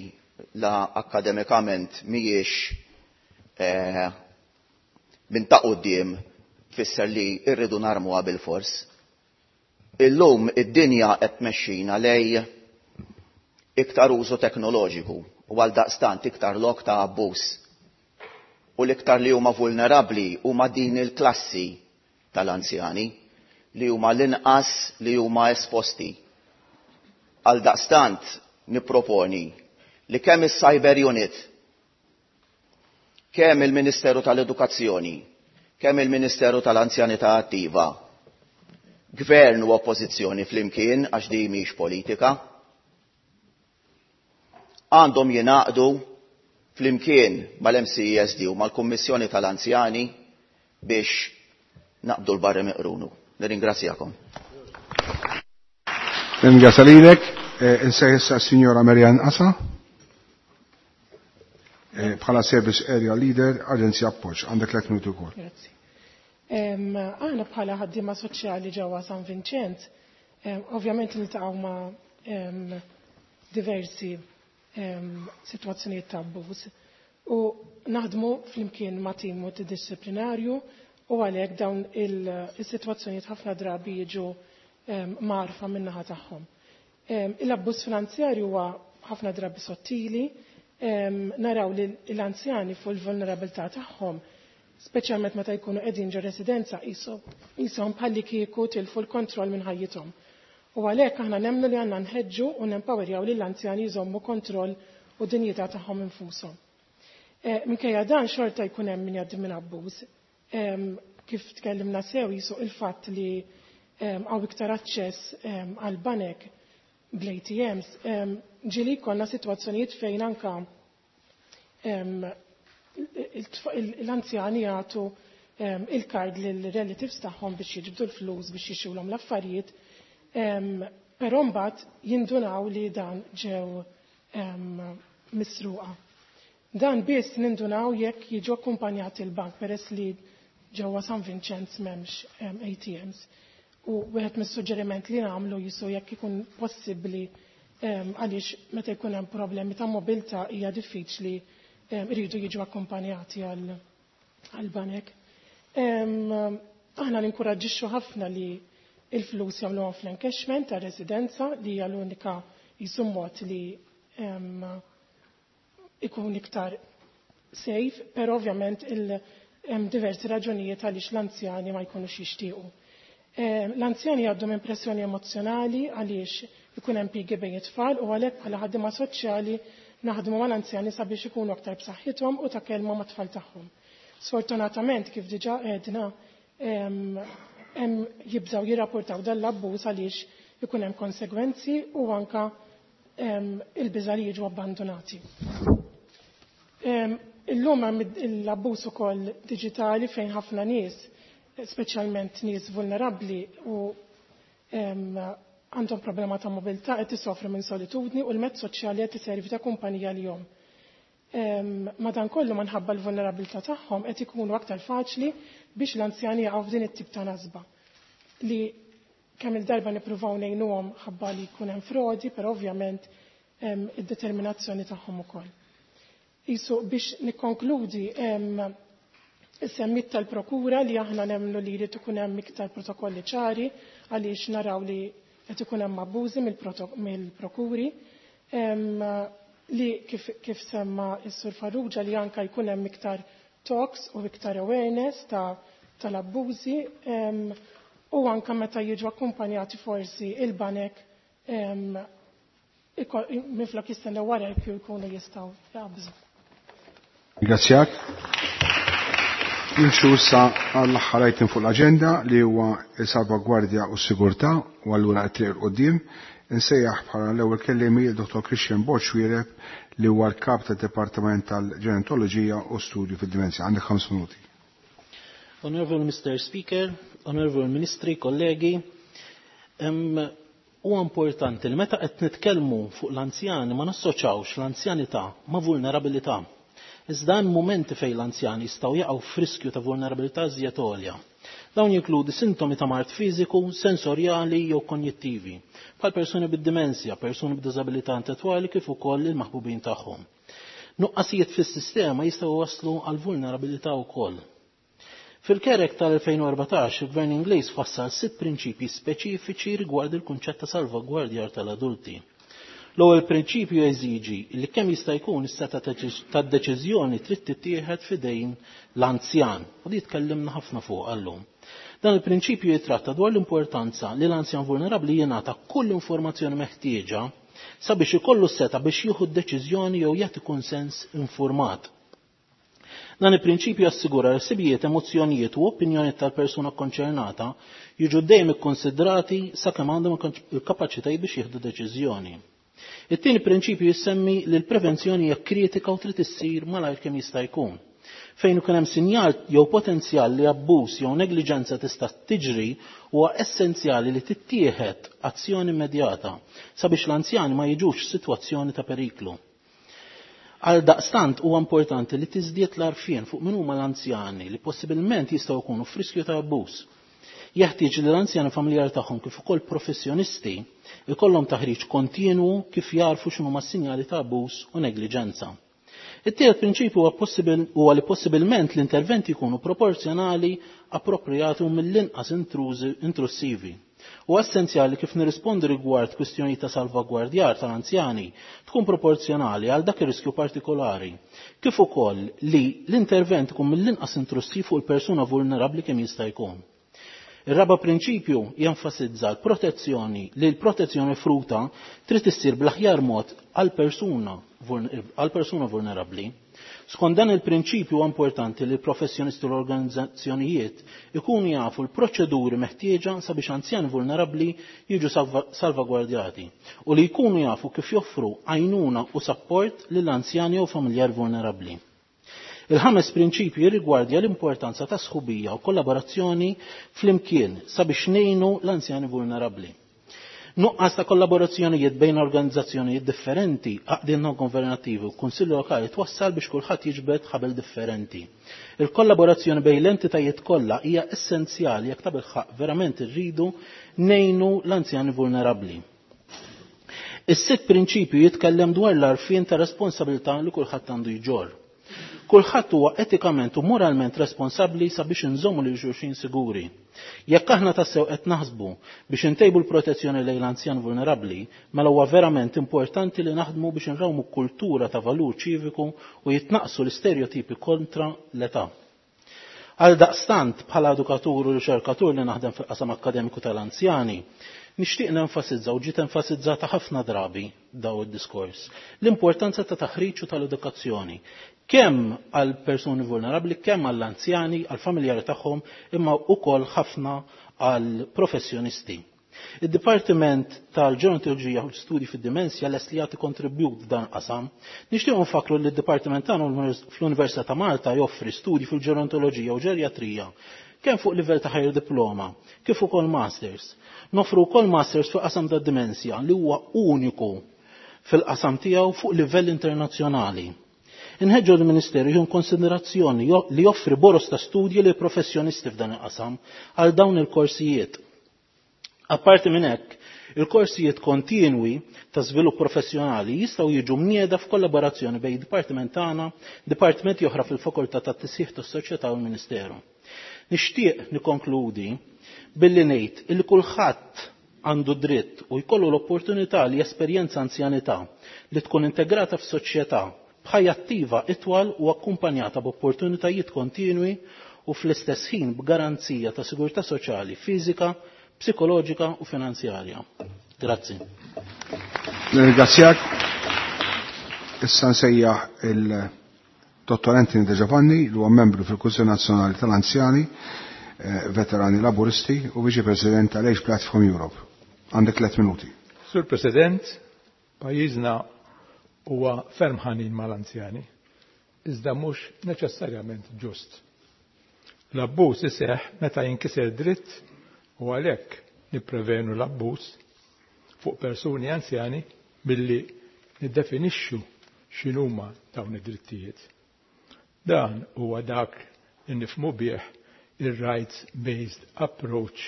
la akademikament mhijiex eh, minn ta' quddiem tfisser li rridu narmuha bil-fors. Illum id-dinja qed tmexxina lej iktar użu teknoloġiku u għal daqstant iktar lok ta' abbuż. U l-iktar li huma vulnerabbli huma din il-klassi tal-anzjani li huma l-inqas li huma esposti. Għal daqstant nipproponi li kemm is-Cyber Unit, kemm il-Ministeru tal-Edukazzjoni, kemm il-Ministeru tal-Anzjanità Attiva, gvern u oppożizzjoni flimkien, għax di mhix politika, għandhom jingħaqdu flimkien mal-M C E S D u mal-Kummissjoni tal-Anzjani biex naqbdu l-barri miqrunu. Nirringrazzjakom. Nirringrazzja lilek. Insejħ issa s-Sinjora Marianne Asa bħala Service Area Leader, Aġenzija Appoġġ. Għandek tliet minuti wkoll. Grazzi. Aħna bħala ħaddiema soċjali ġewwa San Vinċenz, ovvjament niltaqgħu ma' diversi sitwazzjonijiet ta' abbuż u naħdmu flimkien ma' tim multidisciplinarju u għalhekk dawn il-sitwazzjonijiet ħafna drabi jiġu marfa min-naħa tagħhom. Il-abbuż finanzjarju huwa ħafna drabi sottili, naraw li l-anzjani fuq il-vulnerabilità tagħhom, speċjalment meta jkunu qegħdin ġo residenza qishom bħalli kieku tilfu l-kontroll minn ħajjithom. U għalhekk aħna nemmnu li għandna nħeġġu u nempowerjaw lill-anzjani jżommu kontroll u dinjità tagħhom infushom. Minkejja dan xorta jkun hemm min jgħaddi minn abbuż. Kif tkellimna sew jisuq il-fatt li hawn iktar aċċess għal banek bl-A T Ms, ġieli jkollna sitwazzjonijiet fejn anka l-anzjani jagħtu il-kard lill-relatives tagħhom biex jiġbdu l-flus biex jixxulhom l-affarijiet, però mbagħad jindunaw li dan ġew misruqa. Dan biss nindunaw jekk jiġu akkumpanjati l-bank peress li ġewwa San Vinċenz m'hemmx A T Ms. U wieħed mis-suġġeriment li nagħmlu jisu jekk ikun possibbli għaliex meta jkun hemm problemi ta' mobilità hija diffiċli iridu jiġu akkumpanjati għal banek. Aħna ninkoraġġixxu ħafna li il-flus jagħmluhom fl-encashment ta' residenza li hija l-unika jisu mod li ikun iktar safe, però ovvjament hemm diversi raġunijiet għaliex l-anzjani ma jkunux jixtiequ. L-anzjani jgħaddu minn pressjoni emozjonali għaliex ikun hemm pigi bejn it-tfal u għalhekk bħala ħaddiema soċjali naħdmu mal-anzjani sabiex ikunu aktar b'saħħithom u ta' kelma mat-tfal tagħhom. Sfortunatament kif diġà għedna hemm jibżgħu jirrapportaw dan l-abbuż għaliex ikun hemm konsegwenzi u anka il-biża' li jiġu abbandonati. Illum hemm l-abbuż ukoll diġitali fejn ħafna nies, speċjalment nies vulnerabbli u għandhom problema ta' mobilità qed isofru minn solitudni u l-mezz soċjali qed iservi ta' kumpanija lihom. Madankollu minħabba l-vulnerabilità tagħhom qed ikunu aktar faċli biex l-anzjani jaqgħu f'din it-tip ta' nasba li Kemm il-darba nippruvaw ngħinuhom ħabba li jkun hemm frodi, però ovvjament id-determinazzjoni tagħhom ukoll. Isu biex nikkonkludi, semmit tal-prokura li aħna nemmnu li jrid ikun hemm iktar protokolli ċari għaliex naraw li qed ikun hemm abbużi mill-prokuri, li kif, kif semma s-Sur Farrugia li anka jkun hemm iktar talks u iktar awareness ta' tal-abbużi u anka meta jiġu akkumpanjati forsi il-banek minflok jistennew wara l-kju jkunu jistgħu jaqbżu. Ringrazzjak. Nimxu issa għall-aħħar item fuq l-aġenda li huwa il-salvagwardja u s-sigurtà u allura qed triq 'il quddiem. Insejjaħ bħala l-ewwel kelliemi il-Dottor Christian Borg Xuereb li huwa l-kap tad-Dipartiment tal-Ġerontoloġija u Studju fid-Dimensja. Għandek ħames minuti. Honorable Mister Speaker, Honorable Ministri, kollegi, huwa importanti li meta qed nitkellmu fuq l-anzjani ma nassoċawx l-anzjanità ma' vulnerabilità. Iżda hemm mumenti fejn l-anzjani jistgħu jaqgħu f'riskju ta' vulnerabilità żjed għolja. Dawn jinkludi sintomi ta' mard fiżiku, sensorjali jew konjittivi, bħal persuni bid-dimensja, persuni b'diżabilità intellettwali kif ukoll il-maħbubin tagħhom. Nuqqasijiet fis-sistema jistgħu waslu għal vulnerabilità wkoll. Fil-Care Act tal-elfejn u erbatax, il-Gvern Ingliż fassal sitt prinċipji speċifiċi rigward il-kunċett ta' salvagwardjar tal-adulti. L-ewwel prinċipju jeżiġi li kemm jista' jkun is-seta tad-deċiżjoni trid tittieħed f'idejn l-anzjan, u di tkellimna ħafna fuq għallum. Dan il-prinċipju jitratta dwar l-importanza li l-anzjan vulnerabbli jingħata kull informazzjoni meħtieġa sabiex ikollu s-seta biex jieħu d-deċiżjoni jew jagħti kunsens informat. Dan il-prinċipju jassigura li ħsibijiet, emozzjonijiet u opinjonijiet tal-persuna konċernata jiġu dejjem ikkonsidrati sakemm għandhom il-kapaċitajiet biex jieħdu deċiżjoni. It-tieni prinċipju jissemmi li l-prevenzjoni hija kritika u trid issir malajr kemm jista' jkun. Fejn ikun hemm sinjal jew potenzjal li abbuż jew negliġenza tista' tiġri, huwa essenzjali li tittieħed azzjoni immedjata sabiex l-anzjani ma jiġux f'sitwazzjoni ta' periklu. Għal daqstant huwa importanti li tiżdied l-għarfien fuq min huma l-anzjani li possibilment jistgħu jkunu f'riskju ta' abbuż. Jeħtieġ li l-anzjani familjari tagħhom kif ukoll professjonisti ikollhom taħriġ kontinwu kif jarfu x'inhuma s-sinjali ta' abbuż u negliġenza. It-tielet prinċipju huwa possibil, huwa li possibilment l-interventi jkunu proporzjonali, appropriati u mill-inqas intrusivi. U essenzjali kif nirrispondi rigward kwistjoni ta' salvagwardjar tal-anzjani tkun proporzjonali għal dak ir-riskju partikolari, kif ukoll li l-intervent ikun mill-inqas intrusiv fuq il-persuna vulnerabbli kemm jista' jkun. Ir-raba' prinċipju jenfasizza l-protezzjoni li l-protezzjoni fruta trid issir bl-aħjar mod għal persuna għal persuna vulnerabbli. Skont dan il-prinċipju huwa importanti li l-professjonisti u l-organizzazzjonijiet ikunu jafu l-proċeduri meħtieġa sabiex anzjani vulnerabbli jiġu salvagwardjati u li jkunu jafu kif joffru għajnuna u sapport lill-anzjani jew familjar vulnerabbli. Il-ħames prinċipju jirrigwardja l-importanza ta' sħubija u kollaborazzjoni flimkien sabiex ngħinu l-anzjani vulnerabbli. Nuqqas ta' kollaborazzjonijiet bejn organizzazzjonijiet differenti, għaqdiet non governattivi u kunsilli lokali twassal biex kulħadd jiġbed ħabel differenti. Il-kollaborazzjoni bejn l-entitajiet kollha hija essenzjali jekk tabilħaq verament irridu ngħinu l-anzjani vulnerabbli. Is-sitt prinċipju jitkellem dwar l-għarfien ta' responsabilità li kulħadd għandu jġorr. Kulħadd huwa etikament u moralment responsabbli sabiex inżommu lil xulxin siguri. Jekk aħna tassew qed naħsbu biex intejbu l-protezzjoni lejn l-anzjan vulnerabbli, mela huwa verament importanti li naħdmu biex inrawmu kultura ta' valur ċiviku u jitnaqsu l-istereotipi kontra l-età. Għal daqstant bħala edukatur u riċerkatur li naħdem fil-qasam akkademiku tal-anzjani, nixtieq nenfasizza u ġiet enfasizzata ħafna drabi daw id-diskors l-importanza ta' taħriġ u tal-edukazzjoni kemm għal persuni vulnerabbli, kemm għall anzjani, għal familjari tagħhom, imma wkoll ħafna għal professjonisti. Id-Dipartiment tal-Ġerontoloġija u l-Studji fid-Dimensja lest li jagħti kontribut f'dan qasam. Nixtieq nfakru li d-Dipartiment tagħna fl-Università ta' Malta joffri studji fil-ġerontoloġija u ġerjatrija kemm fuq livell ta' higher diploma, kif ukoll masters. Nofru wkoll masters fuq qasam tad-dimensja li huwa uniku fil-qasam tiegħu fuq livell internazzjonali. Inħeġġu l-Ministeru jieħu konsiderazzjoni li joffri boros ta' studji lil professjonisti f'dan il-qasam għal dawn il-korsijiet. Apparti minn hekk, il-korsijiet kontinwi ta' żvilupp professjonali jistgħu jiġu mnieda f'kollaborazzjoni bejn dipartiment tagħna, dipartimenti oħra fil-Fakultà tat-Tisħiħ tas-Soċjetà u l-Ministeru. Nixtieq nikkonkludi billi ngħid illi kulħadd għandu dritt u jkollu l-opportunità li jesperjenza anzjanità li tkun integrata f'soċjetà b'ħajja attiva itwal u akkumpanjata b'opportunitajiet kontinwi u fl-istess ħin b'garanzija ta' sigurtà soċjali, fiżika, psikoloġika u finanzjarja. Grazzi. Nirringrazzjak. Issa nsejjaħ il-Dottor Anthony De Giovanni, li huwa membru fil-Kunsill Nazzjonali tal-Anzjani, eh, Veterani Laburisti u Viċi President tal-Age Platform Europe. Għandek tliet minuti. Sur President, pajjiżna huwa ferm ħanin mal-anzjani, iżda mhux neċessarjament ġust. L-abbuż iseħħ meta jinkiser dritt u għalhekk nipprevenu l-abbuż fuq persuni anzjani billi niddefinixxu x'inhuma dawn id-drittijiet. Dan huwa dak li nifhmu bih ir-rights-based approach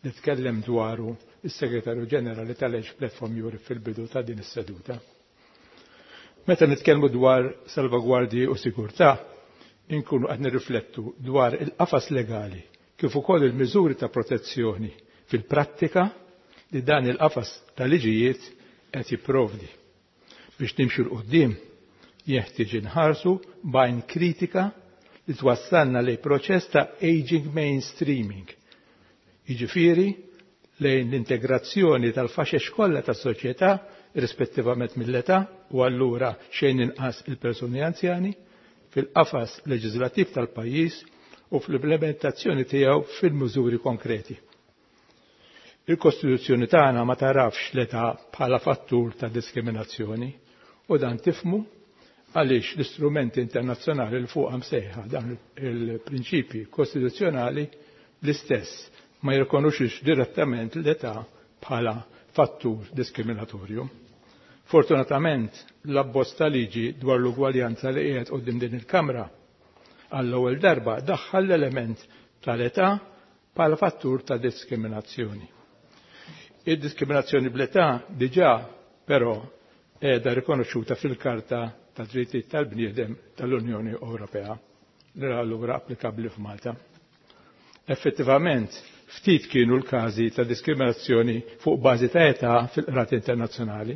li tkellem dwaru is-Segretarju Ġenerali tal-Age Platform Europe fil-bidu ta' din is-seduta. Meta nitkellmu dwar salvagwardji u sigurtà, inkunu qed nirriflettu dwar il-qafas legali kif ukoll il-miżuri ta' protezzjoni fil-prattika li dan il-qafas ta' liġijiet qed jipprovdi. Biex nimxu 'l quddiem jeħtieġ inħarsu b'għajn kritika li twassalna lejn proċess ta' aging mainstreaming. Jiġifieri lejn l-integrazzjoni tal-faxex kollha tas-soċjetà rispettivament mill-età u allura xejn inqas il-persuni anzjani fil-qafas leġislattiv tal-pajjiż u fl-implementazzjoni tiegħu fil-miżuri konkreti. Il-Kostituzzjoni tagħna ma tarafx l-età bħala fattur ta' diskriminazzjoni u dan tifhmu għaliex l-istrumenti internazzjonali li fuqha msejħa dan il-prinċipji kostituzzjonali l-istess ma jirkonoxux direttament l-età bħala fattur diskriminatorju. Fortunatament, l-abbozz ta' liġi dwar l-ugwaljanza li qiegħed quddiem din il-Kamra għall-ewwel darba daħħal l-element tal-età bħala fattur ta' diskriminazzjoni. Id-diskriminazzjoni bl-età diġà però qiegħda rikonoxxuta fil-Karta ta' Drittijiet tal-Bniedem tal-Unjoni Ewropea li allura applikabbli f'Malta. Effettivament, ftit kienu l-każi ta' diskriminazzjoni fuq bażi ta' età fil-qrati internazzjonali.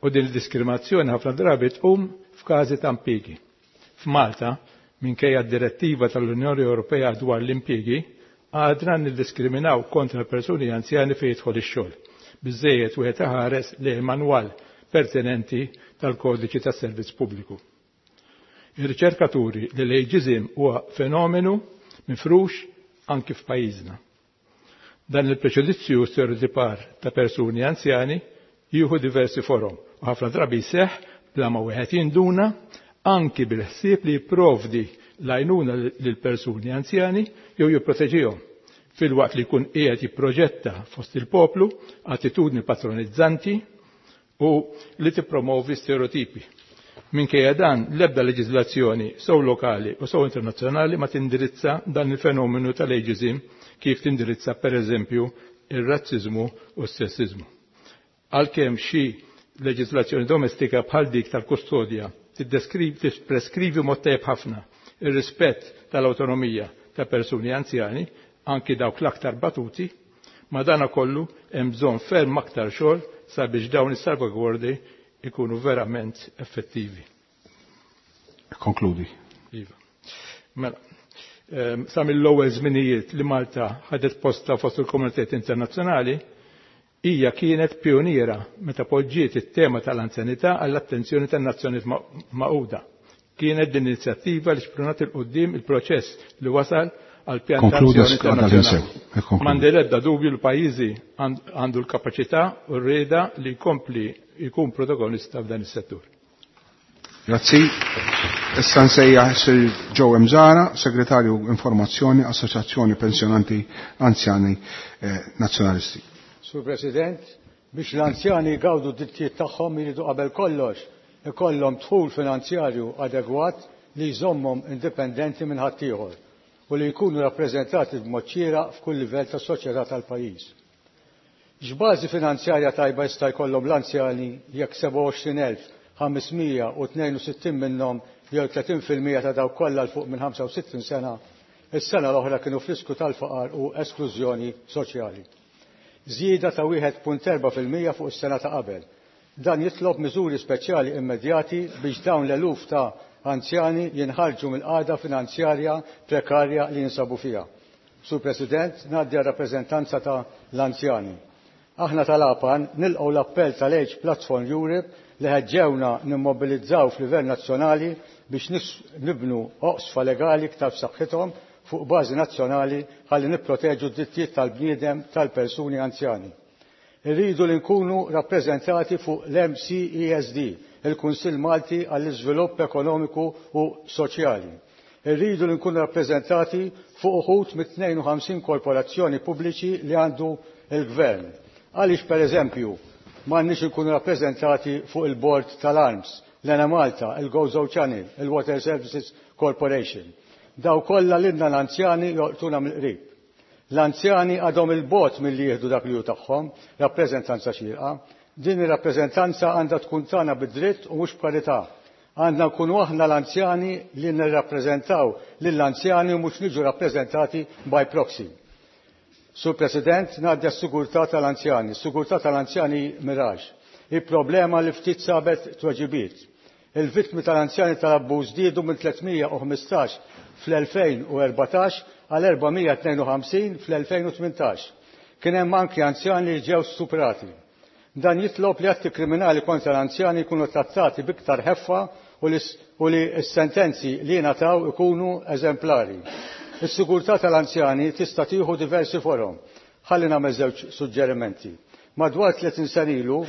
U din il-diskriminazzjoni ħafna drabi tqum f'każi ta' impjiegi. F'Malta, minkejja d-direttiva tal-Unjoni Ewropea dwar l-impjiegi, għadna niddiskriminaw kontra persuni anzjani fejn jidħol ix-xogħol. Biżejjed wieħed iħares lejn manwal pertinenti tal-kodiċi tas-servizz pubbliku. Ir-riċerkaturi li l-ageism huwa fenomenu mifrux anki f'pajjiżna. Dan il-preġudizzju stereotipar ta' persuni anzjani jieħu diversi forom u ħafna drabi jseħħ bla ma wieħed jinduna anki bil-ħsieb li jipprovdi l-għajnuna lil persuni anzjani jew jipproteġihom filwaqt li jkun qiegħed jipproġetta fost il-poplu attitudni patronizzanti u li tippromovi stereotipi. Minkejja dan, l-ebda leġiżlazzjoni sew lokali u sew internazzjonali ma tindirizza dan il-fenomenu tal-ageism kif tindirizza per eżempju ir-razziżmu u s-sessizmu. Għalkemm xi leġiżlazzjoni domestika bħal dik tal-kustodja tippreskrivi mod tajjeb ħafna ir-rispett tal-awtonomija ta' persuni anzjani, anki dawk l-aktar batuti, ma dana kollu hemm bżonn ferm aktar xogħol sabiex dawn is-salvagwardi ikunu verament effettivi. Konkludi. Iva. Mela, ehm, sa mill-ewwel żminijiet li Malta ħadet posta fost il-komunitajiet internazzjonali, hija kienet pioniera meta poġġiet it-tema tal-anzjanità għall-attenzjoni tan-Nazzjonijiet Magħquda. Kienet din inizjattiva li xprunat 'il quddiem il-proċess li wasal għal pjan ta' azzjoni internazzjonali. M'għandi l-ebda dubju li pajjiżi għandu l-kapaċità u r-rieda li jkompli jkun protagonista f'dan is-settur. Grazzi. Issa nsejjaħ Sir Joe Mżara, Segretarju Informazzjoni, Assoċjazzjoni Pensjonanti Anzjani eh, Nazzjonalisti. Sur President, biex l-anzjani jgawdu d-drittijiet tagħhom iridu qabel kollox ikollhom dħul finanzjarju adegwat li jżommhom indipendenti minn ħaddieħor u li jkunu rappreżentati b'mod xieraq f'kull livell tas-soċjetà tal-pajjiż. X'bażi finanzjarja tajba jista' jkollhom l-anzjani jekk sebgħa u għoxrin elf ħames mija u tnejn u sittin minnhom jew tletin fil-mija ta' dawk kollha 'l fuq minn ħamsa u sittin sena is-sena l-oħra kienu f'riskju tal-faqar u esklużjoni soċjali. Żieda ta' wieħed punt erba' fil-mija fuq is-sena ta' qabel. Dan jitlob miżuri speċjali immedjati biex dawn l-eluf ta' anzjani jinħarġu mill-qagħda finanzjarja prekarja li jinsabu fiha. Sur President, ngħaddi għar-rappreżentanza ta' l-anzjani. Aħna tal-APAN nilqgħu l-appell tal-Age Platform Europe li ħeġġewna nimmobilizzaw f'livell nazzjonali biex nibnu oqsfa legali iktar b'saħħithom fuq bażi nazzjonali ħalli nipproteġu d-drittijiet tal-bniedem tal-persuni anzjani. Irridu li nkunu rappreżentati fuq l-M C E S D, il-Kunsill Malti għall-Iżvilupp Ekonomiku u Soċjali. Irridu li nkunu rappreżentati fuq uħud mit-tnejn u ħamsin korporazzjoni pubbliċi li għandu il-Gvern. Għaliex, per eżempju, m'għandniex nkunu rappreżentati fuq il-Bord tal-Arms, l-Enemalta, il-Gozo Channel, il-Water Services Corporation? Daw kollha lilna l-anzjani jolqtuna mill-qrib. L-anzjani għadhom 'il bogħod milli jieħdu dak li hu tagħhom, rappreżentanza xierqa. Din ir-rappreżentanza għandha tkun tagħna bid-dritt u mhux b'karità. Għandna nkunu aħna l-anzjani li nirrappreżentaw lill-anzjani u mhux niġu rappreżentati by proxy. Sur President, ngħaddi għas-sigurtà tal-anzjani. Sigurtà tal-anzjani miraġ. Il-problema li ftit sabet tweġibiet. Il-vittmi tal-anzjani tal-abbuż żdiedu minn tliet mija u ħmistax fl-elfejn u erbatax għal erba' mija u tnejn u ħamsin fl-elfejn u tmintax. Kien hemm anki anzjani li ġew stuprati. Dan jitlob li atti kriminali kontra l-anzjani jkunu trattati biktar ħeffa u li s-sentenzi li jingħataw ikunu eżemplari. Is-sigurtà tal-anzjani tista' tieħu diversi forom. Ħalli nagħmel żewġ suġġerimenti. Madwar tletin sena ilu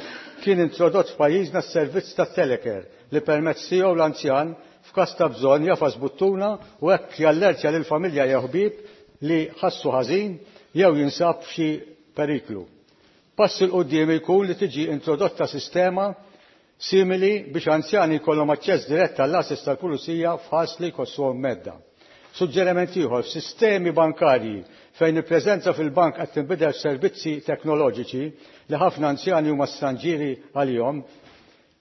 kien introdott f'pajjiżna s-servizz tat-telecare li permezz tiegħu l-anzjan f'każ ta' bżonn jagħfas buttuna u hekk jallertja lil familja jew ħbieb li ħassu ħażin jew jinsab f'xi periklu. Pass 'il quddiem ikun li tiġi introdotta sistema simili biex anzjani jkollhom aċċess dirett għall-għases tal-pulizija f'każ li jħossuhom mhedda. Suġġeriment ieħor, sistemi bankarji fejn il-preżenza fil-bank qed tinbidel servizzi teknoloġiċi li ħafna anzjani huma stranġieri għalihom,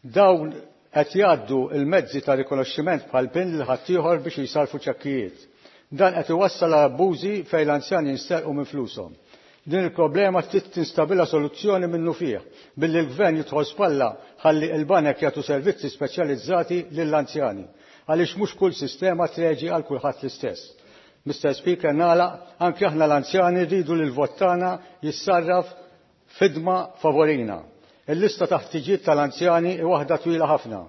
dawn qed jgħaddu il-mezzi ta' rikonoxximent bħal PIN lil ħaddieħor biex jisarfu ċekkijiet. Dan qed iwassal għal abbużi fejn l-anzjani jinsterqu minn flushom. Din il-problema trid tinstabilha soluzzjoni minnufih billi l-gvern jidħol spalla ħalli il-banek jagħtu servizzi speċjalizzati lill-anzjani għaliex mhux kull sistema treġi għal kulħadd l-istess. Mister Speaker, nagħlaq, anke aħna l-anzjani rridu li l-vot tagħna jissarraf f'ħidma favorina. Il-lista ta' ħtiġijiet tal-anzjani hi waħda twila ħafna.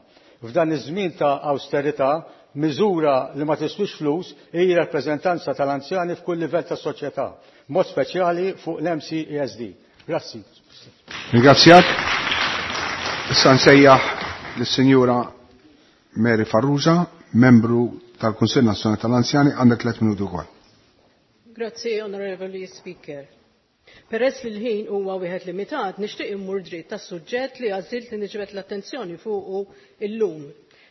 F'dan iż-żmien ta' austerità, miżura li ma tiswix flus hi rappreżentanza tal-anzjani f'kull livell tas-soċjetà, mod speċjali fuq l-M C E S D. Grazzi. Ringrazzjak. Issa nsejjaħ lis-Sinjura Mary Farrugia, membru tal-Kunsill Nazzjonali tal-Anzjani, għandek tliet minuti wkoll. Grazzi, Onorevoli Speaker. Peress li l-ħin huwa wieħed limitat, nixtieq immur dritt tas-suġġett li għażilt li niġbed l-attenzjoni fuqu illum.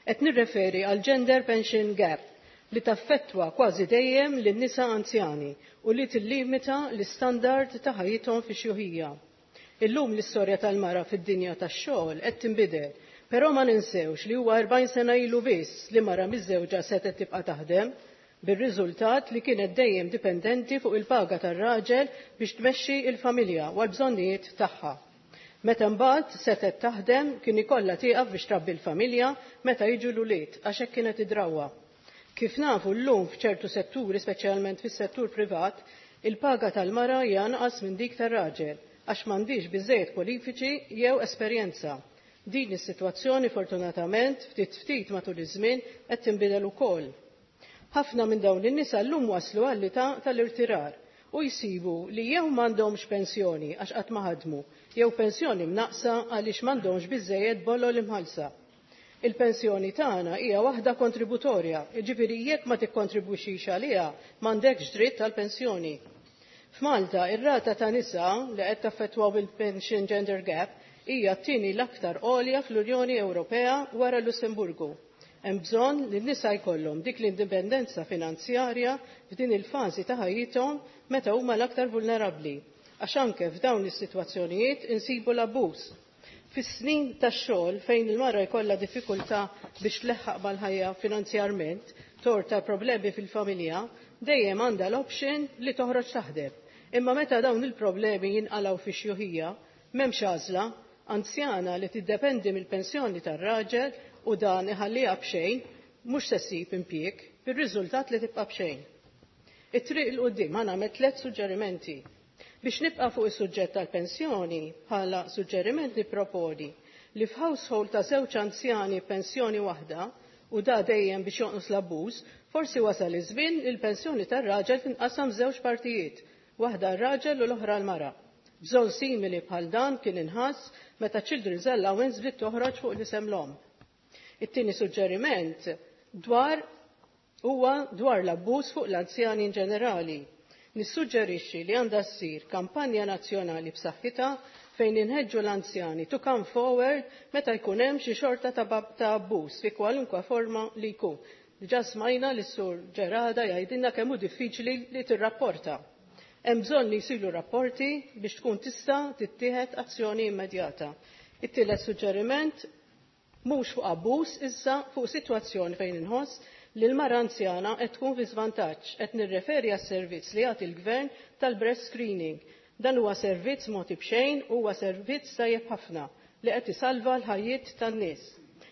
Qed nirreferi għal gender pension gap li taffettwa kważi dejjem lin-nisa anzjani u li tillimita l-istandard ta' ħajjithom fi xjuħija. Illum l-istorja tal-mara fid-dinja tax-xogħol qed tinbidel, però ma ninsewx li huwa erbgħin sena ilu biss li mara miżżewġa setgħet tibqa' taħdem, bir-riżultat li kienet dejjem dipendenti fuq il-paga tar-raġel biex tmexxi il-familja u l-bżonnijiet tagħha. Meta mbagħad setgħet taħdem, kien ikollha tieqaf biex trabbi l-familja meta jiġu l-ulied, għax hekk kienet id-drawwa. Kif nafu llum, f'ċertu setturi, speċjalment fis-settur privat, il-paga tal-mara hija anqas minn dik tar-raġel għax m'għandix biżejjed kwalifiċi jew esperjenza. Din is-sitwazzjoni fortunatament ftit ftit matul iż-żmien qed tinbidel ukoll. Ħafna minn dawn in-nisa llum waslu għall-età tal-irtirar u jsibu li jew m'għandhomx pensjoni għax qatt ma ħadmu, jew pensjoni mnaqsa għaliex m'għandhomx biżejjed bolol imħallsa. Il-pensjoni tagħna hija waħda kontributorja, jiġifieri jekk ma tikkontribwixxix għaliha m'għandekx dritt tal-pensjoni. F'Malta, ir-rata ta' nisa li qed taffettwaw il-pension gender gap hija t-tieni l-aktar għolja fl-Unjoni Ewropea wara Lussemburgu. Hemm bżonn li n-nisa jkollhom dik l-indipendenza finanzjarja f'din il-fażi ta' ħajjithom meta huma l-aktar vulnerabbli. Għax anke f'dawn is-sitwazzjonijiet insibu l-abbuż. Fis-snin tax-xogħol fejn il-mara jkollha diffikultà biex tleħħaq mal-ħajja finanzjarment, torta problemi fil-familja, dejjem għandha l-option li toħroġ taħdem. Imma meta dawn il-problemi jinqalgħu fi xjuħija, m'hemmx għażla, anzjana li tiddependi mill-pensjoni tar-raġel u dan iħalliha b'xejn, mhux se ssib impjieg, bir-riżultat li tibqa' b'xejn. It-triq 'il quddiem ħa nagħmel tliet suġġerimenti. Biex nibqa' fuq is-suġġett tal-pensjoni, bħala suġġeriment nipproponi li f'household ta' żewġ anzjani pensjoni waħda, u da dejjem biex jonqos l-abbuż, forsi wasal iż-żmien li l-pensjoni tar-raġel tinqasam żewġ partijiet, waħda r-raġel u l-oħra l-mara. Bżonn simili bħal dan kien inħass meta Children's Allowance bdiet toħroġ fuq l-isem l-omm. It-tieni suġġeriment dwar huwa dwar l-abbuż fuq l-anzjani in ġenerali. Nissuġġerixxi li għandha ssir kampanja nazzjonali b'saħħitha fejn inħeġġu l-anzjani to come forward meta jkun hemm xi xorta ta' ta' abbuż fi kwalunkwe forma li jkun. Diġà smajna lis sur Ġerada jgħidilna kemm hu diffiċli li tirrapporta. Hemm bżonn li jsiru rapporti biex tkun tista' tittieħed azzjoni immedjata. It-tielet suġġeriment mhux fuq abbuż issa fuq sitwazzjoni fejn inħoss li l-mara anzjana qed tkun fi żvantaġġ, qed nirreferi għas-servizz li jagħti l-Gvern tal-breast screening. Dan huwa servizz mogħti b'xejn u huwa servizz tajjeb ħafna li qed isalva l-ħajjiet tan-nies.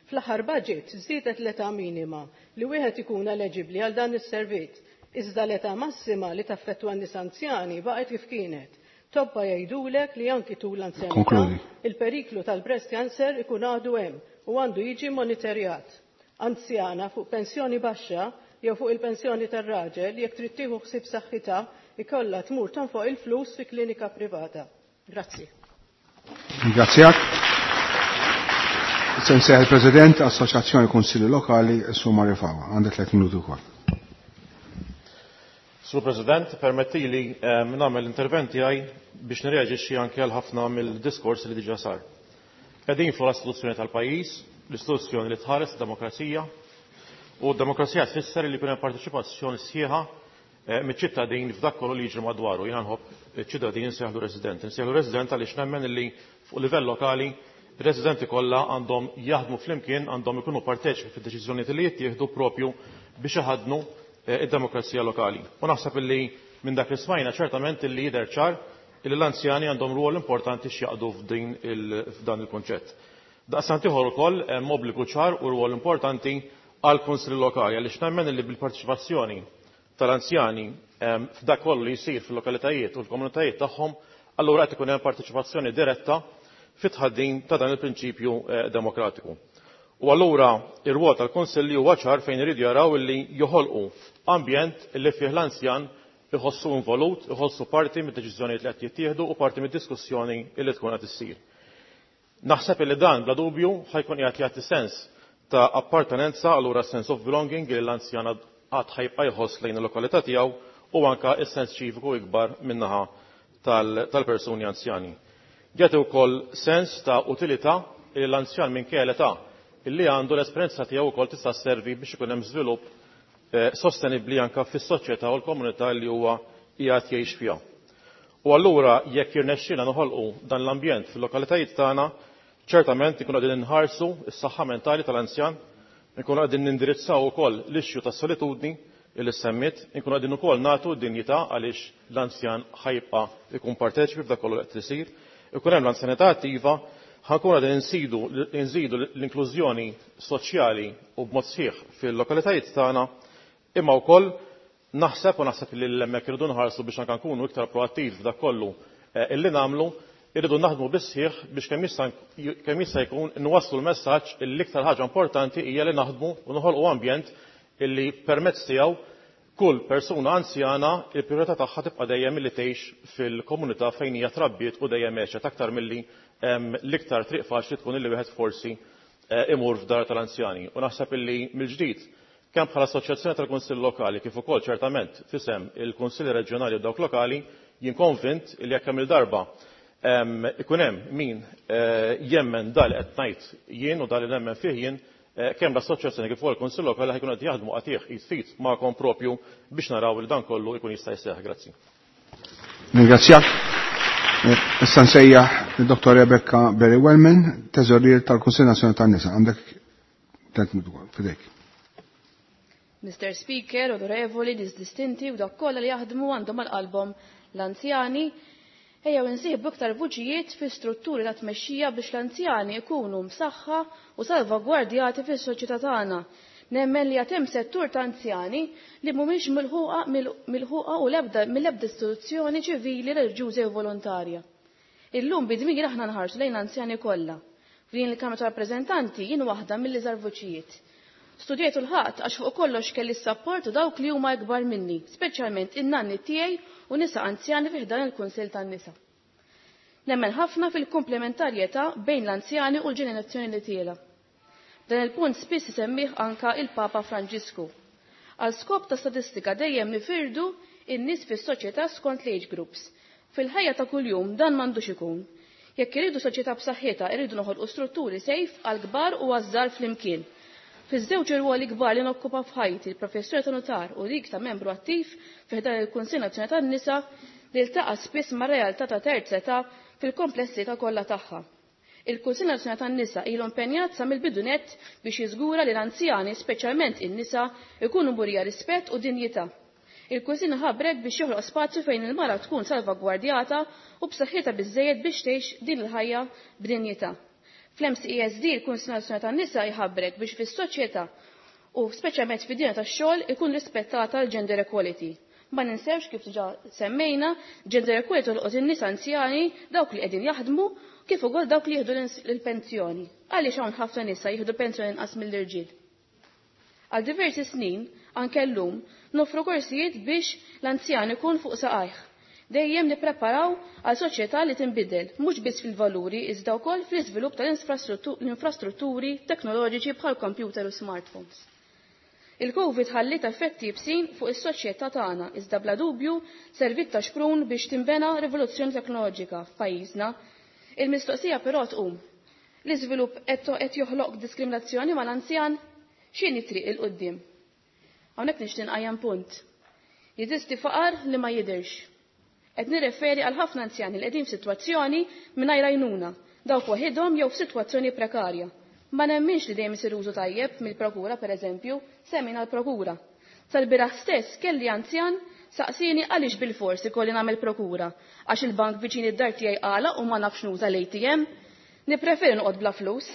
Fl-aħħar budget żdiedet l-età minima li wieħed ikun eleġibbli għal dan is-servizz, iżda l-età massima li taffettwa n-nies anzjani baqgħet kif kienet. Tobba jgħidulek li anki tul l-anzjanità il-periklu tal-breast cancer ikun għadu hemm u għandu jiġi monitorjat. Anzjana fuq pensjoni baxxa jew fuq il-pensjoni tar-raġel jekk trid tieħu ħsieb saħħitha ikollha tmur tonfoq il-flus fi klinika privata. Grazzi. Ringrazzjak. Sensejħ il-President Assoċjazzjoni Kunsilli Lokali, Sur Mario Fava. Għandek tliet minuti wkoll. Sur President, permettili eh, nagħmel l-intervent tiegħi biex nirreaġixxi anke għal ħafna mill-diskors li diġà sar. Qegħdin fuq l-istituzzjoni tal-pajjiż, l-istituzzjoni li tħares demokrazija, u d-demokrazija tfisser li jkun hemm parteċipazzjoni sħiħa eh, miċ-ċittadin f'dak kollu li jiġri madwaru. Jiena nħobb iċ-ċittadin insejħlu resident. Insejħlu resident għaliex nemmen li fuq livell lokali ir-residenti kollha għandhom jaħdmu flimkien, għandhom ikunu parteċipi fid-deċiżjonijiet li jittieħdu propju biex iħaddnu eh, id-demokrazija lokali. U naħseb illi minn dak li smajna ċertament illi jidher ċar illi l-anzjani għandhom rwol importanti x'jaqdu f'din f'dan il-konċett. Daqstant ieħor ukoll hemm obbligu ċar u rwol importanti għal kunsilli lokali għaliex nemmen illi bil-parteċipazzjoni tal-anzjani f'dak kollu li jsir fil-lokalitajiet u l-komunitajiet tagħhom, allura qed ikun hemm parteċipazzjoni diretta fit-tħaddin ta' dan il-prinċipju demokratiku. U allura ir-rwol tal-Kunsilli huwa ċar fejn iridu jaraw illi joħolqu ambjent illi fih l-anzjan iħossu involut, iħossu parti mid-deċiżjonijiet li qed jittieħdu u parti mid-diskussjoni illi tkun qed issir. Naħseb illi dan bla dubju ħajkun qiegħed jagħti sens ta' appartenenza, allura sense of belonging li l-anzjan għad ħajbqa' jħoss lejn il-lokalità tiegħu u anka s-sens ċiviku ikbar min-naħa tal-persuni anzjani. Jagħti wkoll sens ta' utilità li l-anzjan minkejja l-età illi għandu l-esperjenza tiegħu wkoll tista' sservi biex ikun hemm żvilupp sostenibbli anke fis-soċjetà u l-komunità li huwa qiegħed jgħix fiha. U allura jekk jirnexxielna noħolqu dan l-ambjent fil-lokalitajiet tagħna, ċertament ikunu qegħdin inħarsu s-saħħa mentali tal-anzjan, ikunu qegħdin nindirizzaw ukoll l-issue tas-solitudni illi semmiet, inkunu qegħdin ukoll nagħtu dinjità għaliex l-anzjan ħajbqa' ikun parteċipi f'dak kollu qed isir, ikun hemm l-anzjanità attiva, ħankun qegħdin insidu nżidu l-inklużjoni soċjali u b'mod sħiħ fil-lokalitajiet tagħna, imma wkoll naħseb u naħseb li l-hemmhekk irridu nħarsu biex anke nkunu iktar proattiv f'dak kollu illi nagħmlu, irridu naħdmu bis-sħiħ biex kemm jista' kemm jista' jkun nwasslu l-messaġġ li l-iktar ħaġa importanti hija li naħdmu u noħolqu ambjent illi permezz tiegħu kull persuna anzjana il-priorità tagħha tibqa' dejjem milli tgħix fil-komunità fejn hija trabbiet u dejjem għexet aktar milli l-iktar triq faċli tkun illi wieħed forsi imur f'dar tal-anzjani. U naħseb illi mill-ġdid kemm bħala Assoċjazzjoni tal-Kunsill Lokali kif ukoll ċertament fisem il-Kunsilli Reġjonali u dawk lokali jien konvint li jekk hemm il-darba ikun hemm min jemmen dal qed ngħid jien u dal li nemmen fih jien, kemm l-Assoċjazzjoni kif ukoll il-Kunsill Lokali ħajkunu qed jaħdmu qatih id fit magħkom propju biex naraw li dan kollu jkun jista' jseħħ. Grazzi. Ringrazzjak. Issa nsejjaħ Dottor Rebecca Berry Wellman, teżorier tal-Kunsill Nazzjonali tan-Nisa. Għandek tliet minuti f'idejk. Mister Speaker, onorevoli, nies distinti u dak kollha li jaħdmu għandhom għal qalbhom l-anzjani, ejjew insieħbu iktar vuċijiet fi strutturi ta' tmexxija biex l-anzjani jkunu msaħħa u salvagwardjati fis-soċjetà tagħna. Nemmen li għad hemm settur ta' anzjani li mhumiex milħuqa milħuqa u l-ebda mill-ebda istituzzjoni ċivili, reliġjuża jew volontarja. Illum bidmir aħna nħarsu lejn l-anzjani kollha. F'din il-Kamra ta' Rappreżentanti jien waħda mill-iżgħar vuċijiet. Studjajt u l-ħadd għax fuq kollox kelli s-sapport u dawk li huma ikbar minni, speċjalment in-nanni tiegħi u nisa anzjani fi ħdan il-Kunsill tan-Nisa. Nemmen ħafna fil-komplementarjetà bejn l-anzjani u l-ġenerazzjoni li tiela. Dan il-punt spiss isemmih anka il-Papa Franġisku. Għal skop ta' statistika dejjem nifirdu in-nies fis-soċjetà skont l-age groups. Fil-ħajja ta' kuljum dan m'għandux ikun. Jekk iridu soċjetà b'saħħitha, iridu noħolqu strutturi sejf għal kbar u għaż-żgħar flimkien. Fiż-żewġ irwoli kbar li nokkupa f'ħajti, il-professjoni ta' notar u dik ta' membru attiv fi ħdan il-Kunsill Nazzjonali tan-Nisa, li ltaqa' spiss mar-realtà ta' terza età fil-komplessità kollha tagħha. Il-Kunsill Nazzjonali tan-Nisa ilu impenjat sa mill-bidu nett biex jiżgura li l-anzjani, speċjalment in-nisa, ikunu murija rispett u dinjità. Il-Kunsill ħabrek biex joħloq spazju fejn il-mara tkun salvagwardjata u b'saħħitha biżżejjed biex tgħix din il-ħajja b'dinjità. Fl-M C E S D il-Kunsill Nazzjonali tan-Nisa jħabbrek biex fis-soċjetà u speċjalment fid-dinja tax-xogħol ikun rispettata l-gender equality. Ma ninsewx kif diġà semmejna, gender equality tolqot in-nisa anzjani, dawk li qegħdin jaħdmu, kif ukoll dawk li jieħdu l-pensjoni. Għaliex hawn ħafna nisa jieħdu pensjoni inqas mill-irġiel. Għal diversi snin, anke llum, nofru korsijiet biex l-anzjan ikun fuq saqajh. Dejjem nippreparaw għal soċjetà li tinbidel, mhux biss fil-valuri iżda wkoll fl-iżvilupp tal-infrastrutturi teknoloġiċi bħal computer u smartphones. Il-Covid ħalliet effetti ibsin fuq is-soċjetà tagħna, iżda bla dubju servit ta' xprun biex tinbena rivoluzzjoni teknoloġika f'pajjiżna. Il-mistoqsija però tqum. L-iżvilupp qed joħloq diskriminazzjoni mal-anzjan? X'inhi triq il quddiem? Hawnhekk nixtieq nqajjem punt. Jeżisti faqar li ma jidhirx. Qed nirreferi għal ħafna anzjani li qegħdin f'sitwazzjoni mingħajr għajnuna, dawk waħidhom jew f'sitwazzjoni prekarja. Ma nemminx li dejjem isir użu tajjeb mill-prokura, pereżempju, semmina l-prokura. Sal-bieraħ stess kelli anzjan saqsini għaliex bil-fors ikolli nagħmel prokura, għax il-bank viċin id-dar tiegħi għala u ma nafx nuża l-A T M. Nippreferi noqgħod bla flus.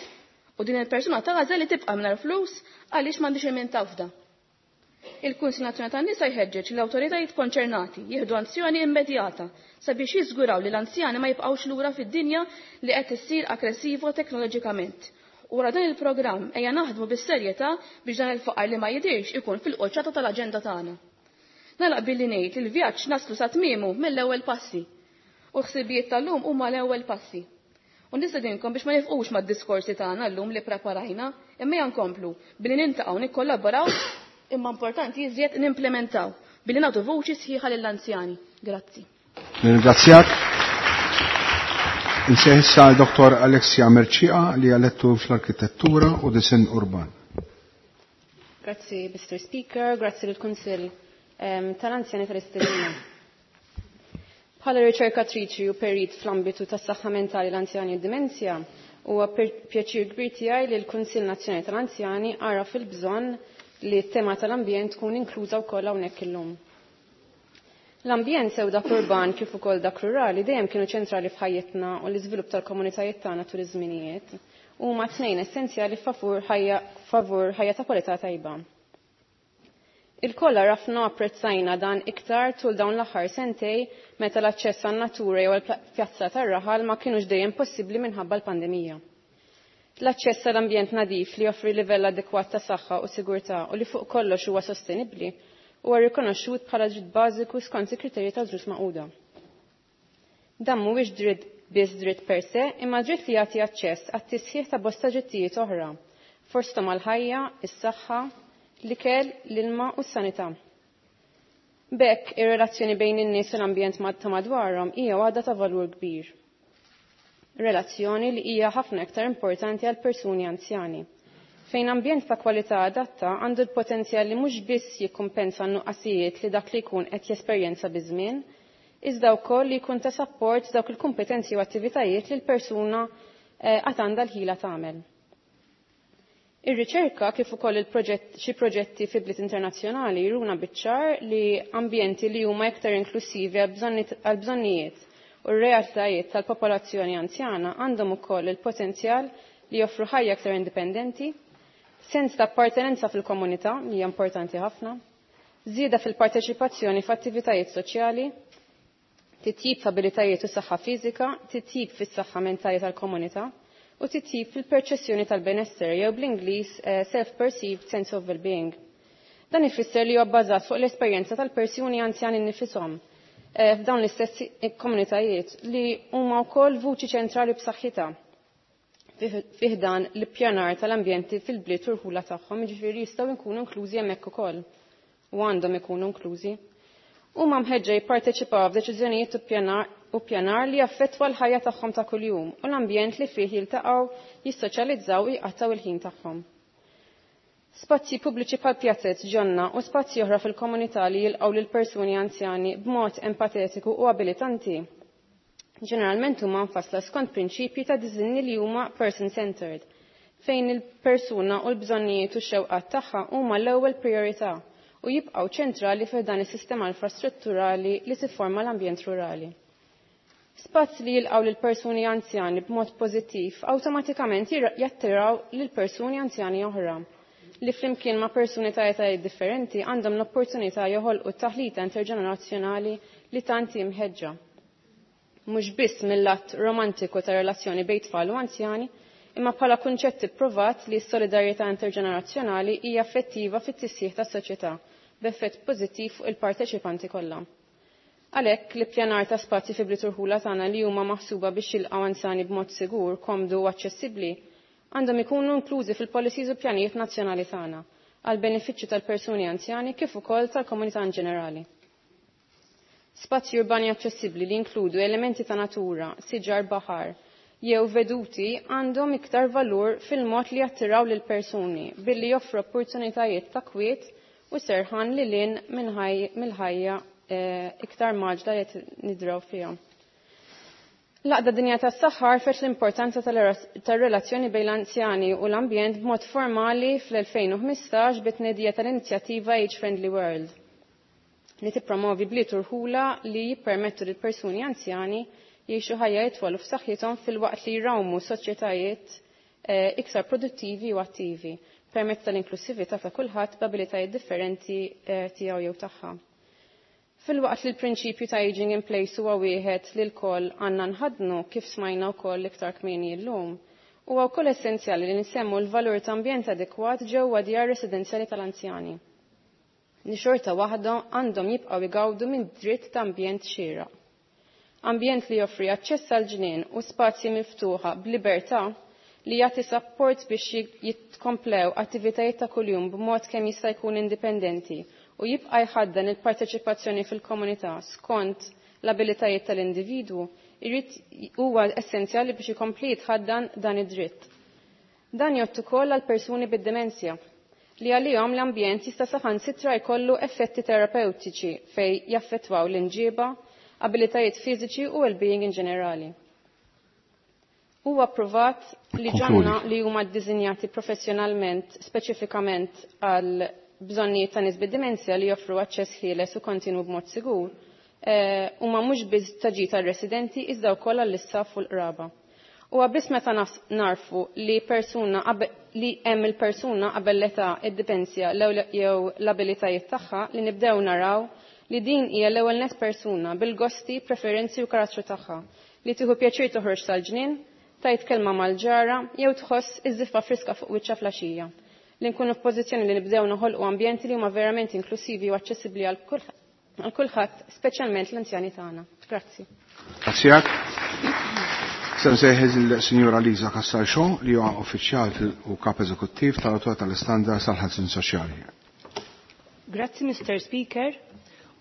U din il-persuna tagħżel li tibqa' mingħajr flus għaliex m'għandix il-min tafda. Il-Kunsill Nazzjonali tan-Nisa jħeġġeġ l-awtoritajiet konċernati jieħdu azzjoni immedjata sabiex jiżguraw li l-anzjani ma jibqgħux lura fid-dinja li qed issir aggressiva teknoloġikament. U wara dan il-programm ejja naħdmu bis-serjetà biex dan il-faqar li ma jidhirx ikun fil-qoċċata tal-aġenda tagħna. Nagħlaq billi ngħid li l-vjaġġ naslu sa tmiemu mill-ewwel passi. U l-ħsibijiet tal-lum huma l-ewwel passi. U nistedinkom biex ma nifqux mad-diskorsi tagħna llum li preparajna, imma ejja nkomplu billi nintaqgħu nikkollaboraw, imma importanti iżjed nimplementaw billi nagħtu vuċi sħiħa lill-anzjani. Grazzi. Nirringrazzjak. Insejħ issa Doktor Alexia Mercieca li għalettu fl-arkitettura u disinn urban. Grazzi, Mister Speaker, grazzi lill-Kunsill, ehm, tal-Anzjani tal-Istedina. Bħala riċerkatriċi u perit fl-ambitu tas-saħħa mentali l-anzjani u d-dimensja, huwa pjaċir kbir tiegħi li l-Kunsill Nazzjonali tal-Anzjani għaraf il-bżonn li t-tema tal-ambjent tkun inkluża wkoll hawnhekk illum. L-ambjent sew dak urban kif ukoll dak rurali dejjem kienu ċentrali f'ħajjitna u l-iżvilupp tal-komunitajiet tagħna tul iż-żminijiet huma tnejn essenzjali favur ħajja, favur ħajja ta' kwalità tajba. Il-koll għarafna u apprezzajna dan iktar tul dawn l-aħħar sentej meta l-aċċess għan-natura jew għall-pjazza tar-raħal ma kienux dejjem possibbli minħabba l-pandemija. L-aċċess għall-ambjent nadif li joffri livell adekwat ta' saħħa u sigurtà u li fuq kollox huwa sostenibbli huwa rikonoxxut bħala dritt bażiku skont il-kriterji tal-ġnus Magħquda. Dan mhuwiex dritt biss dritt per se, imma dritt li jagħti aċċess għat-tisħiħ ta' bosta drittijiet oħra, fosthom għall-ħajja, is-saħħa, l-ikel, l-ilma u s-sanità. B'hekk, ir-relazzjoni bejn in-nies u l-ambjent ta' madwarhom hija waħda ta' valur kbir. Relazzjoni li hija ħafna iktar importanti għal persuni anzjani, fejn ambjent ta' kwalità adatta għandu l-potenzjal li mhux biss jikkumpensa n-nuqqasijiet li dak li jkun qed jesperjenza biż-żmien, iżda wkoll li jkun ta' sapport dawk il-kompetenzi u attivitajiet li l-persuna eh, għad għandha l-ħila tagħmel. Ir-riċerka kif ukoll il-proġett xi proġetti fi bliet internazzjonali jruna biċ-ċar li ambjenti li huma iktar inklusivi għal bżonnijiet u r-realtajiet tal-popolazzjoni anzjana għandhom ukoll il-potenzjal li joffru ħajja aktar indipendenti, sens ta' appartenenza fil-komunità li hija importanti ħafna, żieda fil-parteċipazzjoni f'attivitajiet soċjali, titjib f'abilitajiet u saħħa fiżika, titjib fis-saħħa mentali tal-komunità u titjib fil-perċezzjoni tal-benessere jew bl-Ingliż eh, self-perceived sense of well-being. Dan ifisser li huwa bbażat fuq l-esperjenza tal-persuni anzjani nifishom eh, f'dawn l-istess komunitajiet li huma wkoll vuċi ċentrali b'saħħitha fih dan l-ippjanar tal-ambjenti fil-bliet u rħula tagħhom, jiġifieri jistgħu jkunu inklużi hemmhekk ukoll u għandhom ikunu inklużi. Huma mħeġġa jipparteċipaw f'deċiżjonijiet u ppjanar li jaffettwa l-ħajja tagħhom ta' kuljum u l-ambjent li fih jiltaqgħu, jissoċjalizzaw u jqattgħu il-ħin tagħhom. Spazji pubbliċi bħal pjazzett, ġonna u spazji oħra fil-komunità li jilqgħu lil persuni anzjani b'mod empatetiku u abilitanti. Ġeneralment huma mfassla skont prinċipji ta' diżinni li huma person-centered, fejn il-persuna u l-bżonnijiet u x-xewqat tagħha huma l-ewwel priorità u jibqgħu ċentrali fih dan is-sistema infrastrutturali li tifforma l-ambjent rurali. Spazji li jilqgħu lil persuni anzjani b'mod pożittiv awtomatikament jattiraw lil persuni anzjani oħra li flimkien ma' persuni ta' etajiet differenti għandhom l-opportunità joħolqu taħlita interġenerazzjonali li tant hi mħeġġa. Mhux biss mill-att romantiku ta' relazzjoni bejn tfal u anzjani, imma bħala kunċett ipprovat li s-solidarjetà interġenerazzjonali hija effettiva fit-tisjieħ tas-soċjetà b'effett pożittiv fuq il-parteċipanti kollha. Għalhekk l-ippjanar ta' spazji fi bliet urħula tagħna li huma maħsuba biex jilqgħu anzjani b'mod sigur, komdu u aċċessibbli għandhom ikunu inklużi fil-policies u pjanijiet nazzjonali tagħna għal benefiċċju tal-persuni anzjani kif ukoll tal-komunità in ġenerali. Spazji urbani aċċessibbli li jinkludu elementi ta' natura, siġar baħar, jew veduti għandhom iktar valur fil-mod li jattiraw lil persuni billi joffru opportunitajiet ta' kwiet u serħan li lin mill-ħajja eh, iktar maġla li qed nidraw fiha. L-Għaqda Dinja tas-Saħħa għarfet l-importanza tar-relazzjoni bejn l-anzjani u l-ambjent b'mod formali fl-elfejn u ħmistax bit-tnedija tal-inizjattiva Age Friendly World li tippromovi bliet u rħula li jippermettu lil persuni anzjani jgħixu ħajja jitwal u f'saħħithom filwaqt li jrawmu soċjetajiet eh, iktar produttivi u attivi permezz tal-inklusività ta' kulħadd b'abilitajiet differenti eh, tiegħu jew tagħha. Filwaqt li l-prinċipju ta' aging in place huwa wieħed li lkoll għandna nħaddnu kif smajna wkoll iktar kmieni llum, huwa wkoll essenzjali li nsemmu l-valur ta' ambjent adekwat ġewwa djar residenzjali tal-anzjani. Li xorta waħda għandhom jibqgħu jgawdu minn dritt ta' ambjent xieraq. Ambjent li joffri aċċess għal ġnien u spazji miftuħa b'libertà li jagħti sapport biex jitkomplew attivitajiet ta' kuljum b'mod kemm jista' jkun indipendenti u jibqa' jħaddan il-parteċipazzjoni fil-komunità skont l-abilitajiet tal-individwu irid huwa essenzjali biex ikompli jitħaddan dan id-dritt. Dan jgħod ukoll għal persuni bid-demenzja li għalihom l-ambjent jista' saħansitra jkollu effetti terapeutiċi fejn jaffettwaw l-inġiba, abilitajiet fiżiċi u well-being in ġenerali. Huwa pprovat li ġonna li huma ddisinjati professjonalment speċifikament għal bżonnijiet ta' nies bid-dimensja li joffru aċċess ħieles u kontinu b'mod sigur, eh, huma mhux biss ta' ġid għar-residenti iżda wkoll għall-istaff u l-qraba. Huwa biss meta narfu li persuna li hemm il-persuna qabel l-età id-dimensja jew l-abilitajiet tagħha li nibdew naraw li din hija l-ewwel net persuna bil-gosti, preferenzi u karattru tagħha li tieħu pjaċir toħroġ sal-ġnien, tajt kelma mal-ġara jew tħoss iż-żiffa friska fuq wiċċha flaxija. Li nkunu f'pożizzjoni li nibdew noħolqu ambjenti li huma verament inklusivi u aċċessibbli għal kulħadd, speċjalment l-anzjani tagħna. Grazzi. Grazzi. Se nsejħeż il-Sinjura Liza Cassar-Shaw li huwa uffiċjal u kap eżekuttiv tal-Awtorità tal-Istandards tal-Ħarsien Soċjali. Grazzi, Mister Speaker.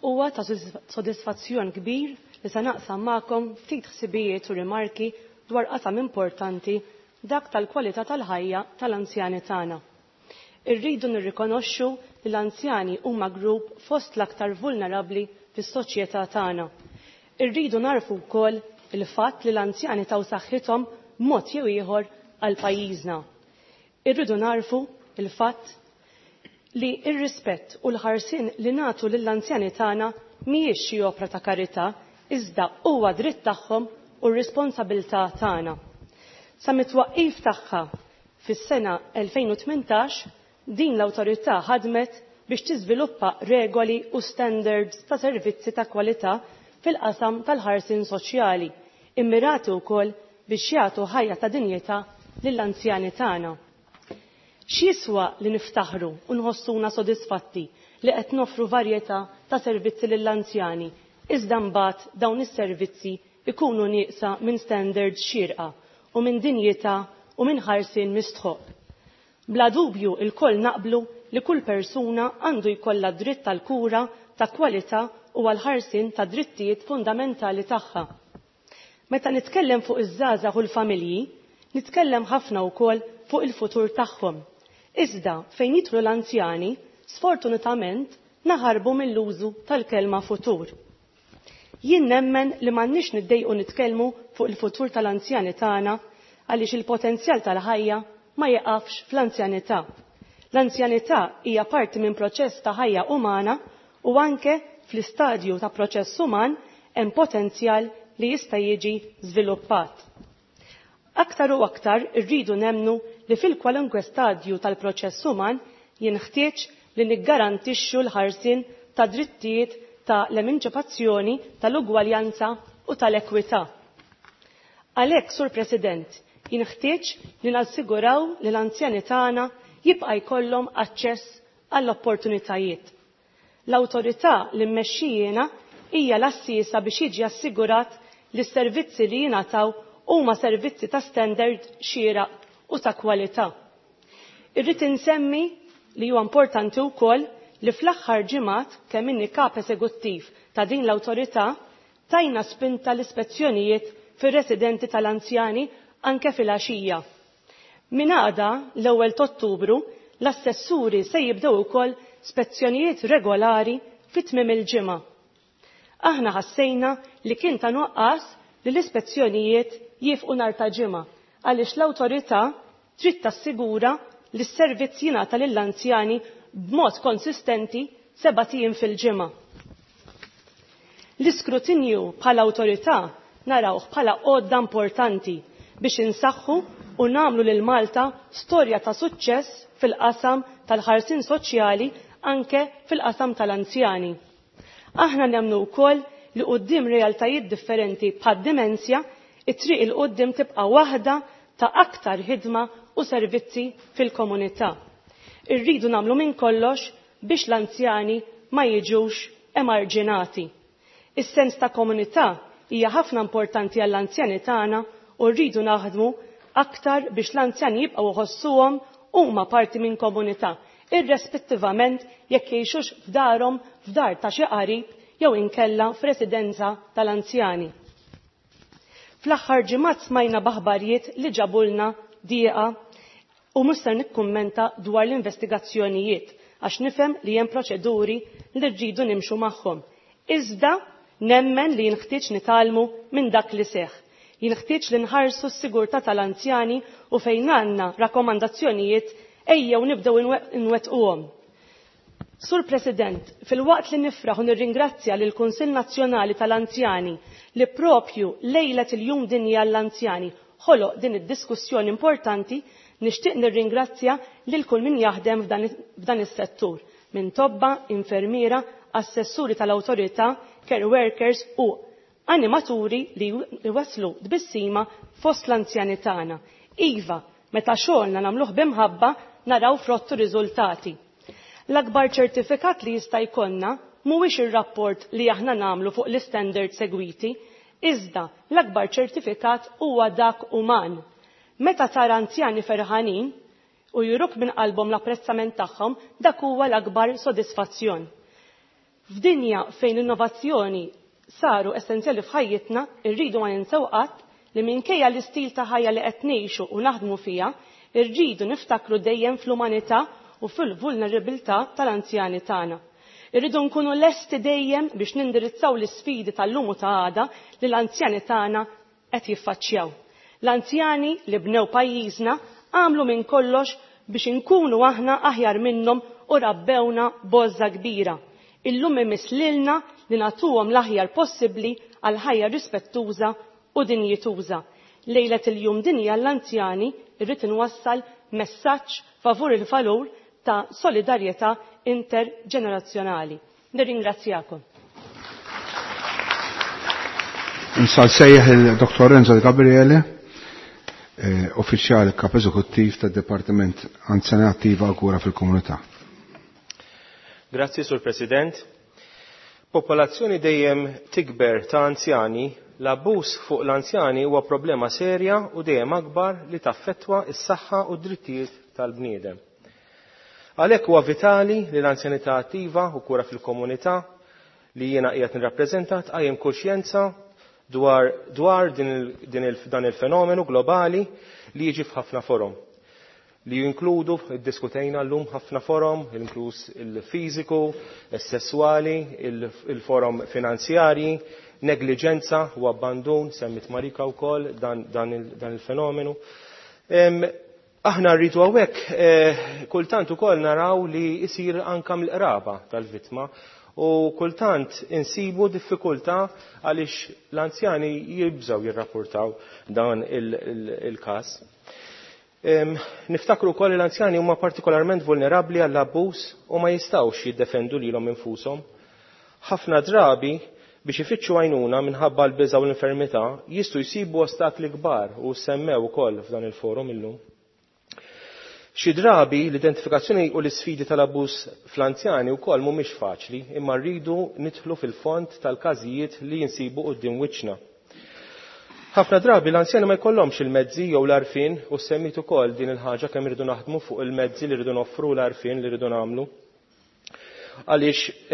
Huwa ta' sodisfazzjon kbir li se naqsam magħkom ftit ħsibijiet u rimarki dwar qasam importanti dak tal-kwalità tal-ħajja tal-anzjani tagħna. Irridu nirrikonoxxu li l-anzjani huma grupp fost l-aktar vulnerabbli fis-soċjetà tagħna. Irridu narfu wkoll il-fatt li l-anzjani taw saħħithom b'mod jew ieħor għal pajjiżna. Irridu narfu il-fatt li ir-rispett u l-ħarsien li nagħtu lill-anzjani tagħna mhijiex xi opra ta' karità, iżda huwa dritt tagħhom u r-responsabilità tagħna. Sa mit-twaqqif tagħha fis-sena elfejn u tmintax, din l-awtorità ħadmet biex tiżviluppa regoli u standards ta' servizzi ta' kwalità fil-qasam tal-ħarsien soċjali, immirati wkoll biex jagħtu ħajja ta' dinjità lill-anzjani tagħna. X'jiswa li niftaħru u nħossuna sodisfatti li qed nofru varjetà ta' servizzi lill-anzjani, iżda mbagħad dawn is-servizzi ikunu nieqsa minn standards xierqa u minn dinjità u minn ħarsien mistħoq. Bla dubju il-koll naqblu li kull persuna għandu jkollha dritt tal-kura ta' kwalità u għal-ħarsien ta' drittijiet fundamentali tagħha. Meta nitkellem fuq iż-żgħażagħ u l-familji, nitkellem ħafna wkoll fuq il-futur tagħhom. Iżda fejn jidħlu l-anzjani, sfortunatament naħarbu mill-użu tal-kelma futur. Jien nemmen li m'għandniex niddejqu nitkellmu fuq il-futur tal-anzjani tagħna għaliex il-potenzjal tal-ħajja ma jeqafx fl-anzjanità. L-anzjanità hija parti minn proċess ta' ħajja umana u anke fl-istadju ta' proċess uman hemm potenzjal li jista' jiġi żviluppat. Aktar u aktar irridu nemnu li fil-kwalunkwe stadju tal-proċess uman jinħtieġ li niggarantixxu l-ħarsien ta' drittijiet ta' l-emanċipazzjoni, tal-ugwaljanza u tal-ekwità. Għalhekk, Sur President, jinħtieġ li nassiguraw li l-anzjani tagħna jibqa' jkollhom aċċess għall-opportunitajiet. L-awtorità li mmexxijina hija l-assisa biex jiġi assigurat li s-servizzi li jingħataw huma servizzi ta' standard xieraq u ta' kwalità. Irrid insemmi li huwa importanti wkoll li fl-aħħar ġimgħat kemm inni kap eżekuttiv ta' din l-awtorità tajna spinta l-ispezzjonijiet fir-residenti tal-anzjani anke fil-għaxija. Min għada l-ewwel t'Ottubru l-assessuri se jibdew ukoll spezzjonijiet regolari fi tmiem il-ġimgħa. Aħna ħassejna li kien ta' nuqqas li l-ispezzjonijiet jifqu nhar ta' ġimgħa għaliex l-awtorità trid tassigura li s-servizz jingħata lill-anzjani b'mod konsistenti seba' ijiem fil-ġimgħa. L-iskrutinju bħala awtorità narawh bħala għodda importanti biex insaħħu u nagħmlu lil Malta storja ta' suċċess fil-qasam tal-ħarsien soċjali anke fil-qasam tal-anzjani. Aħna nemmnu wkoll li quddiem realtajiet differenti bħad-dimensja, it-triq il quddiem tibqa' waħda ta' aktar ħidma u servizzi fil-komunità. Irridu nagħmlu minn kollox biex l-anzjani ma jiġux emarġinati. Is-sens ta' komunità hija ħafna importanti għall-anzjani tagħna u rridu naħdmu aktar biex l-anzjani jibqgħu jħossuhom huma parti minn komunità, irrespettivament jekk jgħixux f'darhom, f'dar ta' xi qarib jew inkella f'residenza tal-anzjani. Fl-aħħar ġimgħat smajna b'aħbarijiet li ġabulna dieqa u mhux ser nikkummenta dwar l-investigazzjonijiet għax nifhem li hemm proċeduri li rridu nimxu magħhom. Iżda nemmen li jinħtieġ nitgħallmu minn dak li seħħ. Jinħtieġ li nħarsu s-sigurtà tal-anzjani u fejn għandna rakkomandazzjonijiet ejjew nibdew inwettquhom. Sur President, fil-waqt li nifraħ u nirringrazzja lil Kunsill Nazzjonali tal-Anzjani li propju lejlet il-Jum Dinji għall-Anzjani ħoloq din id-diskussjoni importanti, nixtieq nirringrazzja lil kull min jaħdem f'dan is-settur, minn tobba, infermiera, assessuri tal-awtorità, care workers u animaturi li waslu tbissima fost l-anzjani tagħna. Iva, meta xogħolna nagħmluh b'imħabba naraw frottu riżultati. L-akbar ċertifikat li jista' jkollna mhuwiex ir-rapport li aħna nagħmlu fuq l-istandard segwiti, iżda l-akbar ċertifikat huwa dak uman. Meta tara anzjani ferħanin u juruk minn qalbhom l-apprezzament tagħhom, dak huwa l-akbar sodisfazzjon. F'dinja fejn l-innovazzjoni saru essenzjali f'ħajjitna, irridu ma ninsew qatt li minkejja l-istil ta' ħajja li qed ngħixu u naħdmu fiha, irridu niftakru dejjem fl-umanità u fil-vulnerabilità tal-anzjani tagħna. Irridu nkunu lesti dejjem biex nindirizzaw l-isfidi tal-lum u ta' għada li l-anzjani tagħna qed jiffaċċjaw. L-anzjani li bnew pajjiżna għamlu minn kollox biex inkunu aħna aħjar minnhom u rabbewna bozza kbira. Illum imiss lilna li nagħtuhom l-aħjar possibbli għal ħajja rispettuża u dinjituża. Lejlet il-jum dinja l-anzjani irrid inwassal messaġġ favur il-valur ta' solidarjetà interġenerazzjonali. Nirringrazzjakom. Insal sejjaħ il-Dottor Renzo Gabriele, eh, uffiċjal kap eżekuttiv tad-Dipartiment Anzjanità Attiva u Kura fil-Komunità. Grazzi, Sur President. Popolazzjoni dejjem tikber ta' anzjani, l-abbuż fuq l-anzjani huwa problema serja u dejjem akbar li taffettwa s-saħħa u d-drittijiet tal-bniedem. Għalhekk huwa vitali li l-anzjanità attiva u kura fil-komunità li jiena qiegħed nirrappreżenta tqajjem kuxjenza dwar, dwar din il, din il, dan il-fenomenu globali li jiġi f'ħafna forom. Li jinkludu, iddiskutejna llum ħafna forom, inkluż il-fiżiku, is-sesswali, il-forom finanzjarji, negliġenza u abbandun, semmit Marika wkoll dan, dan, il, dan il-fenomenu. Em, aħna rridu hawnhekk eh, kultant ukoll naraw li jsir anka mill-qraba tal-vittma u kultant insibu diffikultà għaliex l-anzjani jibżgħu jirrapportaw dan il-każ. Niftakru wkoll li l-anzjani huma partikolarment vulnerabbli għall-abbuż u ma jistgħux jiddefendu lilhom infushom. Ħafna drabi biex ifittxu għajnuna minħabba l-biża u l-infermità jistgħu jsibu ostakli kbar u semmew ukoll f'dan il-forum illum. Xi drabi l-identifikazzjoni u l-isfidi tal-abbuż fl-anzjani wkoll mhumiex faċli, imma rridu nidħlu fil-fond tal-każijiet li jinsibu quddiem wiċċna. Ħafna drabi l-anzjani ma jkollhomx il-mezzi jew l-għarfien u semmit ukoll din il-ħaġa kemm irridu naħdmu fuq il-mezzi li rridu noffru l-għarfien li rridu nagħmlu. Għaliex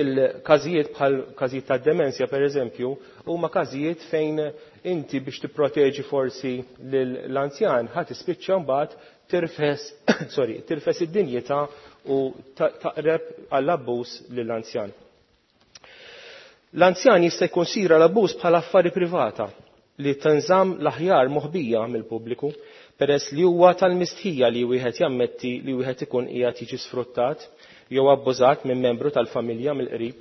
il-każijiet bħal każijiet ta' demenzja pereżempju huma każijiet fejn inti biex tipproteġi forsi lill-anzjan ħadd tispiċċa mbagħad tirfes sorry, tirfes id-dinjità u taqreb għall-abbuż lill-anzjan. L-anzjan jista' jikkonsidra l-abbuż bħala affari privata li tinżamm l-aħjar moħbija mill-pubbliku peress li huwa tal-mistħija li wieħed jammetti li wieħed ikun qiegħed jiġi sfruttat jew abbużat minn membru tal-familja mill-qrib.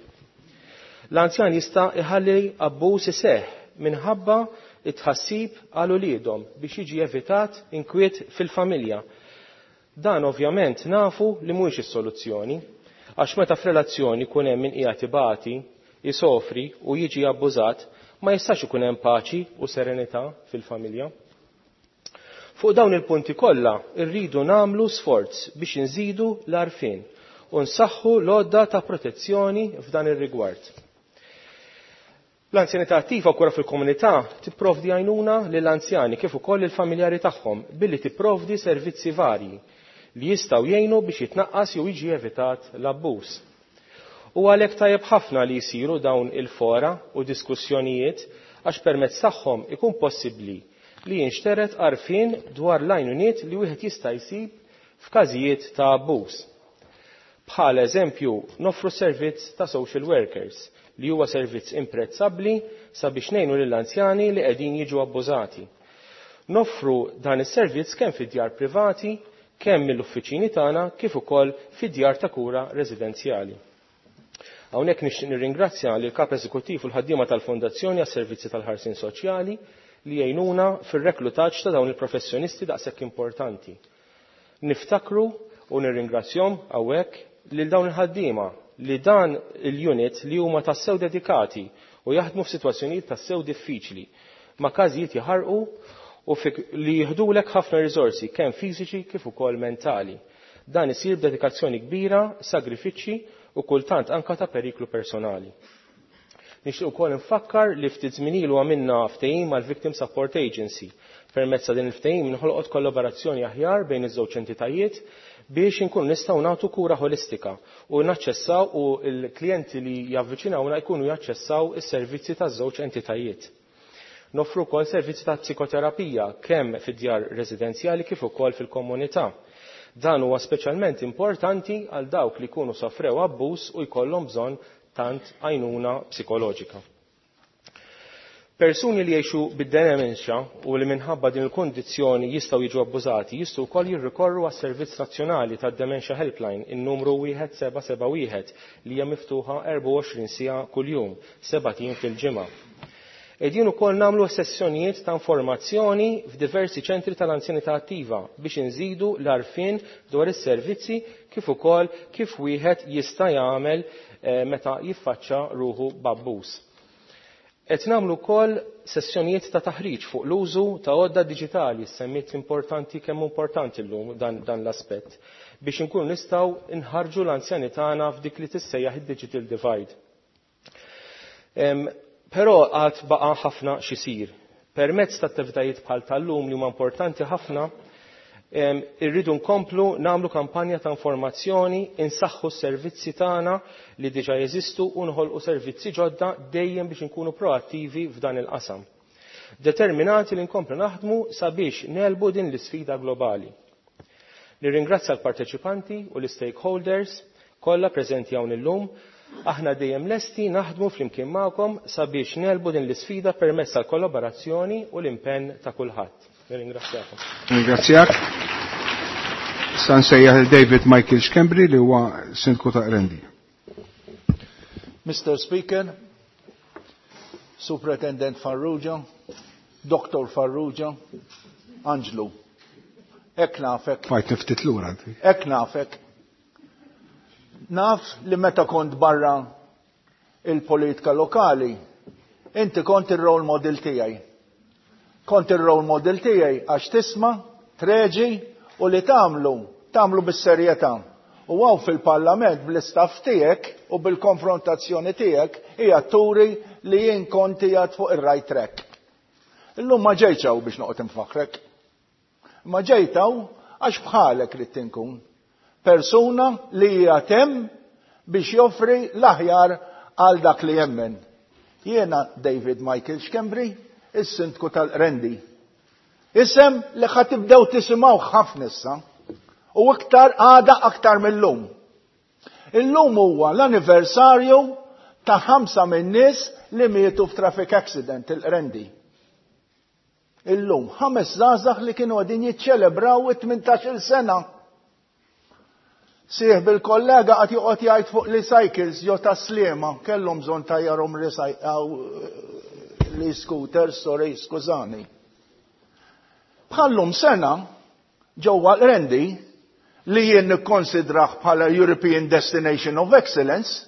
L-anzjan jista' iħalli abbuż iseħħ minħabba it-tħassib għal uliedhom biex jiġi evitat inkwiet fil-familja. Dan ovvjament nafu li mhuwiex is-soluzzjoni, għax meta f'relazzjoni jkun hemm min qiegħed ibati, isofri u jiġi abbużat, ma jistax ikun hemm paċi u serenità fil-familja. Fuq dawn il-punti kollha rridu nagħmlu sforz biex inżidu l-għarfien u nsaħħu l-għodda ta' protezzjoni f'dan ir-rigward. L-anzjanità attiva kura fil-komunità tipprovdi għajnuna lill-anzjani kif ukoll il-familjari tagħhom billi tipprovdi servizzi varji li jistgħu jgħinu biex jitnaqqas jew jiġi evitat l-abbuż. U għalhekk tajjeb ħafna li jsiru dawn il-fora u diskussjonijiet għax permezz tagħhom ikun possibbli li jinxteret għarfien dwar l-għajnuniet li wieħed jista' jsib f'każijiet ta' abbuż. Bħala eżempju, noffru servizz ta' social workers li huwa servizz imprezzabbli sabiex ngħinu lill-anzjani li qegħdin jiġu abbużati. Noffru dan is-servizz kemm fid-djar privati, kemm mill-uffiċini tagħna kif ukoll fid-djar ta' kura residenzjali. Hawnhekk nixtieq nirringrazzja lil kap eżekuttiv u l-ħaddiema tal-Fondazzjoni għas-Servizzi tal-Ħarsien Soċjali li jgħinuna fir-reklutaġġ ta' dawn il-professjonisti daqshekk importanti. Niftakru u nirringrazzjahom hawnhekk lil dawn il-ħaddiema li dan il-unit li huma tassew dedikati u jaħdmu f'sitwazzjonijiet tassew diffiċli ma' każijiet jaħarqu u li jiħdulek ħafna riżorsi kemm fiżiċi kif ukoll mentali. Dan isir b'dedikazzjoni kbira, sagrifiċċji u kultant anka ta' periklu personali. Nixtieq ukoll nfakkar li ftit żmien ilu għamilna ftehim mal-Victim Support Agency. Permezz ta' din il-ftehim inħolqot kollaborazzjoni aħjar bejn iż-żewġ entitajiet biex inkunu nistgħu nagħtu kura ħolistika u naċċessaw u l-klijenti li javviċinawna jkunu jaċċessaw is-servizzi taż-żewġ entitajiet. Noffru wkoll servizzi ta' psikoterapija kemm fid-djar residenzjali kif ukoll fil-komunità. Dan huwa speċjalment importanti għal dawk li jkunu sofrew abbuż u jkollhom bżonn tant għajnuna psikoloġika. Persuni li jgħixu bid-dementia u li minħabba din il-kondizzjoni jistgħu jiġu abbużati jistgħu wkoll jirrikorru għas-Servizz Nazzjonali tad-Dementia Helpline in-numru wieħed seba' seba' wieħed li hija miftuħa erbgħa u għoxrin siegħa kuljum, sebat ijiem fil-ġimgħa. Qegħdin ukoll nagħmlu sessjonijiet ta' informazzjoni f'diversi ċentri tal-anzjanità attiva biex inżidu l-għarfien dwar is-servizzi kif ukoll kif wieħed jista' jagħmel eh, meta jiffaċċa ruħu b'abbuż. Qed nagħmlu wkoll sessjonijiet ta' taħriġ fuq l-użu ta' għodda diġitali, semmiet importanti kemm importanti llum dan, dan l-aspett, biex inkunu nistgħu nħarġu l-anzjani tagħna f'dik li tissejjaħ id-digital divide. Em, Però għad baqa' ħafna x'isir. Permezz ta' attivitajiet bħal tal-lum li huma importanti ħafna, em, irridu nkomplu nagħmlu kampanja ta' informazzjoni, insaħħu s-servizzi tagħna li diġà jeżistu u nħolqu servizzi ġodda dejjem biex inkunu proattivi f'dan il-qasam. Determinati li nkomplu naħdmu sabiex nelbu din l-isfida globali. Nirringrazzja l-parteċipanti u l-stakeholders kollha preżenti hawn illum. Aħna dejjem lesti naħdmu flimkien magħkom sabiex nelbu din l-isfida permezz tal-kollaborazzjoni u l-impenn ta' kulħadd. Nirringrazzjakom. Nirringrazzjak. Sa nsejjaħ il David Michael Schembri li huwa Sindku ta' Qrendi. Mister Speaker, Superintendent Farrugia, Doctor Farrugia, Anġlu. Hekk nafek. Fajt niftit lura. Hekk nafek. Naf li meta kont barra il-politika lokali, inti kont il-role model tiegħi. Kont il-role model tiegħi għax tisma', treġi u li tagħmlu, tagħmlu bis-serjetà. U għaw fil-parlament bl-istaff tiegħek u bil-konfrontazzjoni tiegħek hija turi li jien kont qiegħed fuq ir-right track. Illum ma ġejtx hawn biex noqgħod infaħrek. Ma ġejt hawn għax bħalek ridt inkun. Persuna li hija hemm biex joffri l-aħjar għal dak li jemmen. Jiena David Michael Schembri, is-sindku tal-Qrendi. Isem li ħa tibdew tisimgħu ħafna issa u iktar għada aktar mill-lum. Illum huwa l-anniversarju ta' ħamsa min-nies li mietu f'traffic accident il-Qrendi. Illum ħames żgħażagħ li kienu qegħdin jiċċelebraw it-tmintax-il sena. Sieħ bil-kollega qed joqgħod jgħid fuq li cycles jew ta' Sliema, kellhom bżonn tajjarhom li scooters, sorry, skużani. Bħallum sena ġewwa l-Qrendi li jien nikkonsidrah bħala European Destination of Excellence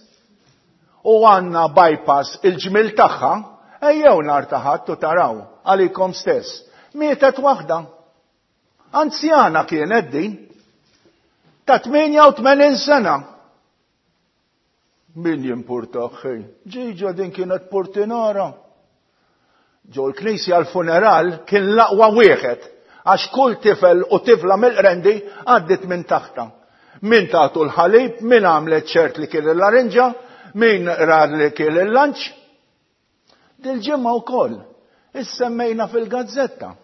u għandna bypass il-ġmil tagħha, ejjew nhar ta' Ħadd u taraw għalikom stess. Mietet waħda. Anzjana kienet din. Ta' tmienja u tmenin sena. Min jimpurtaħ xejn? Ġiġa din kienet portinara. Ġo l-knisja l-funeral kien l-aqwa wieħed, għax kull tifel u tifla mill-Qrendi għaddit minn taħta. Min tagħtu l-ħalib, min għamlet ċert li kien il-larinġa, min rar li kien il-lanċ. Dil-ġimgħa wkoll issemmejna fil-gazzetta.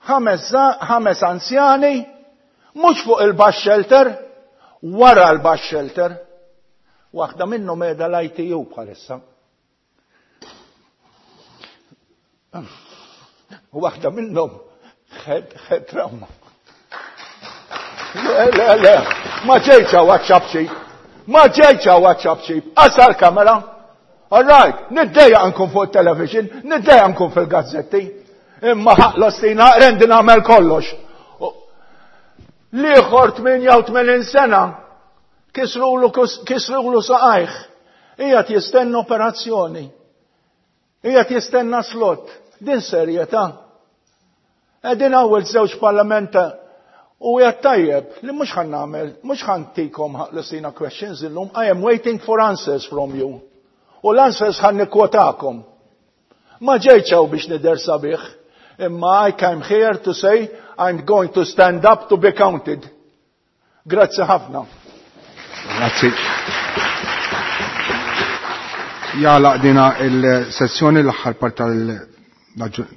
Ħames, ħames anzjani, mhux fuq il-bus shelter, wara l-bus shelter. Waħda minnhom qiegħda l-I T U bħalissa. Waħda minnhom ħed, ħed trauma. Le, le, le, ma ġejtx hawn għaċ-ċapċip. Ma ġejtx hawn għaċ-ċapċip. Qasar kamera. All right, niddejjaq nkun fuq television, niddejjaq nkun fil-gazzetti. Imma ħaq l-ostina Qrendi nagħmel kollox. L-ieħor tmienja u tmenin sena kisrulu, kisrulu saqajh. Qiegħed jistenna operazzjoni. Qiegħed jistenna slot. Din serjetà. Qegħdin ewwel żewġ parlamenta u qiegħed tajjeb li mhux ħan nagħmel, mhux ħan tikom ħaq l-ostina questions illum. I am waiting for answers from you. U l-answers ħan nikkwotakom. Ma ġejtx hawn biex nidher sabiħ, imma I came here to say I'm going to stand up to be counted. Grazzi ħafna. Grazzi. Jalaq dina il-sessjoni l-aħħar part tal-,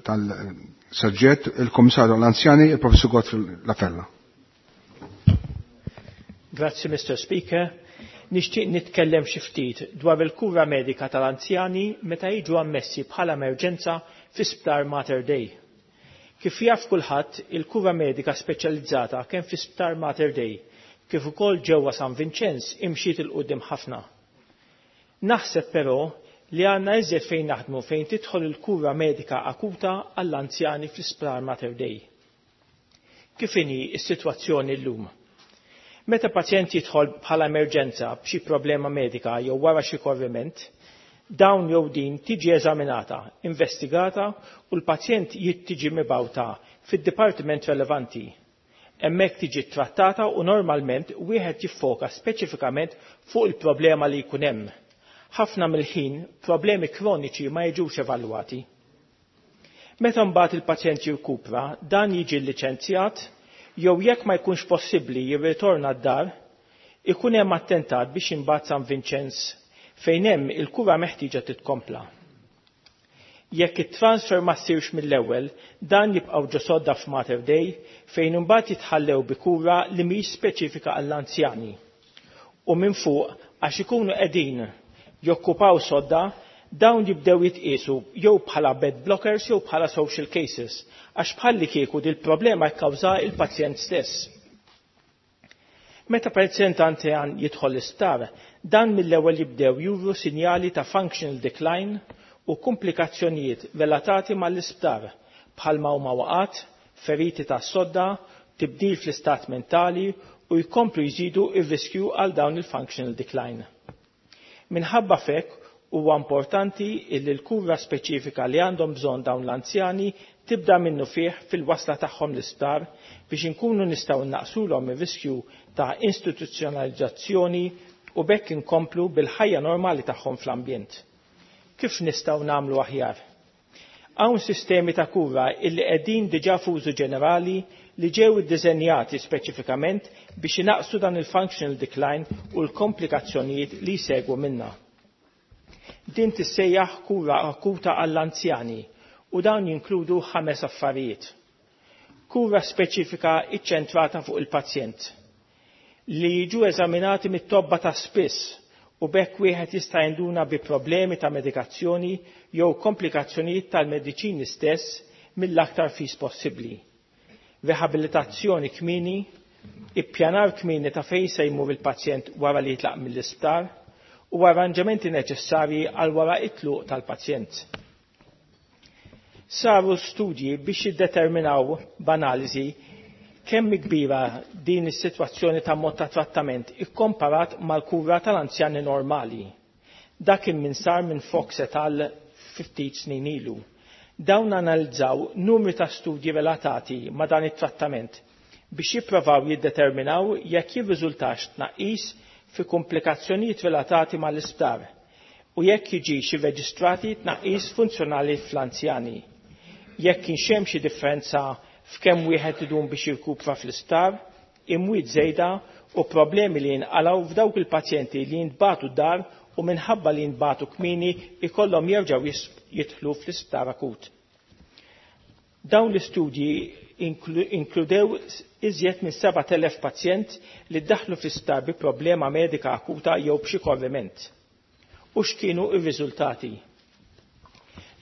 tal-soġġett, il-Kummissarju għall-Anzjani, il-Professur Godfrey Lafella. Grazzi, Mister Speaker. Nixtieq nitkellem xi ftit dwar il-kura medika tal-anzjani meta jiġu ammessi bħala emerġenza fi sptar Mater Dei. Kif jaf kulħadd, il-kura medika speċjalizzata kemm fi sptar Mater Dei kif ukoll ġewwa San Vinċenz imxiet il quddiem ħafna. Naħseb però li għandna iżjed fejn naħdmu fejn tidħol il-kura medika akuta għall-anzjani fl-isptar Mater Dei. Kif inhi s-sitwazzjoni llum? Meta pazjent jidħol bħala emerġenza b'xi problema medika jew wara xi korriment, dawn jew din tiġi eżaminata, investigata u l-pazjent jittiġi mibgħuta fid-dipartiment relevanti. Hemmhekk tiġi trattata u normalment wieħed jiffoka speċifikament fuq il-problema li jkun hemm. Ħafna mill-ħin problemi kroniċi ma jiġux evalwati. Meta mbagħad il-pazjent jirkupra, dan jiġi liċenzjat jew jekk ma jkunx possibbli jirritorna d-dar, ikun hemm attentat biex imbagħad San Vinċenz fejn hemm il-kura meħtieġa titkompla. Jekk it-transfer ma ssirx mill-ewwel, dan jibqgħu ġo sodda f'Mater Dei fejn imbagħad jitħallew bi kura li mhix speċifika għall-anzjani. U minn fuq għax ikunu qegħdin jokkupaw sodda, dawn jibdew jitqiesu jew bħala bed blockers jew bħala social cases, għax bħalli kieku dil-problema kkawża il-pazjent stess. Meta pazjent anzjan jidħol l-isptar, dan mill-ewwel jibdew juru sinjali ta' functional decline u komplikazzjonijiet relatati mal-isptar bħalma huma waqat, feriti ta' sodda, tibdil fl-istat mentali u jkomplu jżidu ir-riskju għal dawn il-functional decline. Minħabba fek huwa importanti illi l-kura speċifika li għandhom bżonn dawn l-anzjani tibda minnu fih fil-wasla tagħhom l-isptar biex inkunu nistgħu naqsulhom ir-riskju ta' istituzzjonalizzazzjoni u bekk inkomplu bil-ħajja normali tagħhom fl-ambjent. Kif nistgħu nagħmlu aħjar? Hawn sistemi ta' kura illi qegħdin diġà f'użu ġenerali li ġew iddiżenjati speċifikament biex inaqsu dan il-functional decline u l-komplikazzjonijiet li jsegwu minnha. Din tissejjaħ kura akuta għall-anzjani u dawn jinkludu ħames affarijiet. Kura speċifika iċċentrata fuq il-pazjent li jiġu eżaminati mit-tobba ta' spiss u bekk wieħed jista' jinduna bi problemi ta' medikazzjoni jew komplikazzjonijiet tal-mediċini stess mill-aktar fis possibbli. Rehabilitazzjoni kmieni, ippjanar kmieni ta' fejn se jmur il-pazjent wara li jitlaq mill-isptar u arranġamenti neċessarji għal wara it-tluq tal-pazjent. Saru studji biex jiddeterminaw b'analiżi kemm kbira din is-sitwazzjoni ta' mod ta' trattament ikkomparat mal-kura tal-anzjani normali. Dak kien min sar minn Fox et al. Ftit snin ilu. Dawn analizzaw numri ta' studji relatati ma' dan it-trattament biex jipprovaw jiddeterminaw jekk jirriżultax tnaqqis fi komplikazzjonijiet relatati mal-isptar u jekk jiġix irreġistrati tnaqqis funzjonali fl-anzjani. Jekk kienx hemm xi differenza f'kemm wieħed idum biex jirkupra fl-isptar, imwiet żejda u problemi li jinqalgħu f'dawk il-pazjenti li jintbagħtu d-dar u minħabba li jintbagħtu kmieni ikollhom jerġgħu jidħlu fl-isptar akut. Dawn l-istudji inkludew iżjed minn sebat elef pazjent li ddaħlu fl-isptar bi problema medika akuta jew b'xi korriment. U x'kienu r-riżultati?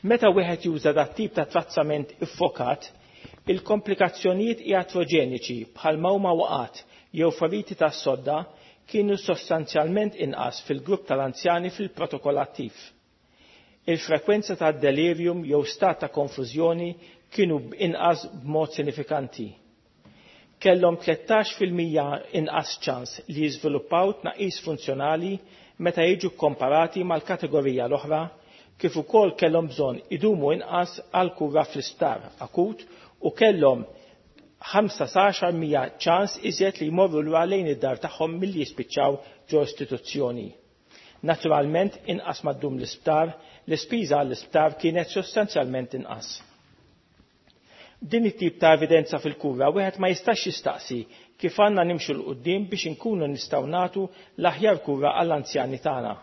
Meta wieħed juża dat tip ta' trattament iffokat, il-komplikazzjonijiet iatrogeniċi bħal huma waqat jew feriti tas-sodda kienu sostanzjalment inqas fil-grupp tal-anzjani fil-protokoll attiv. Il-frekwenza ta' delirium jew stat ta' konfużjoni kienu inqas b'mod sinifikanti. Kellhom tlettax fil-mija inqas ċans li jiżviluppaw tnaqqis funzjonali meta jiġu komparati mal-kategorija l-oħra, kif ukoll kellhom bżonn idumu inqas għal kura fl-isptar akut u kellhom ħamsa sa għaxar mija ċans iżjed li jmorru lura lejn id-dar tagħhom milli jispiċċaw ġo istituzzjoni. Naturalment inqas ma ddum l-isptar, l-ispiża għall-isptar kienet sostanzjalment inqas. Din it-tip ta' evidenza fil-kura wieħed ma jistax jistaqsi kif għandna nimxu l quddiem biex inkunu nistgħu nagħtu l-aħjar kura għall-anzjani tagħna.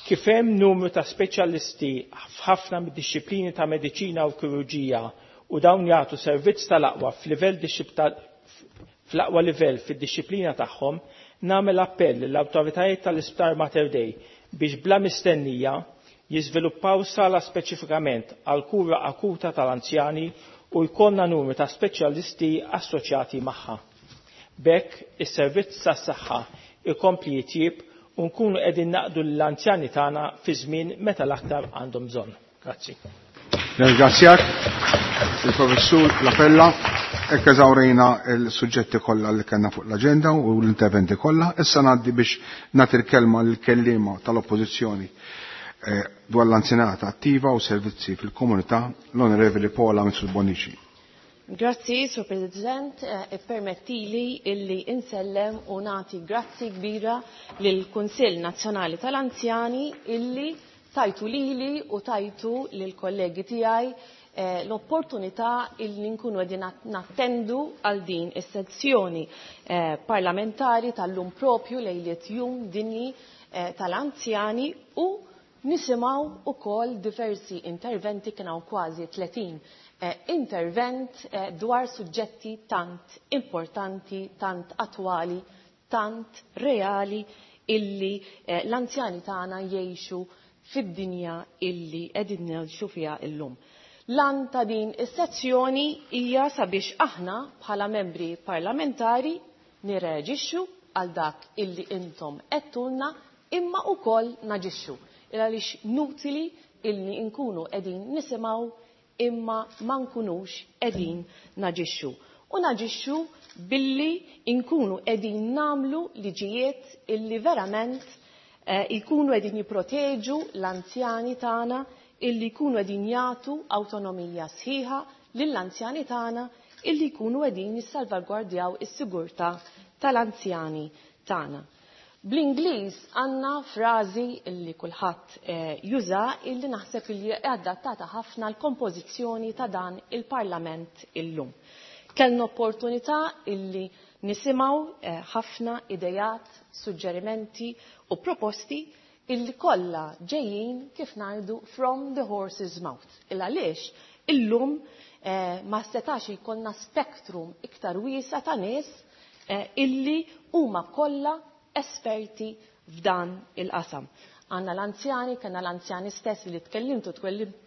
Kif hemm numru ta' speċjalisti f'ħafna mid-dixxiplini ta' mediċina u kirurġija u dawn jagħtu servizz tal-aqwa f'livell fl-aqwa livell fid-dixxiplina tagħhom, nagħmel appell lill-awtoritajiet tal-Isptar Mater Dei biex bla mistennija jiżviluppaw sala speċifikament għal kura akuta tal-anzjani u jkollna numru ta' speċjalisti assoċjati magħha. B'hekk is-servizz tas-saħħa ikompli jitjieb u nkunu qegħdin naqdu l-anzjani tagħna fi żmien meta l-aktar għandhom bżonn. Grazzi. Nirringrazzjak il-Professur Lapella. Hekk eżawrejna l-suġġetti kollha li kellna fuq l-aġenda u l-interventi kollha. Issa ngħaddi biex nagħti l-kelma lill-kelliema tal-Oppożizzjoni eh, dwar l-anzjanità attiva u servizzi fil-komunità, l-Onorevoli Paola Mifsud Bonnici. Grazzi, Sur President, eh, permettili illi insellem u nati grazzi kbira lill-Kunsill Nazzjonali tal-Anzjani illi tajtu lili u tajtu lill-kollegi tiegħi eh, l-opportunità illi nkunu qegħdin nattendu għal din is-sezzjoni eh, parlamentari tal-lum propju lejliet jum dinji eh, tal-anzjani u nisimgħu ukoll diversi interventi, kien hawn kważi tletin eh, intervent eh, dwar suġġetti tant importanti, tant attwali, tant reali illi eh, l-anzjani tagħna jgħixu fid-dinja illi qegħdin ngħixu fiha illum. Lan ta' din is-sezzjoni hija sabiex aħna bħala membri parlamentari nirreaġixxu għal dak illi intom qedtulna imma wkoll naġixxu. Il għaliex nutili illi nkunu qegħdin nisimgħu imma ma nkunux qegħdin naġixxu. U naġixxu billi nkunu qegħdin nagħmlu liġijiet illi verament eh, ikunu qegħdin jipproteġu l-anzjani tagħna, illi jkunu qegħdin jagħtu awtonomija sħiħa lill-anzjani tagħna, illi jkunu qegħdin jissalvagwardjaw is-sigurtà tal-anzjani tagħna. Bl-Ingliż għandna frażi illi kulħadd eh, juża illi naħseb illi adattata ħafna l-kompożizzjoni ta' dan il-Parlament illum. Kellna opportunità illi nisimgħu eh, ħafna idejat, suġġerimenti u proposti illi kollha ġejjin kif ngħidu from the horse's mouth. Il għaliex illum eh, ma setax jkollna spektrum iktar wiesa ta' nies eh, illi huma kollha esperti f'dan il-qasam. Għanna l-anzjani, kellna l-anzjani stess li tkellimtu,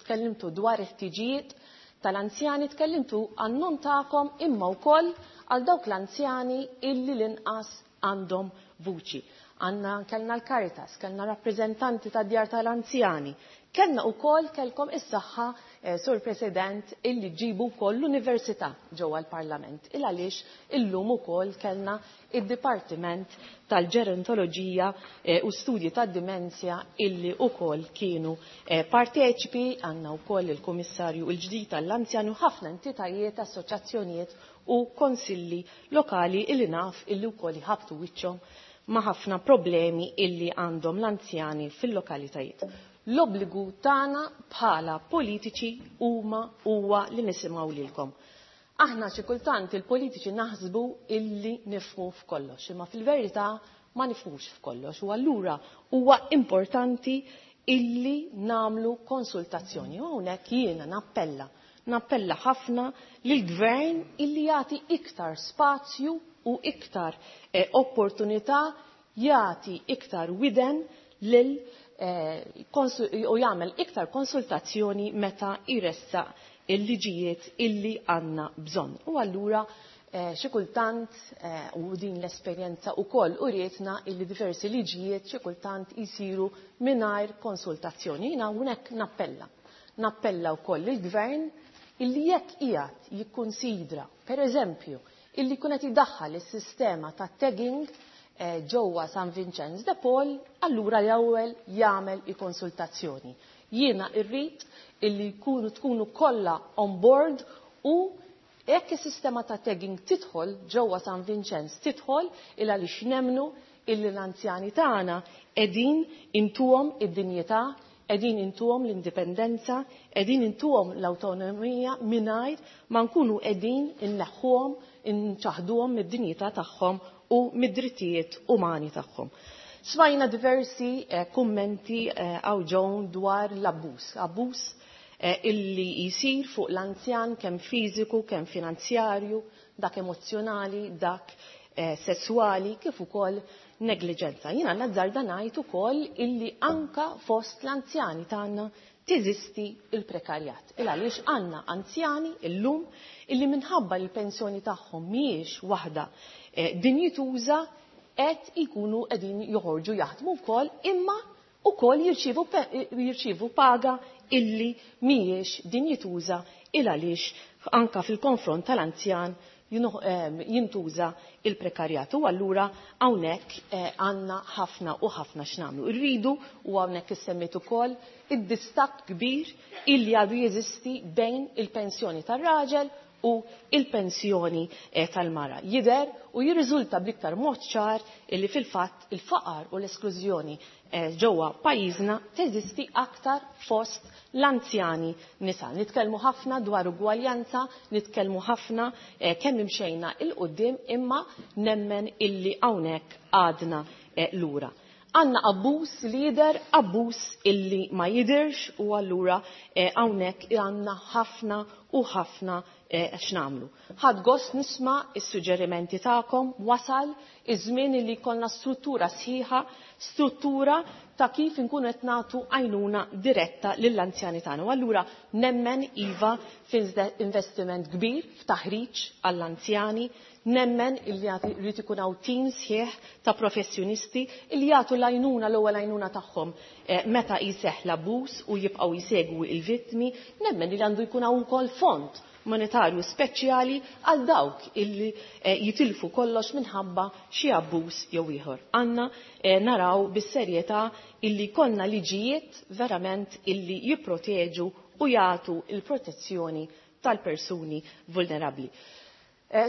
tkellimtu dwar il-ħtiġijiet tal-anzjani, tkellimtu għan-nom tagħkom imma wkoll għal dawk l-anzjani illi l-inqas għandhom vuċi. Għanna kellna l-Caritas, kellna rappreżentanti tad djar tal-anzjani, kellna wkoll kellkom is-saħħa, eh, Sur President, illi ġibu wkoll l-Università ġewwa l-Parlament. Il għaliex illum ukoll kellna id-Dipartiment tal-Ġerontoloġija eh, u Studji tad-Dimensja illi wkoll kienu eh, parteċipi. Għandna wkoll il-Kummissarju l-ġdid tal-Anzjani u ħafna entitajiet, assoċjazzjonijiet u konsilli lokali illi naf illi wkoll jħabtu wiċċhom ma' ħafna problemi illi għandhom l-anzjani fil-lokalitajiet. L-obbligu tagħna bħala politiċi huma huwa li nisimgħu lilkom. Aħna xi kultant il-politiċi naħsbu illi nifhmu f'kollox, imma fil-verità ma nifhmux f'kollox u allura huwa importanti illi nagħmlu konsultazzjoni. U hawnhekk jiena nappella, nappella ħafna lill-gvern illi jagħti iktar spazju u iktar eh, opportunità, jagħti iktar widen lil eh, u jagħmel iktar konsultazzjoni meta jressaq il-liġijiet illi għandna bżonn. U allura eh, xi kultant eh, u din l-esperjenza wkoll urietna illi diversi liġijiet xi kultant jsiru mingħajr konsultazzjoni. Jiena hawnhekk nappella. Nappella wkoll il-gvern illi jekk qiegħed jikkunsidra, pereżempju, illi jkun qed idaħħal is-sistema ta' tagging eh, ġewwa San Vincenz de Paul, allura l-ewwel jagħmel i-konsultazzjoni. Jiena rrid illi jkunu tkunu kollha on board u jekk is-sistema ta' tagging tidħol ġewwa San Vincenz tidħol il għaliex nemmnu illi l-anzjani tagħna qegħdin intuhom id-dinjità, qegħdin intuhom l-indipendenza, qegħdin intuhom l-awtonomija mingħajr ma nkunu qegħdin inneħħuhom, inċaħduhom mid-dinjità tagħhom u mid-drittijiet umani tagħhom. Smajna diversi eh, kummenti għaw eh, ġew dwar l-abbuż, abbuż eh, illi jisir fuq l-anzjan kemm fiżiku, kemm finanzjarju, dak emozzjonali, dak eh, sessuali, kif ukoll negliġenza. Jiena nazzarda ngħid ukoll illi anka fost l-anzjani tagħna teżisti il-prekarjat. Il għaliex għandna anzjani illum illi minħabba li l-pensjoni tagħhom mhijiex waħda eh, dinjituża qed ikunu qegħdin joħorġu jaħdmu wkoll imma ukoll jirċievu jirċievu paga illi mhijiex dinjituża il għaliex anka fil-konfront tal-anzjan jintuża il-prekarjat. U allura hawnhekk għandna ħafna u ħafna x'nagħmlu. Irridu u hawnhekk issemmiet ukoll id-distakk kbir illi għadu jeżisti bejn il-pensjoni tar-raġel u il-pensjoni tal-mara. Jidher u jirriżulta bl-iktar mod ċar illi fil-fatt il-faqar u l-esklużjoni ġewwa pajjiżna teżisti aktar fost l-anzjani nisa. Nitkellmu ħafna dwar ugwaljanza, nitkellmu ħafna kemm imxejna il quddiem imma nemmen illi hawnhekk għadna lura. Għanna abbuż li jidher, abbuż illi ma jidirx u allura hawnhekk għandna ħafna u ħafna x'nagħmlu. Ħadd gost nisma' is-suġġerimenti tagħkom, wasal iż-żmien li jkollna struttura sħiħa, struttura ta' kif inkunu qed nagħtu għajnuna diretta lill-anzjani tagħna. U allura nemmen iva f'investiment kbir f'taħriġ għall-anzjani, nemmen illi jrid ikun hawn tim sħiħ ta' professjonisti illi jagħtu l-għajnuna l-ewwel għajnuna tagħhom meta jseħħ l-abbuż u jibqgħu jsegwu l-vittmi, nemmen li għandu jkun hawn ukoll fond monetarju speċjali għal dawk illi jitilfu kollox minħabba xi abbuż jew ieħor. Għandna naraw bis-serjetà illi kollna liġijiet verament illi jipproteġu u jagħtu l-protezzjoni tal-persuni vulnerabbli.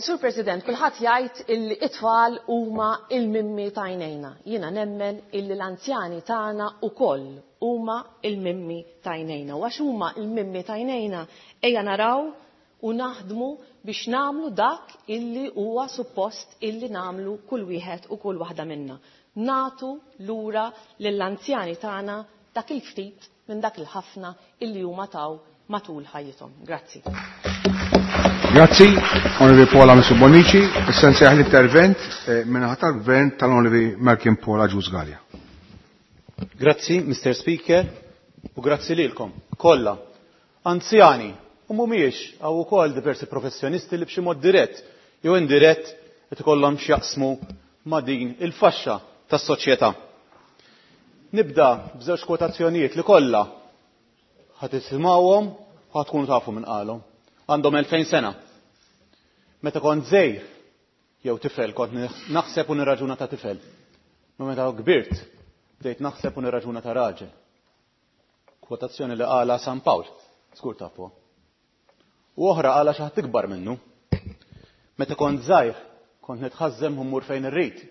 Sur President, kulħadd jgħid illi it-tfal huma il-mimmi ta' għajnejna. Jiena nemmen illi l-anzjani tagħna ukoll huma il-mimmi ta' għajnejna. U għax huma il-mimmi ta' għajnejna ejja naraw u naħdmu biex nagħmlu dak illi huwa suppost illi nagħmlu kull wieħed u kull waħda minna. Natu lura lill-anzjani tagħna dak il-ftit minn dak il-ħafna illi huma taw matul ħajjithom. Grazzi. Grazzi, Onorevoli Paula Mifsud Bonnici. Issa nsejjaħ l-intervent minn tal-Gvern tal-Onorevoli Malcolm Paul Agius Galea. Grazzi, Mister Speaker, u grazzi lilkom kollha. Anzjani, u mhumiex hawn ukoll diversi professjonisti li b'xi mod dirett jew indirett qed ikollhom x'jaqsmu ma' din il-faxxa tas-soċjetà. Nibda b'żewġ kwotazzjonijiet li kollha ħa tisimgħuhom u ħa tkunu tafu minn qalhom. Għandhom elfejn sena. Meta kont żgħir jew tifel kont naħseb u nirraġuna ta' tifel. Ma meta kbirt bdejt naħseb u nirraġuna ta' raġel. Kwotazzjoni li qala San Pawl, żgur tafuha. U oħra qala xi ħadd ikbar minnu. Meta kont żgħir kont nitħażżem u mmur fejn irrid.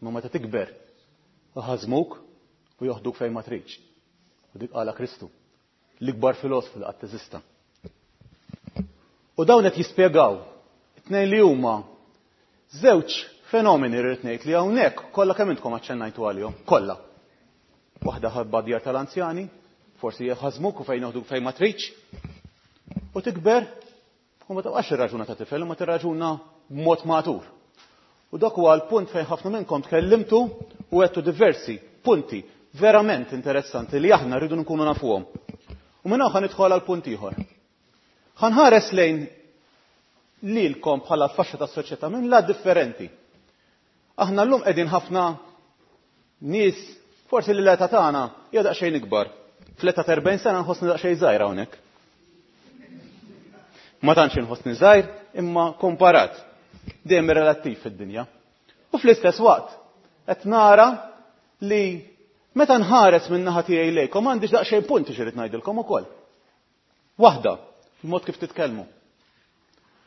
Ma meta tikber iħażmuk u joħduk fejn ma tridx. U dik qala Kristu, l-ikbar filosofu li qatt teżista. U dawn qed jispjegaw it-tnejn li huma żewġ fenomeni rrid ngħid li hawnhekk kollha kemm intkom aċċennajtu għalihom, kollha. Waħda ħabba djar tal-anzjani, forsi jħażmuk u fejn joħduk fejn ma tridx. U tikber u ma tibqax irraġuna ta' tifel u ma tirraġuna b'mod matur. U dak huwa l-punt fejn ħafna minnkom tkellimtu u għedtu diversi punti verament interessanti li aħna rridu nkunu nafuhom. U minn hawn nidħol għal punt ieħor. Ħanħares lejn lilkom bħala l-faxxa tas-soċjetà minn la differenti. Aħna llum qegħdin ħafna nies forsi li l-età tagħna hija daqsxejn ikbar. Fl-età ta' erbgħin sena nħossni daqsxejn żgħir hawnhekk. Ma tantx inħossni żgħir imma komparat dejjem relattiv fid-dinja. U fl-istess waqt qed nara li meta nħares minn naħa tiegħi lejkom m'għandix daqsxejn punti xi rid ngħidilkom ukoll. Waħda, il-mod kif titkellmu.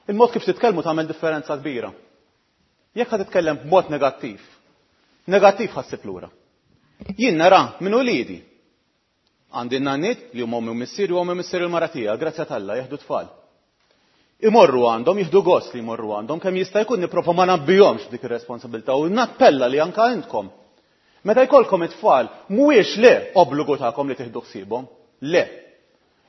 Il-mod kif titkellmu tagħmel differenza kbira. Jekk ħa titkellem b'mod negattiv, negattiv ħassib lura. Jien nara minn uliedi. Għandi n-nanniet li huma ommi u missieri u ommi u missieri l-mara tiegħi, grazzja t'Alla, jeħdu tfal. Imorru għandhom, jieħdu gost li jmorru għandhom, kemm jista' jkun nipprova ma nabbihomx dik ir-responsabilità u nappella li anke intkom. Meta jkollkom it-tfal, mhuwiex le obbligu tagħkom li tieħdu ħsiebhom, le.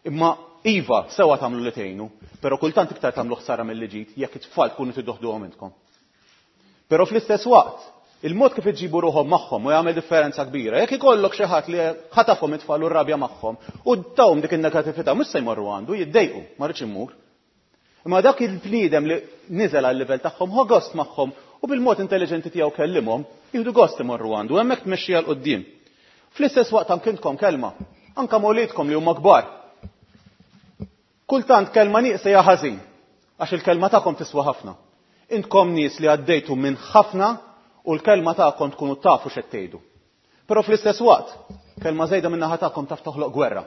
Imma iva, sewwa tagħmlu li tgħinu, però kultant iktar tagħmlu ħsara milli ġid jekk it-tfal tkunu tiddoħduhom intkom. Però fl-istess waqt, il-mod kif iġibu ruħhom magħhom u jagħmel differenza kbira. Jekk ikollok xi ħadd li ħatafhom it-tfal u rrabja magħhom u tawhom dik in-negattività mhux se jmorru għandu, jiddejqu, ma rridx immur. Imma dak il-bniedem li niżel għal-livell tagħhom ħa gost magħhom u bil-mod intelligenti tiegħu kellimhom, jieħdu gost imorru għandu, hemmhekk tmexxija 'l quddiem. Fl-istess waqt anke intkom kelma, anke ma' wliedkom li huma kbar. Kultant kelma nieqsa hija ħażin, għax il-kelma tagħkom tiswa ħafna. Intkom nies li għaddejtu minn ħafna u l-kelma tagħkom tkunu tafu x'qed tgħidu. Però fl-istess waqt, kelma żejda min-naħa tagħkom taf toħloq gwerra.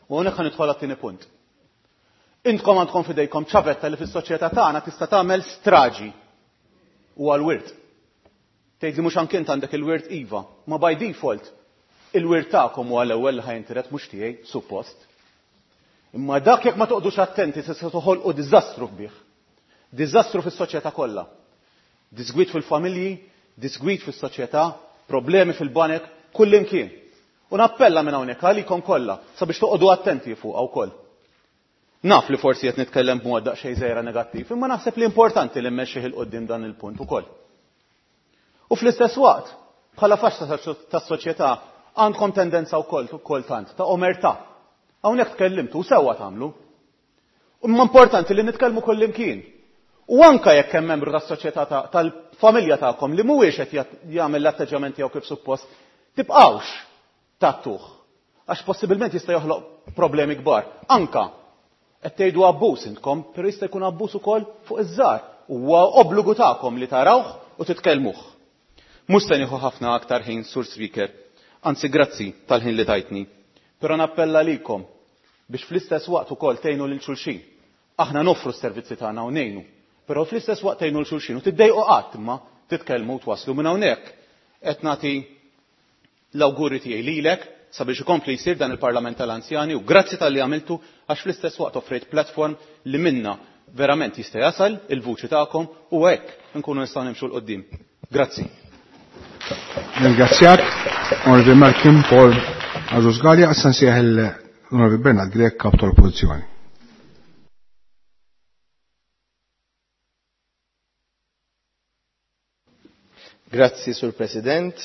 U hawnhekk ħa nidħol għat-tieni punt. Intkom għandkom f'idejkom ċavetta li fis-soċjetà tagħna tista' tagħmel straġi u għal-wirt. Tgħid li mhux anke int għandek il-wirt iva, ma by default il-wirt tagħkom huwa l-ewwel li ħa jintiret mhux tiegħi suppost. Imma dak jekk ma toqgħodux attenti se toħolqu diżastru kbir. Diżastru fis-soċjetà kollha. Disgwid fil-familji, disgwid fis-soċjetà, problemi fil-banek, kullimkien. U nappella minn hawnhekk għalikom kollha sabiex toqgħodu attenti fuqha wkoll. Naf li forsi qed nitkellem b'mod daqsxejn żgħira negattiv, imma naħseb li importanti li mmexxih 'il quddiem dan il-punt ukoll. U fl-istess waqt, bħala faxxa tas-soċjetà għandkom tendenza wkoll kultant ta' omertà. Hawnhekk tkellimtu u sewwa tagħmlu. Imma importanti li nitkellmu kullimkien. U anka jekk hemm membru tas-soċjetà tal-familja tagħkom li mhuwiex qed jagħmel l-atteġġjament tiegħu kif suppost, tibqgħux tagħtuh. Għax possibilment jista' joħloq problemi kbar. Anka qed tgħidu abbuż intkom, però jista' jkun abbuż ukoll fuq iż-żgħar. Huwa obbligu tagħkom li tarawh u titkellmuh. Mhux se nieħu ħafna aktar ħin, Sur Speaker, anzi grazzi tal-ħin li tajtni. Però nappella likom biex fl-istess waqt ukoll tgħinu lil xulxin. Aħna noffru s-servizzi tagħna u ngħinu, però fl-istess waqt tgħinu lil xulxin u tiddejqu qatt imma titkellmu u twaslu minn hawnhekk. Qed nagħti l-awguri tiegħi lilek sabiex ikompli jsir dan il-Parlament tal-Anzjani u grazzi talli għamiltu għax fl-istess waqt offrejt platform li minna verament jista' jasal il-vuċi tagħkom u hekk nkunu nistgħu nimxu 'l quddiem. Grazzi. Ringrazzjak, Onorevoli Malcolm Paul Agius Galea, issa nsejjaħ l-Onorevoli Bernard Grech, kap tal-Oppożizzjoni. Grazzi, Sur President.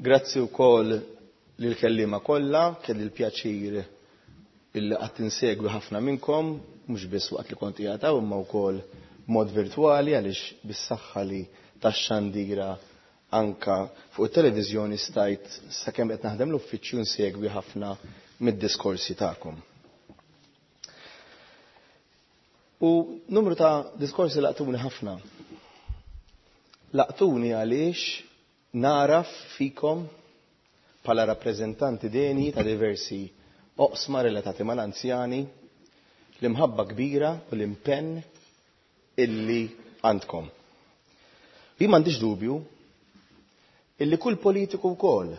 Grazzi wkoll lill-kelliema kollha, kelli l-pjaċir illi qatt insegwi ħafna minnkom, mhux biss waqt li kont qiegħed hawn imma wkoll b'mod virtwali għaliex bis-saħħa li tax-xandira anka fuq it-televiżjoni stajt sakemm qed naħdem l-uffiċċju nsegwi ħafna mid-diskorsi tagħkom. U numru ta' diskorsi laqtuni ħafna. Laqtuni għaliex naraf fikom bħala rappreżentanti deni ta' diversi oqsma relatati mal-anzjani l-imħabba kbira u l-impenn illi għandkom. Jien m'għandix dubju illi kull politiku wkoll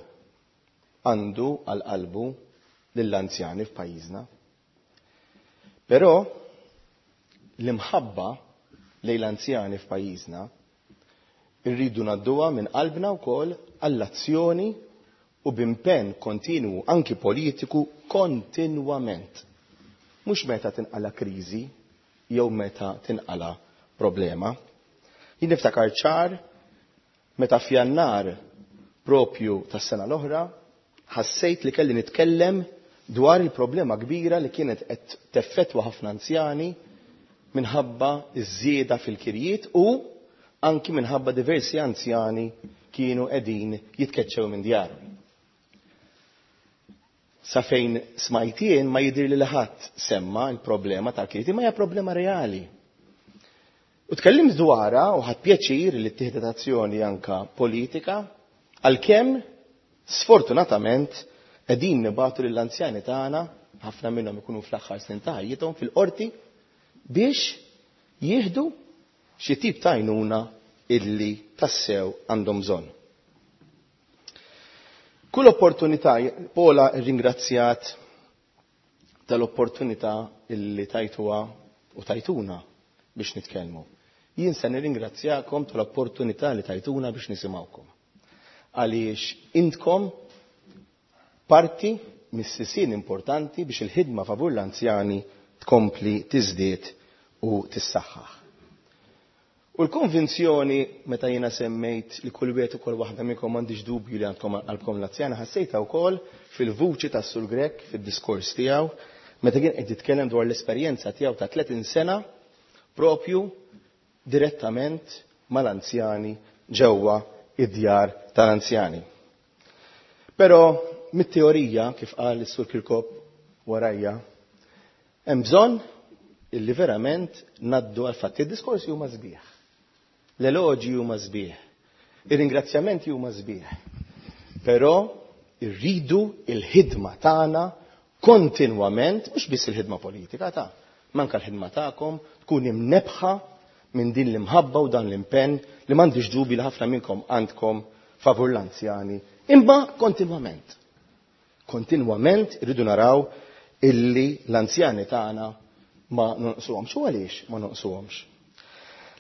għandu għal qalbu lill-anzjani f'pajjiżna. Però l-imħabba lejn l-anzjani f'pajjiżna irridu ngħadduha minn qalbna wkoll għall-azzjoni u b'impenn kontinwu anki politiku kontinwament. Mhux meta tinqala kriżi jew meta tinqala problema. Jien niftakar ċar meta f'Jannar propju tas-sena l-oħra ħassejt li kelli nitkellem dwar il-problema kbira li kienet qed teffettwa ħafna anzjani minħabba ż-żieda fil-kirjiet u anki minħabba diversi anzjani kienu qegħdin jitkeċċew minn djarhom. Sa fejn smajtien ma jidhir li ħadd semma l-problema tal-kirjiet, imma hija problema reali. U tkellimt dwarha u ħadt pjaċir li ttieħdet azzjoni anka politika għalkemm sfortunatament qegħdin nibagħtu lill-anzjani tagħna, ħafna minnhom ikunu fl-aħħar snin ta' ħajjithom fil-qorti biex jieħdu xi tip ta' għajnuna illi tassew għandhom bżonn. Kull opportunità, Paula rringrazzjat tal-opportunità illi tajtuha u tajtuna biex nitkellmu. Jien se nirringrazzjakom tal-opportunità li tajtuna biex nisimgħukom. Għaliex intkom parti mis-sisien importanti biex il-ħidma favur l-anzjani tkompli tiżdied u tissaħħaħ. U l-konvinzjoni meta jiena semmejt li kull wieħed ukoll waħda minnkom m'għandix dubju li għandkom qalbkom l-anzjani, ħassejtha wkoll fil-vuċi tas-Sur Grech fid-diskors tiegħu meta kien qed jitkellem dwar l-esperjenza tiegħu ta' tletin sena propju direttament mal-anzjani ġewwa id-djar tal-anzjani. Però mit-teorija, kif qal is-Sur Kirkop warajja, hemm bżonn illi verament naddu għal fatti. Id-diskorsi huma sbieħ. L-eloġi huma sbieħ. Ir-ringrazzjamenti huma sbieħ. Però irridu il-ħidma tagħna kontinwament, mhux biss il-ħidma politika ta' manka l-ħidma tagħkom tkun imnebħa minn din l-imħabba u dan l-impenn li m'għandix dubi li ħafna minnkom għandkom favur l-anzjani, imma kontinwament. Kontinwament irridu naraw illi l-anzjani tagħna ma nonqsuhomx. U għaliex ma nonqsuhomx?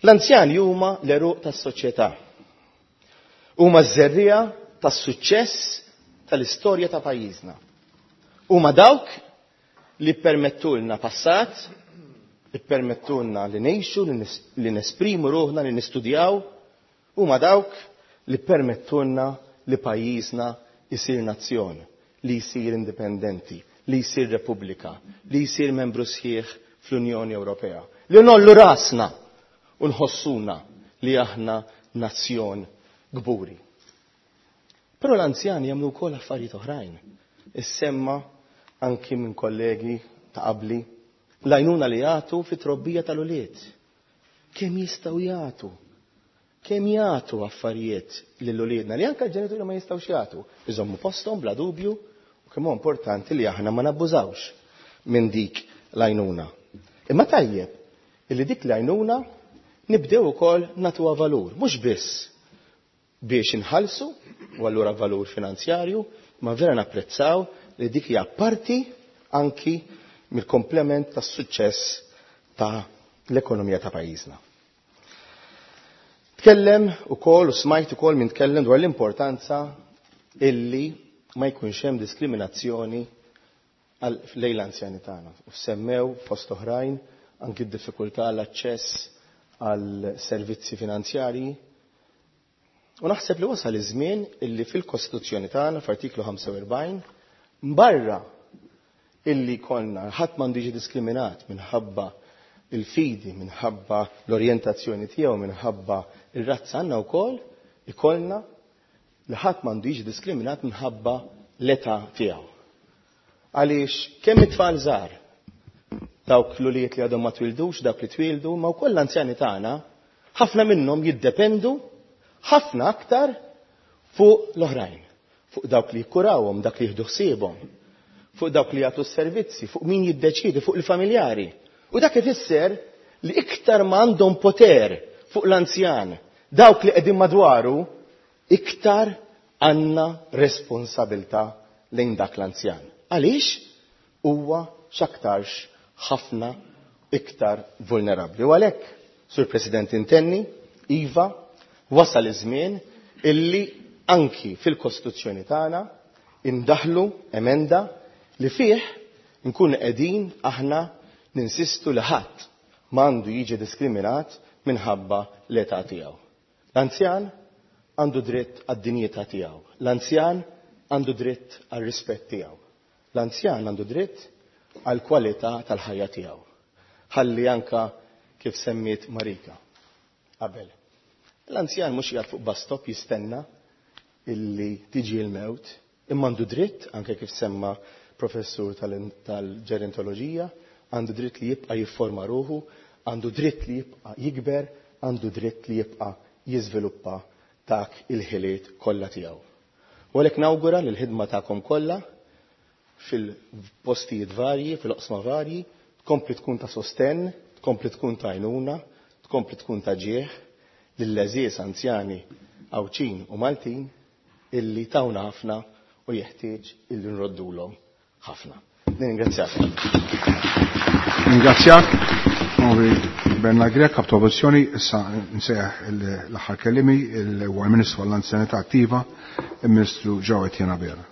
L-anzjani huma l-għeruq tas-soċjetà. Huma ż-żerriegħa tas-suċċess tal-istorja ta' pajjiżna. Huma dawk li ppermettulna passat, ippermettulna li ngħixu, li nesprimu ruħna, li nistudjaw, huma dawk li ppermettulna li pajjiżna jsir nazzjon, li jsir indipendenti, li jsir repubblika, li jsir membru sħiħ fl-Unjoni Ewropea. Li nollu rasna u nħossuna li aħna nazzjon kburi. Però l-anzjani jagħmlu wkoll affarijiet oħrajn. Issemma anki minn kollegi ta' qabli l-għajnuna li jagħtu fit-trobbija tal-ulied. Kemm jistgħu jagħtu? Kemm jagħtu affarijiet lil uliedna li anke l-ġenituri ma jistgħux jagħtu? Iżommu posthom bla dubju, u kemm huwa importanti li aħna ma nabbużawx minn dik l-għajnuna. Imma tajjeb illi dik l-għajnuna nibdew ukoll nagħtuha valur, mhux biss biex inħallsu u allura valur finanzjarju, ma vera napprezzaw li dik hija parti anki mill-komplement tas-suċċess ta' l-ekonomija ta' pajjiżna. Tkellem ukoll u smajt ukoll min tkellem dwar l-importanza illi ma jkunx hemm diskriminazzjoni lejn l-anzjani tagħna. U semmew fost oħrajn anki d-diffikultà għall-aċċess għal servizzi finanzjarji. U naħseb li wasal iż-żmien illi fil-Kostituzzjoni tagħna f'artiklu ħamsa u erbgħin barra illi konna ħadd m'għandu jiġi diskriminat minħabba il-fidi, minħabba l-orjentazzjoni tiegħu, minħabba ir-razza, għandna wkoll ikollna li ħadd m'għandu jiġi diskriminat minħabba l-età tiegħu. Għaliex kemm it-tfal żgħar, dawk l-ulied li għadhom ma twildux, dawk li twildu, ma wkoll l-anzjani tagħna, ħafna minnhom jiddependu ħafna aktar fuq l-oħrajn, fuq dawk li jikkurawhom, dak li jieħdu ħsiebhom, fuq dawk li jagħtu s-servizzi, fuq min jiddeċiedi, fuq il-familjari. U dak ifisser li iktar ma għandhom poter fuq l-anzjan, dawk li qegħdin madwaru, iktar għandna responsabilità lejn dak l-anzjan. Għaliex huwa x'aktarx ħafna iktar vulnerabbli. U għalhekk, Sur President, intenni, iva, wasal iż-żmien illi anki fil-Kostituzzjoni tagħna indaħlu emenda li fih nkunu qegħdin aħna ninsistu li ħadd m'għandu jiġi diskriminat minħabba l-età tiegħu. L-anzjan għandu dritt għad-dinjità tiegħu. L-anzjan għandu dritt għar-rispett tiegħu. L-anzjan għandu dritt għall-kwalità tal-ħajja tiegħu. Ħalli anka kif semmiet Marika qabel. L-anzjan mhux qiegħed fuq bus stop jistenna illi tiġi l-mewt, imma għandu dritt, anke kif semma professur tal-ġerontoloġija, għandu dritt li jibqa' jifforma ruħu, għandu dritt li jibqa' jikber, għandu dritt li jibqa' jiżviluppa dak il-ħiliet kollha tiegħu. U għalhekk nawgura li l-ħidma tagħkom kollha fil-postijiet varji, fil-oqsma varji, tkompli tkun ta' sostenn, tkompli tkun ta' għajnuna, tkompli tkun ta' ġieħ lill-għeżież anzjani Għawdxin u Maltin illi tawna ħafna u jeħtieġ illi nroddulhom ħafna. Ningrazzjak. Ningrazzjak, Onorevoli Bernard Grech, kap ta' oppożizzjoni. Issa nsejjaħ l-aħħar kellimi, huwa l-Ministru għall-Anzjanità Attiva, il-Ministru Joe Etienne Abela.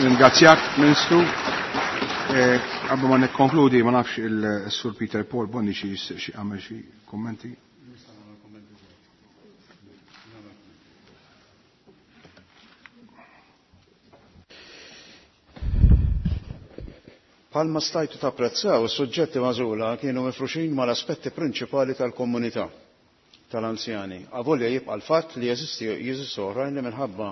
Ringrazzjak, Ministru. Qabel ma nikkonkludi, ma nafx il-Sur Peter Paul Bonni xi xi għamel xi kummenti. Palma stajtu tapprezzaw, is-suġġetti magħżula kienu mifruxin mal-aspetti prinċipali tal-komunità tal-anzjani. Avolja jibqa' l-fatt li jeżisti jeżistu oħrajn li minħabba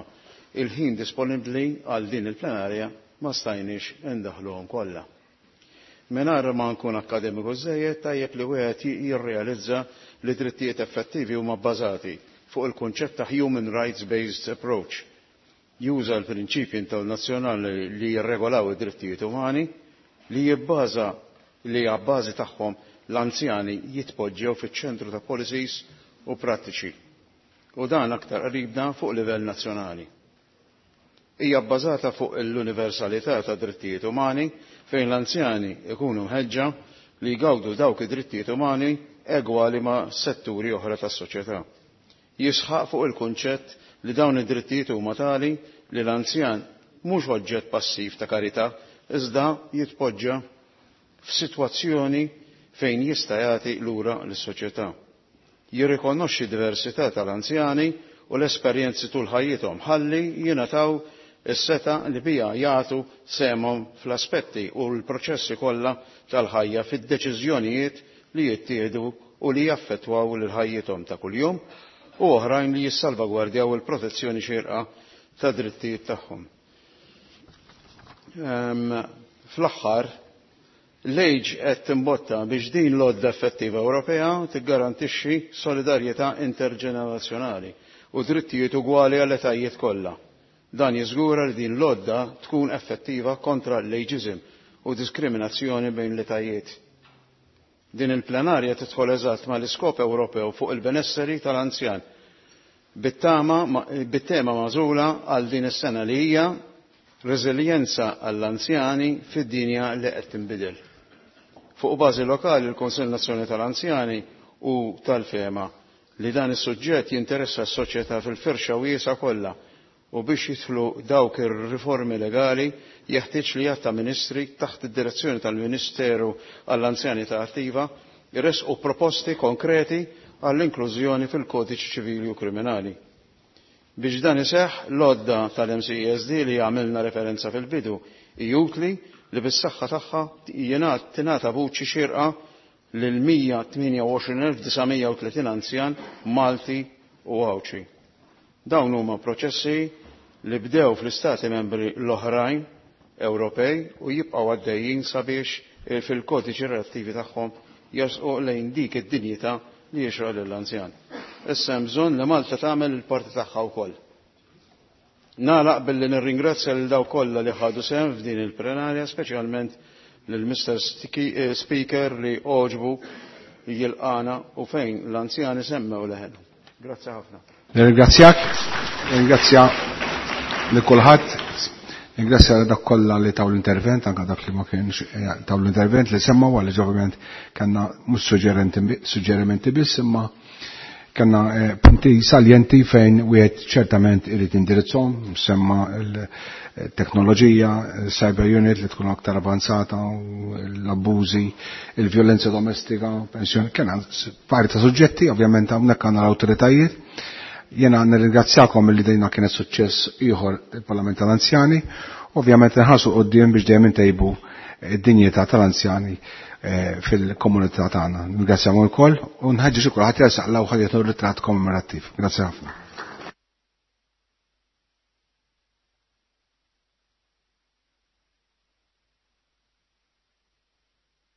il-ħin disponibbli għal din il-plenarja ma stajniex indaħluhom kollha. Mingħajr ma nkun akkademiku żejjed, tajjeb li wieħed jirrealizza li drittijiet effettivi huma bbażati fuq il-kunċett ta' human rights based approach. Juża l-prinċipji internazzjonali li jirregolaw id-drittijiet umani li jibbaża li għabbażi tagħhom l-anzjani jitpoġġew fiċ-ċentru ta' policies u prattiċi. U dan aktar qribna fuq livell nazzjonali. Hija bbażata fuq l-universalità ta' drittijiet umani fejn l-anzjani ikunu mħeġġa li jgawdu dawk id-drittijiet umani egwali ma' setturi oħra tas-soċjetà. Jisħaq fuq il-kunċett li dawn id-drittijiet huma tali li l-anzjan mhux oġġett passiv ta' karità iżda jitpoġġa f'sitwazzjoni fejn jista' jagħti lura lis-soċjetà. Jirrikonoxxi diversità tal-anzjani u l-esperjenzi tul ħajjithom ħalli jingħataw is-seta li bija jagħtu sehemhom fl-aspetti u l-proċessi kollha tal-ħajja fid-deċiżjonijiet li jittieħdu u li jaffettwaw lil ħajjithom ta' kuljum u oħrajn li jissalvagwardjaw il-protezzjoni xierqa ta' drittijiet tagħhom. Fl-aħħar, l-age qed timbotta biex din l-għodda effettiva Ewropea tiggarantixxi solidarjetà interġenerazzjonali u drittijiet ugwali għall etajiet kollha. Dan jiżgura li din l-għodda tkun effettiva kontra l-ageism u diskriminazzjoni bejn l-etajiet. Din il-plenarja tidħol eżatt mal-iskop Ewropew fuq il-benesseri tal-anzjan bit-tema magħżula għal din is-sena li hija reżiljenza għall-anzjani fid-dinja li qed tinbidel. Fuq bażi lokali l-Kunsill Nazzjonali tal-Anzjani u tal-Fema li dan is-suġġett jinteressa s-soċjetà fil-firxa wiesa kollha u biex jidħlu dawk ir-riformi legali jeħtieġ li jatta ministri taħt id-direzzjoni tal-Ministeru għall-Anzjani ta' Attiva jressqu proposti konkreti għall-inklużjoni fil-kodiċi ċivili u kriminali. Biex dan iseħħ, l-għodda tal-M C E S D li għamilna referenza fil-bidu hi utli li bis-saħħa tagħha tingħata vuċi xierqa lil mija tmienja u għoxrin elf disa' mija u tletin anzjan Malti u Għawdxi. Dawn huma proċessi li bdew fl-istati membri l-oħrajn Ewropej u jibqgħu għaddejjin sabiex fil-kodiċi relattivi tagħhom jersqu lejn dik id-dinjità li jixraq lill-anzjan. Issa hemm bżonn li Malta tagħmel il-parti tagħha wkoll. Nagħlaq billi nirringrazzja lil dawk kollha li ħadu sehem f'din il-plenarja, speċjalment lil Mister Speaker li għoġbu jilqana u fejn l-anzjani semmew leħenhom. Grazzi ħafna. Nirringrazzjak, nirringrazzja lil kulħadd, nirringrazzja lil dak kollha li taw l-intervent, anke dak li ma kienx taw l-intervent li semmaw, għaliex ovvjament kellna mhux suġġerimenti biss, imma kellna punti saljenti fejn wieħed ċertament irid indirizzhom, semma l-teknoloġija, cyber unit li tkun aktar avanzata, l-abbużi, il-vjolenza domestika, pensjoni, kellna pari ta' suġġetti, ovvjament hawnhekk għandna l-awtoritajiet. Jena nirringrazzjakom li dejna kienet suċċess ieħor il-Parlament tal-Anzjani, ovvjament nħarsu quddiem biex dejjem intejbu id-dinjità tal-anzjani fil-komunità tagħna. Nirringrazzjakom ukoll u nħeġġeġ ukoll ħadd jersaq l-ewwel ħadd jieħdu ritratt kommemorattiv. Grazzi ħafna.